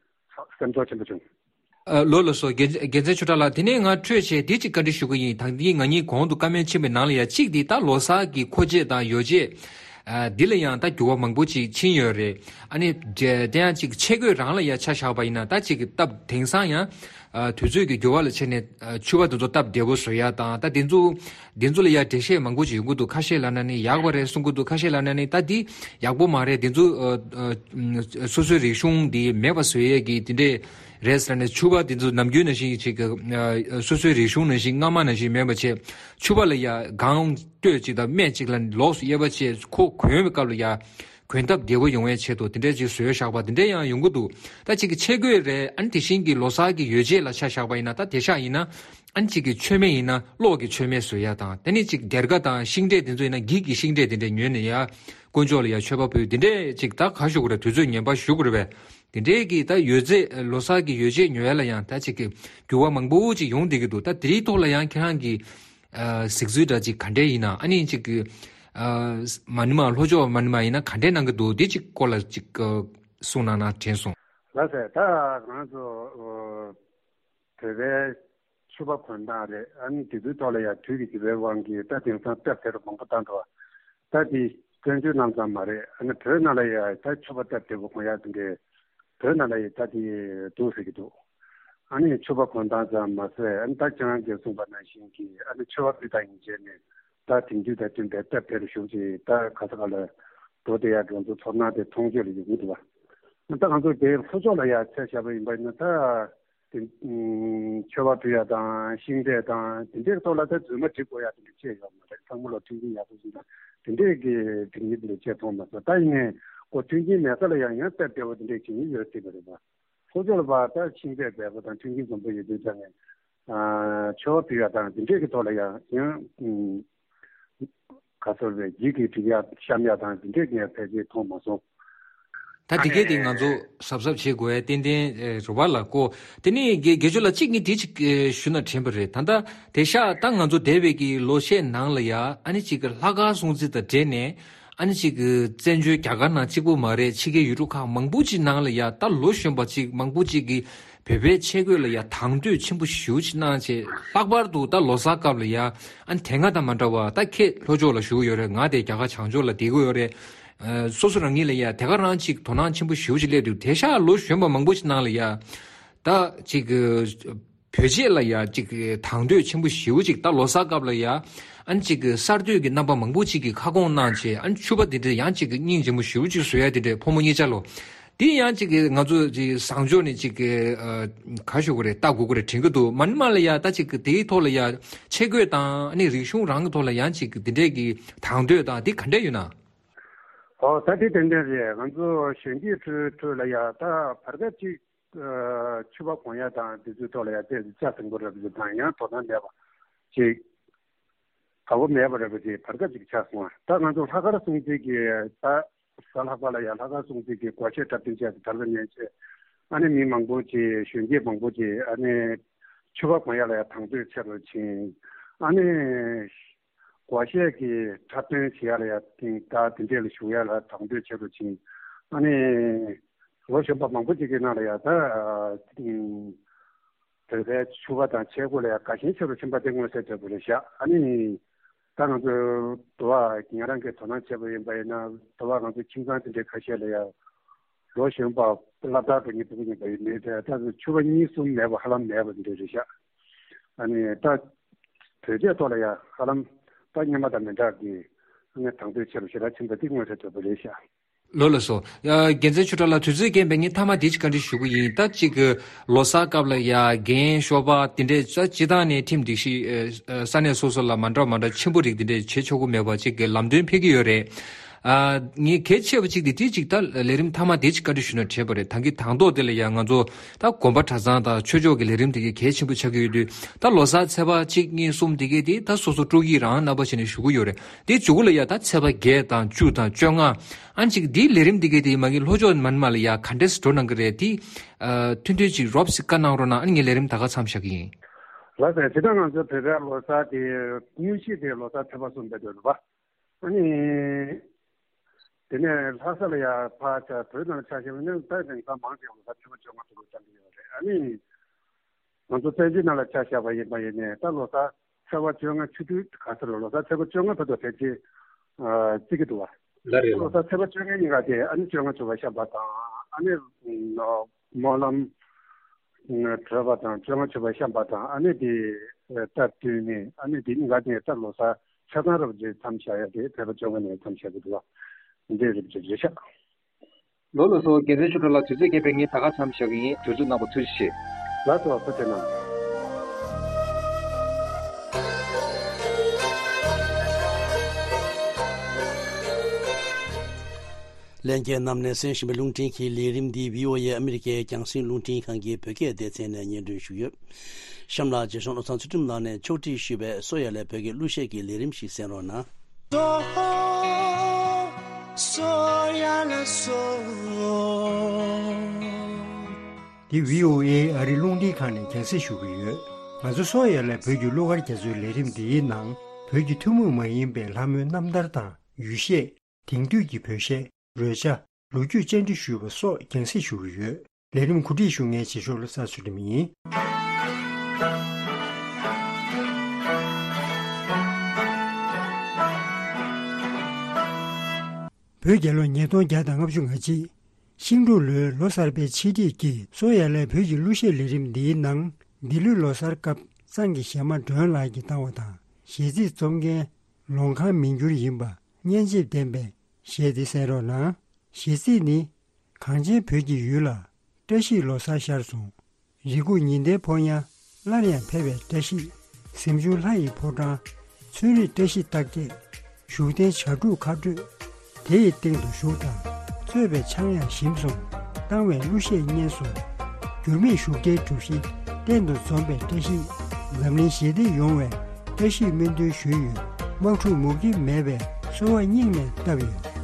སེམས་ཚོར་ཆེན་པོ་བྱུང་། ཨ་ལོ་ལ་སོ་རྒན་རྒན་ཚེ་ཆོས་གྲགས་ལགས། དེ་ནས་ང་འཕྲོས་བྱས་དེ་གཅིག་བཀའ་འདྲི་ཞུ་གི་ཡིན། ད་ལྟའི་ང་གཉིས་གོང་དུ་བཀའ་མོལ་ཕྱིན་པའི་ནང་ལ་ཡ་གཅིག་དེ་ད་ལོ་གསར་གྱི་མཁོ་ཆས་དང་ཡོ་བྱད་ཨ་འདི་ལ་ཡང་ད་འགྱུར་བ་མང་པོ་ཅིག་ཕྱིན་ཡོད་རེད། ཨ་ནི་དེ་ཡང་གཅིག་ཆས་གོས་རང་ལ་ཡ་ཆ་བཞག་པ་ཡིན་ན་ད་གཅིག་སྟབས་དེང་སང་ཡང་ཨ་དུས་ཚོད་ཀྱི་འགྱུར་བ་ལ་བྱས་ནས་ཨ་ཕྱུ་པ་དེ་ཚོ་སྟབས་བདེ་པོ་བཟོ་ཡ་དང་ད་དེ་ཚོ་དེ་ཚོ་ལ་ཡ་འགྲེལ་བཤད་མང་པོ་ཅིག་ཡོང་གི་འདུག་ཁ་ཤས་ལབ་ན་ནི་ཡག་པ་རེད་གསུང་གི་འདུག་ཁ་ཤས་ལབ་ན་ནི་ད་འདི་ཡག་པོ་མ་རེད། དེ་ཚོ་ཨ་ཨ་སོ་སོའི་རིག་གཞུང་འདི་མེད་པ་བཟོ་ཡས་ཀྱི་དེ་འདྲས་རེད་ཟེར་ནས་ཕྱུ་པ་དེ་ཚོ་ནམ་རྒྱུན་ནང་བཞིན་ཅིག་ཨ་སོ་སོའི་རིག་གཞུང་ནང་བཞིན་སྔ་མ་ནང་བཞིན་མེད་པ་བྱས་ཕྱུ་པ་ལ་ཡ་གང་སྤྲོད་ཅིག་དང་སྨད་ཅིག་ལ་ལོགས་སུ་གཡས་པ་བྱས་ཁོ་གོན་པའི་སྐབས་ལ་ཡ་གོན་སྟབས་བདེ་པོ་ཡོང་བའི་ཆེད་དུ་དེ་འདྲས་ཅིག་བཟོས་བཞག་པ་དེ་འདྲས་ཡང་ཡོང་གི་འདུག་ད་ཅིག་གི་ཆས་གོས་རེད། ཨ་ནི་དེ་བཞིན་གྱི་ལོ་གསར་གྱི་ཡོ་བྱད་ལ་ཆ་བཞག་པ་ཡིན་ན་ད་དེ་ཤག་ཡིན་ན། ཨ་ནི་གཅིག་གི་མཆོད་མེ་ཡིན་ན་གློག་གི་མཆོད་མེ་བཟོ་ཡ་དང་དེ་ནི་གཅིག་སྡེར་ཁ་དང་ཤིང་འབྲས་དེ་ཚོ་ཡིན་ན་འགྱིག་གི་ཤིང་འབྲས་དེ་འདྲ་ཉོས་ནས་ཡ་དཀོན་མཆོག་ལ་ཡ་མཆོད་པ་ཕུལ་དེ་འདྲས་གཅིག་ད་ག་ཞུ་དགོས་རེད། དུས་ཚོད་ངན་པ་ཞུ་དགོས་རེད་པས། དེ་འདྲས་ཀྱི་ད་ཡོད་ཚད་ལོ་གསར་གྱི་ཡོ་བྱད་ཉོ་ཡ་ལ་ཡང་ད་གཅིག་གི་འགྱུར་བ་མང་པོ་ཅིག་ཡོང་བསྡད་ཀྱི་འདུག་ད་དེའི་ཐོག་ལ་ཡང་ཁྱེད་རང་གི་ཨ་གཟིགས་ཚུལ་འདྲ་གཅིག་ག་འདྲས་ཡིན་ན་ཨ་ནི་གཅིག་གི་ཨ་མ་ནི་མ་ལྷོ་ཕྱོགས་མ་ནི་མ་ཡིན་ན་ག་འདྲས་གནང་གི་འདུག་དེ་གཅིག་སྐོར་ལ་གཅིག་གསུང་གནང་ན་དྲན་སོང་། ལགས་སེ། ད་ང་ཚོ་བོད་པའི་ཕྱུ་པ་གོན་སྟངས་རེད། ཨ་ནི་དེ་ཚོའི་ཐོག་ལ་ཡང་དུས་ཀྱི་འགྱུར་བའི་དབང་གིས་ད་དེང་སང་སྟབས་བདེ་རུ་མང་པོ་བཏང་འགྲོ་བ། ད་དེ་བཙན་བྱོལ་ནང་ཙམ་མ་རེད། ཨ་ནི་བོད་ནང་ལ་ཡང་ད་ཕྱུ་པ་སྟབས་བདེ་པོ་གོན་ཡག་དེ་འདྲའི་བོད་ནང་ལ་ཡང་ད་དེ་འདུག་ཟེར་གྱི་འདུག་ཨ་ནི་ཕྱུ་པ་གོན་སྟངས་ཙམ་མ་ཟད་ཨ་ནི་ད་ཁྱེད་རང་གིས་གསུངས་པ་ནང་བཞིན་གྱི་ཨ་ནི་མཆོད་པ་ཕུལ་སྟངས་ཡིན་བྱས་ནས་ད་དེང་དུས་དང་བསྟུན་པའི་སྟབས་བདེ་རུ་ཞུགས་ཅིག་ད་ག་ས་ག་ལ་འགྲོ་བསྡད་ཡག་འགྲོ་འདུག་ཚོར་སྣང་དེ་མཐོང་ཆོས་ལ་ཡོང་གི་འདུག་བ། ད་ང་ཚོ་དེ་ལྷོ་ཕྱོགས་ལ་ཡ་ཆ་བཞག་པ་ཡིན་པ་ཡིན་ན་ད། དེ་ཨུམ་མཆོད་པ་ཕུལ་ཡ་དང་ཤིང་འབྲས་དང་དེ་འདྲའི་ཐོག་ལ་ད་རྫུན་མ་སྒྲིག་དགོས་ཡ་དེ་འདྲ་བྱས་ཡོད་མ་རེད། ཚང་མ་ལ་མཐུན་རྐྱེན་ཡག་པོ་ཞིག་དང་དེ་འདྲས་ཀྱི་སྒྲིག་ཡིག་དེ་འདྲ་བྱས་མཐོང་མ་སོང་། ད་ཡིན་ནའི་ཁོ་མཐུན་རྐྱེན་མེད་ས་ལ་ཡང་ཡང་སྟབས་བདེ་བོ་དེ་འདྲས་བྱེད་ཀྱི་ཡོད་སྲིད་པ་རེད་པ། ལྷོ་ཕྱོགས་ལ་བ་ད་ཤིང་འབྲས་འབེལ་པོ་དང་མཐུན་རྐྱེན་འཛོམས་པོ་ཡོད་དུས་ཙང་ནས་ཨ་མཆོད་པ་ཕུལ་ཡ་དང་དེ་འདྲས་ཀྱི་ཐོག་ལ་ཡང་ཡང་ཨུམ། ག་ཚོད་རེད། འགྱིག་གི་སྒྲིག་ཡག་བཤམས་ཡག་དང་འདི་འདྲས་ངས་ཕལ་ཆེར་མཐོང་མ་སོང་། ད་འདི་གས་དེ་ང་ཚོ་གཟབ་གཟབ་བྱེད་དགོས་ཡ་ཏན་ཏན་རེད་བ་ལ་ཀོ། དེ་ནས་དགེ་དགེ་ཆོས་ལགས་གཅིག་ངས་དེ་ཅིག་ཞུ་ན་དྲན་པ་རེད། ད་ལྟ་དེ་ཤག་ད་ང་ཚོ་འདས་པའི་གི་ལོ་ཤས་ནང་ལ་ཡ་ཨ་ནི་ཅིག་གི་ལྷག་དཀར་སྲུང་བརྩི་དང་འབྲེལ་ནས་ཨ་ནི་ཅིག་གི་བཙན་བྱོལ་རྒྱ་གར་ནང་གཅིག་པོ་མ་རེད། ཕྱི་རྒྱལ་ཡུལ་གྲུ་ཁག་མང་པོ་ཅིག་ནང་ལ་ཡ་ད་ལོ་གཞོན་པ་ཅིག་མང་པོ་ཅིག་གི་བོད་པའི་ཆས་གོས་ལ་ཡ་དང་དོད་ཆེན་པོ་ཞེ་པོ་ཅིག་གནང་བྱས། ལྷག་པར་དུ་ད་ལོ་གསར་སྐབས་ལ་ཡ་ཨ་ནི་དེ་སྔ་དང་མ་འདྲ་བ། ད་ཁྱེད་ལྷོ་ཕྱོགས་ལ་བཞུགས་ཡོད་རེད། ང་དེ་རྒྱ་གར་བྱང་ཕྱོགས་ལ་བསྡད་ཀྱི་ཡོད་རེད། ཨ་སོ་སོ་རང་ཉིད་ལ་ཡ་དེ་ག་རང་ཅིག་དོ་སྣང་ཆེན་པོ་ཞེ་པོ་ཅིག་སླེབས་འདུག་དེང་སང་ལོ་གཞོན་པ་མང་པོ་ཞིག་ནང་ལ་ཡ་ད་ཅིག་བོད་ཆས་ལ་ཡ་ཅིག་དང་དོད་ཆེན་པོ་ཞེ་པོ་ཅིག་ད་ལོ་གསར་སྐབས་ལ་ཡ་ཨ་ནི་ཅིག་གསར་གཏོད་ཀྱི་རྣམ་པ་མང་པོ་ཅིག་གི་ཁ་སྐོང་གནང་བྱས། ཨ་ནི་ཕྱུ་པ་དེ་འདྲ་ཡང་ཅིག་སྙིང་རྗེ་མོ་ཞེ་པོ་ཅིག་བཟོ་ཡ་དེ་འདྲ་ཕོ་མོ་གཉིས་ཆ་ལོ། དེ་ཡང་ཅིག་གི་ང་ཚོ་ཅིག་བཟང་ཕྱོགས་ནས་ཅིག་གི་ཨ་ག་ཞུ་དགོས་རེད། ལྟ་དགོས་ཀྱི་རེད་དྲན་གྱི་འདུག་མ་ནི་མ་ལ་ཡ་ད་ཅིག་གི་དེའི་ཐོག་ལ་ཡ་ཆས་གོས་དང་ཨ་ནི་རིག་གཞུང་རང་གི་ཐོག་ལ་ཡང་ཅིག་གི་དེ་འདྲས་ཀྱི་དང་དོད་དང་དེ་ག་འདྲས་ཡོད་ན། ཨོ་ད་དེ་ཏན་ཏན་རེད། ང་ཚོ་གཞོན་སྐྱེས་ཁྲོད་ཁྲོད་ལ་ཡ་ད་བར་སྐབས་ཅིག་ཨ་ཕྱུ་པ་གོན་ཡ་དང་དེ་ཚོའི་ཐོག་ལ་ཡ་ཏོག་ཙམ་ཆ་ཚང་པོ་རེད་པ་ཅིག་དང་ཡང་དོ་སྣང་མེད་པ་ཅིག་དགའ་པོ་མེད་པ་རེད་པ་ཅིག་བར་སྐབས་ཅིག་ཆགས་སོང་། ད་ང་ཚོ་ལྷག་དཀར་སྲུང་བརྩི་གི་ད། གཟའ་ལྷག་པ་ལ་ཡང་ལྷ་ཁང་སྲུང་བརྩི་གི་སྒོར་གཞས་འཁྲབ་སྟོན་བྱས་ཏེ་དར་ལ་ཉན་བྱས། ཨ་ནི་མི་མང་པོ་ཅིག་གཞོན་སྐྱེས་མང་པོ་ཅིག་ཨ་ནི་ཕྱུ་པ་གོན་ཡག་ལ་ཡང་དང་དོད་ཆེ་རུ་ཕྱིན། ཨ་ནི་སྒོར་གཞས་ཀྱི་འཁྲབ་སྟོན་བྱེད་ཡག་ལ་ཡང་ད་དེ་འདྲས་ལ་ཞུགས་ཡག་ལ་དང་དོད་ཆེ་རུ་ཕྱིན། ཨ་ནི་ལོ་གཞོན་པ་མང་པོ་ཅིག་གི་ནང་ལ་ཡང་ད་བོད་པའི་ཕྱུ་པ་དང་ཆས་གོས་ལ་ཡང་དགའ་ཞེན་ཆེ་རུ་ཕྱིན་པ་དེ་མངོན་གསལ་དོད་པོ་རེད་ཤག་ཨ་ནི་ད་ང་ཚོ་དུ་བ་ཉན་རང་གིས་དོ་སྣང་བྱས་པ་ཡིན་པ་ཡིན་ན། དུ་བ་ང་ཚོ་ཁྱིམ་ཚང་དེ་འདྲའི་ཁ་ཤས་ལ་ཡང་ལོ་གཞོན་པ་སློབ་གྲྭ་འགྲོ་མཁན་ཕྲུ་གུ་ཡིན་པ་ཡིན་ནའི་ད་ད་ཕྱུ་པ་གཉིས་གསུམ་མེད་པ་ཧ་ལམ་མེད་པ་དེ་འདྲ་རེད་ཤག་ཨ་ནི་ད་བོད་སྐད་ཐོག་ལ་ཡང་ཧ་ལམ་ད་སྔོན་མ་དང་མི་འདྲ་གི་ཨ་ནི་དང་དོད་ཆེ་རུ་ཞེ་དྲག་ཕྱིན་པ་འདི་མངོན་གསལ་དོད་པོ་རེད་ཤག་ལགས་སོ། ཡ། རྒྱལ་མཚན་ཆོས་གྲགས་ལགས། དུས་ཚོད་རྐྱེན་པས་ངས་མཐའ་མ་འདི་ཅིག་བཀའ་འདྲི་ཞུ་གི་ཡིན། ད་ཅིག་གི་ལོ་གསར་སྐབས་ལ་ཡ་རྒན་ཤོ་པ་དེ་འདྲས་ད་སྤྱིར་བཏང་ནས་ཁྲིམས་སྒྲིག་གཞི་ཨ་ས་གནས་སོ་སོ་ལ་མ་འདྲ་མ་འདྲ་ཆེན་པོ་རིགས་དེ་འདྲས་བྱེད་ཆོག་གི་མེད་པ་ཅིག་གི་ལམ་སྟོན་ཕེབས་ཀྱི་ཡོད་རེད། ཨ། ངས་གལ་ཆེ་བ་ཅིག་དེ་དེ་ཅིག་ད་ལས་རིམ་མཐའ་མ་དེ་ཅིག་བཀའ་འདྲི་ཞུ་ན་དྲན་པ་རེད། ད་གི་དང་ཐོག་དེ་ལ་ཡ་ང་ཚོ་ད་དགོན་པ་གྲྭ་ཚང་དང་ཆོས་ཕྱོགས་ཀྱི་ལས་རིམ་དེ་གི་གལ་ཆེན་པོ་ཆགས་ཀྱི་ཡོད་དུས། ད་ལོ་གསར་ཚེས་པ་གཅིག་གཉིས་གསུམ་དེ་གས་དེ་ད་སོ་སོ་སྤྲོ་སྐྱིད་རང་རྣམ་པ་ཞིག་ནས་ཞུ་གི་ཡོད་རེད། དེའི་མཇུག་ལ་ཡ་ད་ཚེས་པ་བརྒྱད་དང་བཅུ་དང་བཅོ་ལྔ། ཨ་ནི་ཅིག་འདིའི་ལས་རིམ་འདི་གས་དེ་མ་གི་ལྷོ་ཕྱོགས་མ་ནི་མ་ལ་ཡ་ག་འདྲས་འགྲོ་གནང་གི་རེད། དེ་ཨ་ཐུང་ཐུང་ཅིག་རོབ་ཙམ་བཀའ་གནང་རོགས་གནང་། ཨ་ནི་ངས་ལས་རིམ་ད་ག་མཚམས་བཞག་གི་ཡིན། ལགས་སོ། ཇི་ལྟར་ང་ཚོ་བོད་པའི་ལོ་གསར་དེ་དངོས་གཞི་དེ་ལོ་གསར་ཚེས་པ་གསུམ་པའི་དུས་རེད་པ། ཨ་ནི་དེ་ནས་ལྷ་ས་ལ་ཡ་ཕར་ཆ་བོད་ནང་ལ་ཆ་བཞག་པ་ཡིན་ན་ད་དེང་སང་མང་ཆེ་བ་ལོ་གསར་ཚེས་པ་བཅོ་ལྔ་དུ་ལོ་བཅར་གྱི་ཡོད་རེད། ཨ་ནི། ང་ཚོ་བཙན་བྱོལ་ནང་ལ་ཆ་བཞག་པ་ཡིན་པ་ཡིན་ནའི་ད་ལོ་གསར་ཚེས་པ་བཅོ་ལྔ་ཆུ་སྟོད་ག་ཚོད་རེད། ལོ་གསར་ཚེས་པ་བཅོ་ལྔ་བར་དུ་ཕལ་ཆེར་ཨ་བརྩི་གི་འདུག་བ། ལགས་རེད། ལོ་གསར་ཚེས་པ་བཅོ་ལྔའི་ཉིན་ཀ་དེ་ཨ་ནི་བཅོ་ལྔ་མཆོད་པ་བཤམས་པ་དང་། ཨ་ནི་སྨོན་ལམ་གྲོལ་བ་དང་བཅོ་ལྔ་མཆོད་པ་བཤམས་པ་དང་། ཨ་ནི་དེ་རྟ་བཏུལ་ནས། ཨ་ནི་དེ་ཉིན་ཀ་དེ་ད་ལོ་གསར་ཆ་ཚང་རབ་ཅིག་མཚམས་བཞག་ཡ་དེ་ཚེས་པ་བཅོ་ལྔ་ནས་མཚམས་བཞག་གི་འདུག་བ། འདི་རབ་ཅིག་རེད་ཤག་ལགས་སོ། རྒྱལ་མཚན་ཆོས་གྲགས་ལགས། དུས་ཚོད་རྐྱེན་པས་ངས་ད་ག་མཚམས་བཞག་གི་ཡིན། དུས་ཚོད་གནང་བར་ཐུགས་རྗེ་ཆེ། ལགས་སོ། ཐུགས་རྗེ་གནང་། ལྷན་རྒྱས་རྣམས་ནས་གསན་བཞིན་པའི་རླུང་འཕྲིན་གྱི་ལས་རིམ་འདི་བྷི་ཨོ་ཨེ་ཨ་མི་རི་ཀའི་རྒྱང་སྲིང་རླུང་འཕྲིན་ཁང་གི་བོད་སྐད་སྡེ་ཚན་ནས་སྙན་སྒྲོན་ཞུས་ཡོད། གཤམ་ལ་རྗེ་གཞུང་བློ་བཟང་ཚུལ་ཁྲིམས་ལགས་ནས་ཕྱོགས་སྒྲིག་ཞུས་པའི་གསོ་ཡ་ལས་བོད་ཀྱི་གླུ་གཞས་ཀྱི་ལས་རིམ་ཞིག་གསན་རོགས་གནང་། འདི་བྷི་ཨོ་ཨེ་ཨ་རི་རླུང་འཕྲིན་ཁང་ནས་རྒྱང་སྲིང་ཞུ་གི་ཡོད། ང་ཚོ་གསོ་ཡ་ལས་བོད་ཀྱི་གླུ་གར་རྒྱ་མཚོའི་ལས་རིམ་འདིའི་ནང་བོད་ཀྱི་ཐུན་མོང་མ་ཡིན་པའི་ལྷ་མོའི་རྣམ་ཐར་དང་ཡུལ་གཞས། དེང་དུས་ཀྱི་བོད་གཞས། རོལ་ཆ། ལོ་རྒྱུས་བཅར་འདྲི་ཞུས་པ་སོགས་རྒྱང་སྲིང་ཞུ་གི་ཡོད། ལས་རིམ་གོ་སྒྲིག་ཞུ་མཁན་རྗེ་གཞུང་བློ་བཟང་ཚུལ་ཁྲིམས་ཡིན། བོད་རྒྱལ་ལོ་ཉིས་སྟོང་བརྒྱ་དང་ལྔ་བཅུ་ང་གཅིག་ཤིང་འབྲུག་ལོའི་ལོ་གསར་པའི་ཆེད་སྒྲིག་གི་གསོ་ཡ་ལས་བོད་ཀྱི་གླུ་གཞས་ལས་རིམ་འདིའི་ནང་། འདི་ལོའི་ལོ་གསར་སྐབས་གཙང་གི་གཞས་མ་སྒྲོན་ལགས་ཀྱིས་བཏང་བ་དང་། གཞས་ཚིག་རྩོམ་མཁན་ལོང་ཁང་མི་འགྱུར་ཡིན་པ་སྙན་འཇེབས་ལྡན་པའི་གཞས་འདི་གསན་རོགས་གནང་། གཞས་ཚིག་ནི། གངས་ཅན་བོད་ཀྱི་ཡུལ་ལ། བཀྲ་ཤིས་ལོ་གསར་ཤར་སོང་། རེ་སྒུག་ཉི་ཟླའི་ཕོ་ཉ། སླར་ཡང་ཕེབས་པའི་བཀྲ་ཤིས། གཟིམ་ཆུང་ལྷ་ཡི་ཕོ་བྲང་། ཚོན་རིས་བཀྲ་ཤིས་རྟགས་བརྒྱད། བཞུགས་གདན་བྱ་ཕྲུག་ཁ་སྤྲོད། དེ་ཡི་སྟེང་དུ་བཞུགས་དང་། གཙོས་པའི་ཆང་ཡང་ཞིམ་སོང་། བཏང་བའི་གླུ་གཞས་སྙན་སོང་། འགྱུར་མེད་བཞུགས་གདན་གྲུ་བཞི། གཏན་དུ་འཛོམས་པའི་བཀྲ་ཤིས། འཛམ་གླིང་ཞི་བདེ་ཡོང་བའི། བཀྲ་ཤིས་སྨོན་འདུན་ཞུས་ཡོད། དམག་འཁྲུག་མུ་གེ་མེད་པའི་གསོལ་བ་སྙིང་ནས་བཏབ་ཡོད།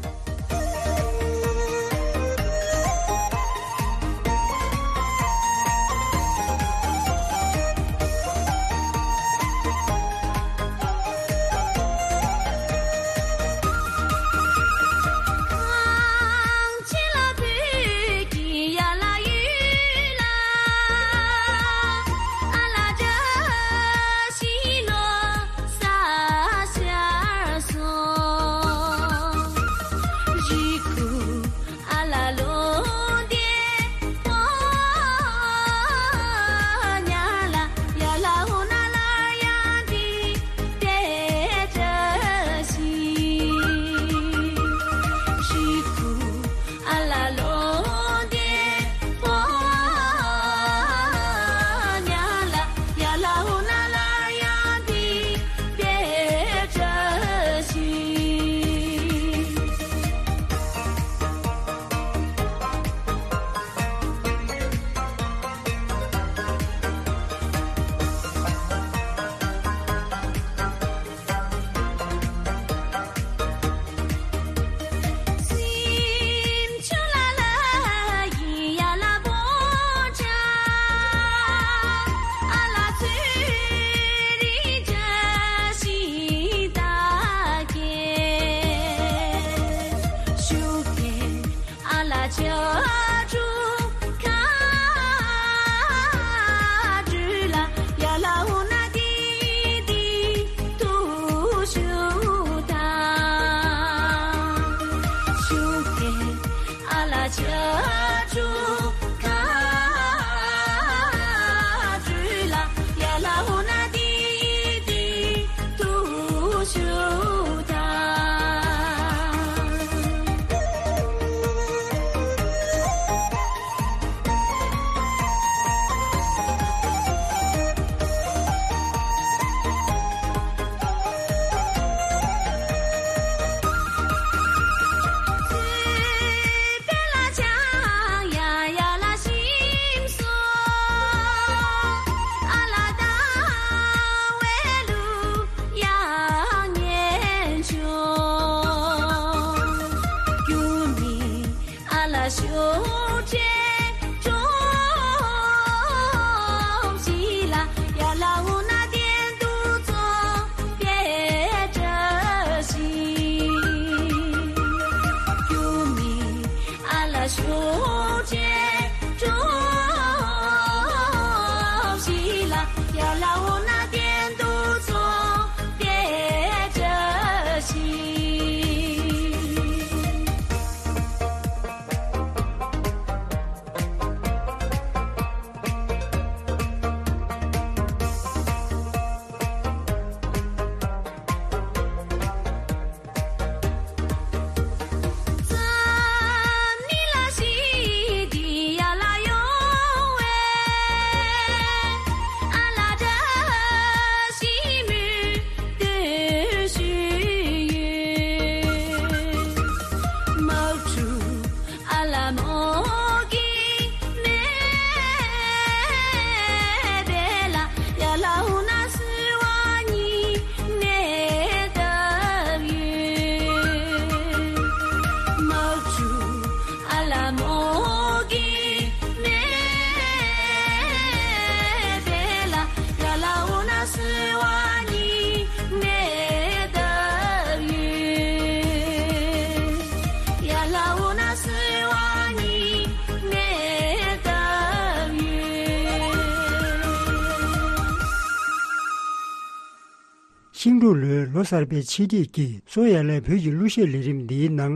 ཤིང་འབྲུག་ལོའི་ལོ་གསར་པའི་ཆེད་སྒྲིག་གི་སོ་ཡ་ལའི་བོད་ཀྱི་གླུ་གཞས་ལས་རིམ་འདིའི་ནང་།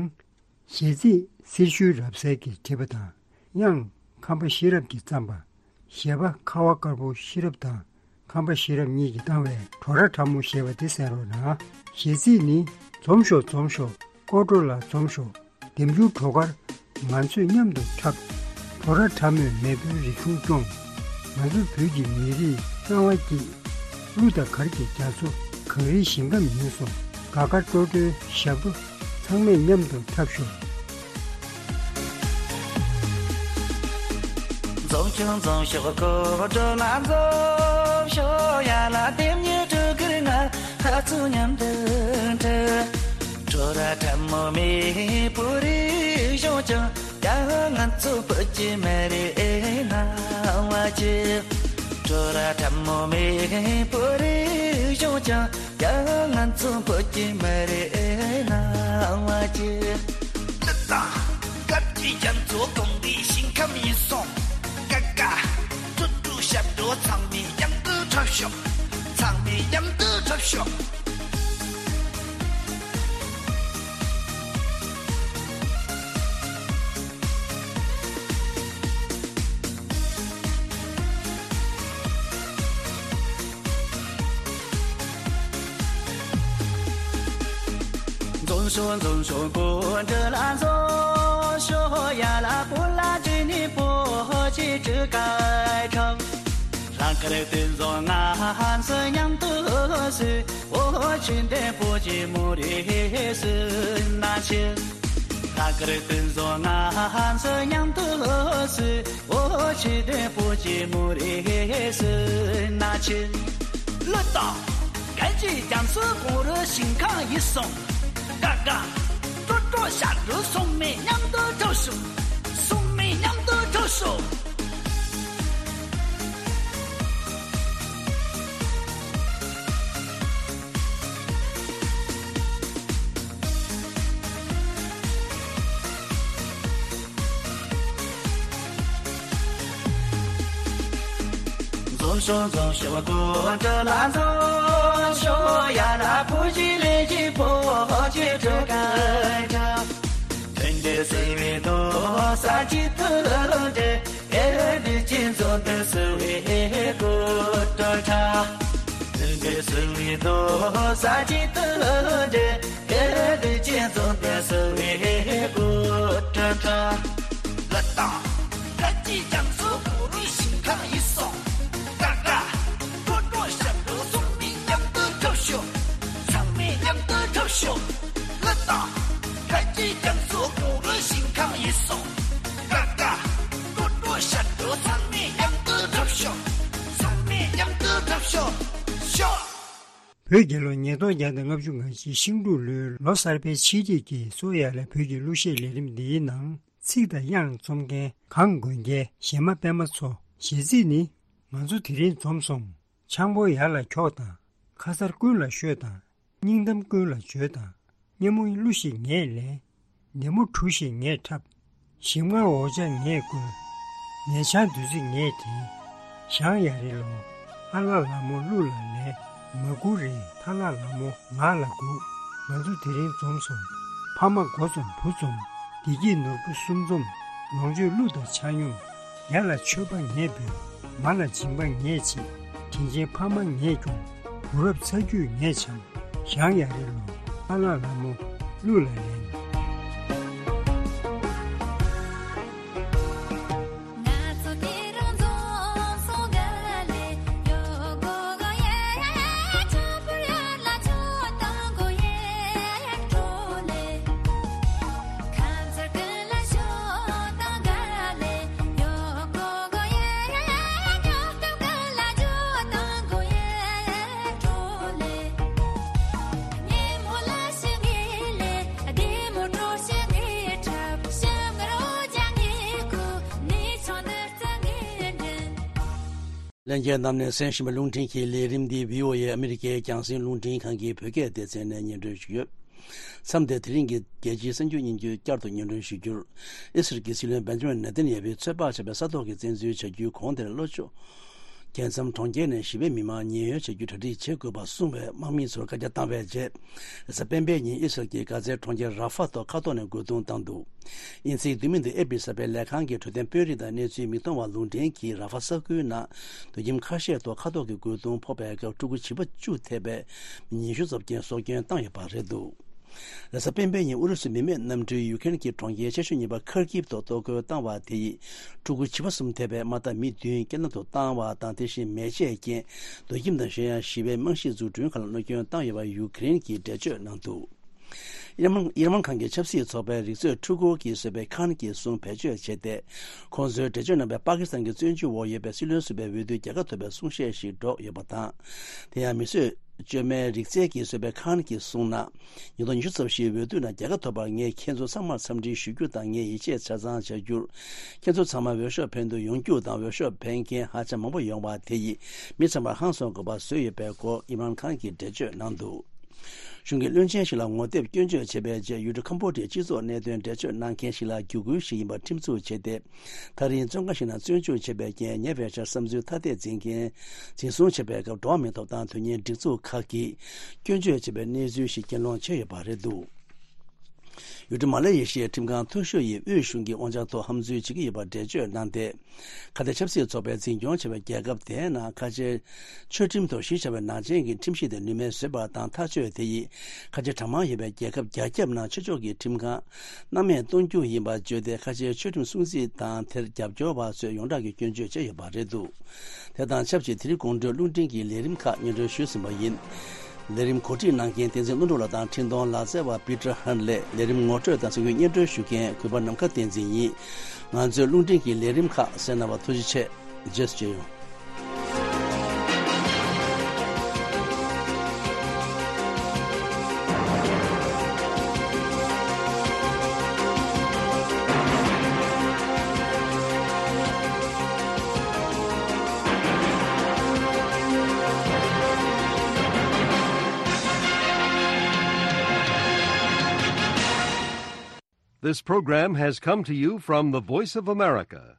གཞས་ཚིག་སེར་ཤུལ་རབ་གསལ་གྱིས་བྲིས་པ་དང་། དབྱངས་ཁམས་པ་ཤེས་རབ་ཀྱིས་བརྩམས་པ། གཞས་པ་ཁ་བ་དཀར་པོ་ཤེས་རབ་དང་ཁམས་པ་ཤེས་རབ་གཉིས་ཀྱིས་བཏང་བའི་བྲོ་ར་ཁྲ་མོ་ཞེས་པ་དེ་གསན་རོགས་གནང་། གཞས་ཚིག་ནི། འཛོམས་ཤོག་འཛོམས་ཤོག་སྐོར་བྲོ་ལ་འཛོམས་ཤོག་འདེམས་རྒྱུག་བྲོ་གར་ང་ཚོས་མཉམ་དུ་འཁྲབ། བྲོ་ར་ཁྲ་མོས་མེས་པོའི་རིག་གཞུང་སྐྱོང་། ང་ཚོ་བོད་ཀྱི་མི་རིགས་གསང་བ་སྐྱིད། གླུ་དང་གར་གྱི་རྒྱ་མཚོ་གངས་རིའི་ཞིང་ཁམས་ཡིན་སོང་། དགའ་དགའ་སྤྲོ་སྤྲོའི་ཞབས་བྲོ་ཚང་མས་མཉམ་དུ་འཁྲབ་ཤོག་འཛོམས་ཤོག་འཛོམས་ཤོག་སྐོར་བྲོ་ལ་འཛོམས་ཤོག་ཡ་ལ་དེབ་ཉིད་སྤྲུལ་སྐུར་ང་ཧ་ཚུ་མཉམ་དུ་འཁྲབ། བྲོ་ར་ཁྲ་མོ་མེས་པོའི་རིག་གཞུང་སྐྱོང་། ཡ་ང་ཚོ་བོད་ཀྱི་མི་རིགས་སྣང་བ་སྐྱིད། བྲོ་ར་ཁྲ་མོ་མེས་པོའི་རིག་གཞུང་སྐྱོང་། ཡ་ང་ཚོ་བོད་ཀྱི་མི་རིགས་སྣང་བ་སྐྱིད། གླུ་དང་གར་གྱི་རྒྱ་མཚོ་གངས་རིའི་ཞིང་ཁམས་ཡིན་སོང་། དགའ་དགའ་སྤྲོ་སྤྲོ་ཞབས་བྲོ་ཚང་མས་མཉམ་དུ་འཁྲབ་ཤོག་ཚང་མས་མཉམ་དུ་འཁྲབ་ཤོག་འཛོམས་ཤོག་འཛོམས་ཤོག་སྐོར་བྲོ་ལ་འཛོམས་ཤོག་ཡ་ལ་བོད་ལ་བྲོས་ནས་བོད་ཀྱི་སྤྲུལ་སྐར་འཁྲབ། རང་དགར་སྟོན་བཟང་ང་ཚོ་མཉམ་དུ་བསུ། ཨོ་ཆོས་ལྡན་བོད་ཀྱི་མོ་རིགས་སུ་ན་ཆེ། རང་དགར་སྟོན་བཟང་ང་ཚོ་མཉམ་དུ་བསུ། ཨོ་ཆོས་ལྡན་བོད་ཀྱི་མོ་རིགས་སུ་ན་ཆེ། གླུ་དང་གར་གྱི་རྒྱ་མཚོ་གངས་རིའི་ཞིང་ཁམས་ཡིན་སོང་། དགའ་དགའ་སྤྲོ་སྤྲོ་ཞབས་བྲོ་ཚང་མས་མཉམ་དུ་འཁྲབ་ཤོག་ཚང་མས་མཉམ་དུ་འཁྲབ་ཤོག་འཛོམས་ཤོག་འཛོམས་ཤོག་སྐོར་བྲོ་ལ་འཛོམས་ཤོག་ཡ་ལ་བོད་ཀྱི་ལས་ཀྱི་བོད་ཀྱི་སྤྲུལ་སྐར་འཁྲབ། མཐུན་ ལ་དྭགས་སྐད་ཀྱི་རྒྱ་མཚོ་གངས་རིའི་ཞིང་ཁམས་ཡིན་སོང་། ཀ་ཀ་ཀོ་ཀོ་ཞབས་བྲོ་ཚང་མས་མཉམ་དུ་འཁྲབ་ཤོག་ཚང་མས་མཉམ་དུ་འཁྲབ་ཤོག་ལ་དྭགས་སྐད་ཀྱི་རྒྱ་མཚོ་གངས་རིའི་ཞིང་ཁམས་ཡིན་སོང་། ཀ་ཀ་ཀོ་ཀོ་ཞབས་བྲོ་ཚང་མས་མཉམ་དུ་འཁྲབ་ཤོག་ཚང་མས་མཉམ་དུ་འཁྲབ་ཤོག་ཤོག་བོད་རྒྱལ་ལོ་ཉིས་སྟོང་བརྒྱ་དང་ལྔ་བཅུ་ང་གཅིག་ཤིང་འབྲུག་ལོའི་ལོ་གསར་པའི་ཆེད་སྒྲིག་གི་གཙོ་ཡ་ལ་བོད་ཀྱི་གླུ་གཞས་ལས་རིམ་འདིའི་ནང་ཚིག་དང་དབྱངས་རྩོམ་མཁན་གངས་དགོན་རྒྱལ་གཞས་མ་པད་མ་མཚོ། གཞས་ཚིག་ནི། ང་ཚོ་དེ་རིང་འཛོམས་སོང་། ཆང་ཕོར་ཡར་ལ་འཁྱོག་དང་། ཁ་སར་ཀུན་ལ་ཤོད་དང་། སྙིང་གཏམ་ཀུན་ལ་བརྗོད་དང་། སྙན་མོ་གླུ་ཞིག་ངས་ལེན། བདེ་མོ་གྲུ་ཞིག་ངས་འཁྲབ། ཞིམ་མངར་འོ་ཇ་ངས་བསྐོལ། ངས་ཆང་བདུད་རྩི་ངས་འདྲེན། ཞང་ཡ་རི་ལོ། ཨ་ལ་ལ་མོ་གླུ་ལ་ལེན། མ་གུ་རེ་ཐ་ལ་ལ་མོ་ང་ལ་སྒུག་ང་ཚོ་དེ་རིང་འཛོམས་སོང་། ཕ་མ་མགོ་འཛོམས་བུ་འཛོམས། བདེ་སྐྱིད་ནོར་བུ་གསུམ་འཛོམས། ལོངས་སྤྱོད་གླུ་དང་ཆ་སྙོམས། ཡ་ལ་མཆོད་པ་ངས་འབུལ། མ་ལ་སྦྱིན་པ་ངས་བྱེད། དྲིན་ཆེན་ཕ་མ་ངས་སྐྱོང་། བུ་རབས་ཚ་རྒྱུད་ངས་འཆང་། ཞང་ཡ་རི་ལོ། ཨ་ལ་ལ་མོ། གླུ་ལ་ལེན། ལྷན་རྒྱས་རྣམས་ནས་གསན་བཞིན་པའི་རླུང་འཕྲིན་གྱི་ལས་རིམ་འདི་བྷི་ཨོ་ཨེ་ཨ་མི་རི་ཀའི་རྒྱང་སྲིང་རླུང་འཕྲིན་ཁང་གི་བོད་སྐད་སྡེ་ཚན་ནས་སྙན་སྒྲོན་ཞུས་ཡོད། མཚམས་འདིར་དེ་རིང་གི་རྒྱལ་སྤྱིའི་གསར་འགྱུར་སྙིང་བསྡུས་བསྐྱར་དུ་སྙན་སྒྲོན་ཞུ་རྒྱུར། ཨི་སི་རལ་གྱི་སྲིད་བློན་བེན་ཇ་མིན་ནེ་ཐན་ཡ་ཧུའི་ཚོད་དཔག་བྱས་པའི་ས་ཐོག་གི་བཙན་འཛུལ་བྱ་རྒྱུའི་གོང་དེར་ལྷོ་ཕྱོགས་རྒྱལ་མཚམས་གྲོང་ཁྱེར་ནས་ཞི་བའི་མི་མང་ཉེན་གཡོལ་བྱ་རྒྱུའི་གྲ་སྒྲིག་བྱེད་དགོས་པ་གསུངས་པའི་དམག་མི་ཚོར་བཀའ་རྒྱ་བཏང་བའི་རྗེས། རེས་གཟའ་སྤེན་པའི་ཉིན་ཨི་སི་རལ་གྱི་གྷ་ཛའི་གྲོང་ཁྱེར་ར་ཧྥ་ཐོག་མཁའ་ཐོག་ནས་རྒོལ་རྡུང་བཏང་འདུག་དབྱིན་ཚིག་བསྡུས་མིང་དུ་ཨེ་པི་གསར་སྤེལ་ལས་ཁང་གི་འཕྲོད་བསྟེན་དཔོན་རིགས་དང་གནས་ཚུལ་མིག་མཐོང་བ་ལུང་འདྲེན་གྱིས་ར་ཧྥ་ས་ཁུལ་ནང་དུད་ཁྱིམ་ཁ་ཤས་ཐོག་མཁའ་ཐོག་གི་རྒོལ་རྡུང་ཕོག་པའི་སྐབས་ཕྲུ་གུ་བྱིས་པ་བཅུ་ཐེ་བའི་ཉི་ཤུ་ཙམ་རྐྱེན་སྲོག་སྐྱོན་བཏང་ཡོད་པ་རེད་འདུག་རེས་གཟའ་སྤེན་པའི་ཉིན་ཨུ་རུ་སུའི་མི་མེད་གནམ་གྲུས་ཡུ་ཁེ་རན་གྱི་གྲོང་ཁྱེར་ཆེ་ཤོས་གཉིས་པ་ཁར་ཀིབ་ཐོག་གཏོར་རྒོལ་བཏང་བ་དེ་ཡིས་ཕྲུ་གུ་བྱིས་པ་གསུམ་ཐེ་བའི་དམག་འཐབ་མི་བདུན་རྐྱེན་སྣ་ཐོག་བཏང་བ་དང་། དེ་བཞིན་མེ་ལྕེའི་རྐྱེན་དུད་ཁྱིམ་དང་གཞན་ཡང་ཞི་བའི་རྨང་གཞིའི་འཛུགས་སྐྲུན་ཁག་ལ་གནོད་སྐྱོན་བཏང་ཡོད་པ་ཡུ་ཁེ་རན་གྱིས་འགྲེལ་བརྗོད་གནང་འདུག་ཡེར་མ་ཡེར་མན་གྷན་གྱི་ཆབ་སྲིད་ཚོགས་པའི་རིག་རྩེད་འཕྲུལ་འཁོར་གྱིས་བཟོས་པའི་ཁཱན་གྱི་གསུང་བེད་སྤྱོད་བྱས་ཏེ། ཁོང་ཚོས་འགྲེལ་བརྗོད་གནང་བའི་པ་ཀི་སི་ཐན་གྱི་བཙོན་འཇུག་འོག་ཡོད་པའི་སྲིད་བློན་ཟུར་པའི་འོས་བསྡུ་རྒྱལ་ཁ་ཐོབ་པའི་གསུང་བཤད་ཞིག་སྒྲོག་ཡོད་པ་དང་། དེ་ཡང་མིས་བཟོས་བཅོས་མའི་རིག་རྩལ་གྱིས་བཟོས་པའི་ཁཱན་གྱི་གསུང་ནང་། ཉིས་སྟོང་ཉི་ཤུ་རྩ་བཞིའི་འོས་བསྡུ་ནང་རྒྱལ་ཁ་ཐོབ་པར་ངས་ཁྱེད་ཚོ་ཚང་མར་འཚམས་འདྲི་ཞུ་རྒྱུ་དང་། ངའི་ཡིད་ཆེས་ཆ་ཚང་བྱ་རྒྱུར། ཁྱེད་ཚོ་ཚང་མ་འོས་ཤོག་འཕེན་དུ་ཡོང་རྒྱུ་དང་། འོས་ཤོག་འཕེན་མཁན་ཧ་ཅང་མང་པོ་ཡོང་བ་དེ་ཡིས་མི་ཚང་མར་ཧང་སང་དགོས་པ་བཟོས་ཡོད་པའི་སྐོར་ཡེར་མན་གྷན་གྱིས་འགྲེལ་བརྗོད་གནང་འདུག་གཞུང་གི་བློན་ཆེན་ཞིག་ལ་ངོ་དེབ་སྐྱོན་བརྗོད་བྱས་པའི་རྗེས། ཡུལ་གྲུ་ཁམ་བྷོ་ཌིའི་སྤྱི་ཚོགས་གནད་དོན་འགྲེལ་བརྗོད་གནང་མཁན་ཞིག་ལ་རྒྱུད་སྐུལ་ཞིག་ཡིན་པར་ཁྲིམས་འཛུགས་བྱས་ཏེ། ཐག་རིང་བཙོན་ཁང་ཞིག་ནང་བཙོན་འཇུག་བྱས་པའི་རྐྱེན། ཉེ་བའི་ཆར་བསམ་ཚུལ་ཐ་དད་འཛིན་མཁན་འཛིན་བཟུང་བྱས་པའི་སྐབས། འགྲོ་བ་མིའི་ཐོབ་ཐང་དོན་གཉེར་སྒྲིག་འཛུགས་ཁག་གིས་སྐྱོན་བརྗོད་བྱས་པའི་གནས་ཚུལ་ཞིག་གྱེན་ལངས་བྱས་ཡོད་པ་རེད་འདུག་ཡུལ་གྲུ་མ་ལེ་ཡེ་ཤི་ཡའི་ཁྲིམས་ཁང་མཐོ་ཤོས་ཡིས་དབུས་གཞུང་གི་དབང་ཆ་ཐོག་ཧམ་འཛུལ་བྱེད་ཀྱི་ཡོད་པར་འགྲེལ་བརྗོད་གནང་སྟེ། ཁ་གཏད་ཆབ་སྲིད་ཚོགས་པས་འཛིན་སྐྱོང་བྱས་པའི་རྒྱལ་ཁབ་དེའི་ནང་ཁ་ཆེའི་ཆོས་ཁྲིམས་ཐོག་གཞི་བཞག་པའི་ནང་ཆེན་གྱི་ཁྲིམས་གཞི་དེ་ནུས་མེད་བཟོས་པ་དང་། ཐག་གཅོད་དེ་ཡིས་ཁ་ཆེའི་གྲངས་མང་ཡོད་པའི་རྒྱལ་ཁབ་བརྒྱ་ཁྱབ་ནང་ཆོས་ཕྱོགས་ཀྱི་ཁྲིམས་ཁང་སྣང་མེད་གཏོང་རྒྱུ་ཡིན་པར་བརྗོད་དེ། ཁ་ཆེའི་ཆོས་ཁྲིམས་སྲུང་བརྩི་དང་དེར་རྒྱབ་སྐྱོར་བ་ཚོས་ཡོངས་གྲགས་ཀྱི་སྐྱོན་བརྗོད་བྱས་ཡོད་པ་རེད་འདུག་དེ་དང་ཆབས་ཅིག་དེ་རིང་དགོང་དྲོའི་རླུང་འཕྲིན་གྱི་ལས་རིམ་ཁག་སྙན་སྒྲོན་ཞུས་ཟིན་པ་ཡིན། ལས་རིམ་གོ་སྒྲིག་གནང་མཁན་བསྟན་འཛིན་ཀླུ་སྒྲུབ་ལགས་དང་འཕྲིན་གཏོང་ལག་རྩལ་བ་པི་ཏར་ཧན་ལེ། ལས་རིམ་ངོ་སྤྲོད་དང་གསར་འགྱུར་སྙན་སྒྲོན་ཞུ་མཁན་གུས་པ་ནམ་མཁའ་བསྟན་འཛིན་ཡིན། ང་ཚོའི་རླུང་འཕྲིན་གྱི་ལས་རིམ་ཁག་གསན་གནང་བར་ཐུགས་རྗེ་ཆེ། རྗེས་སུ་མཇལ་ཡོང་། This program has come to you from the Voice of America,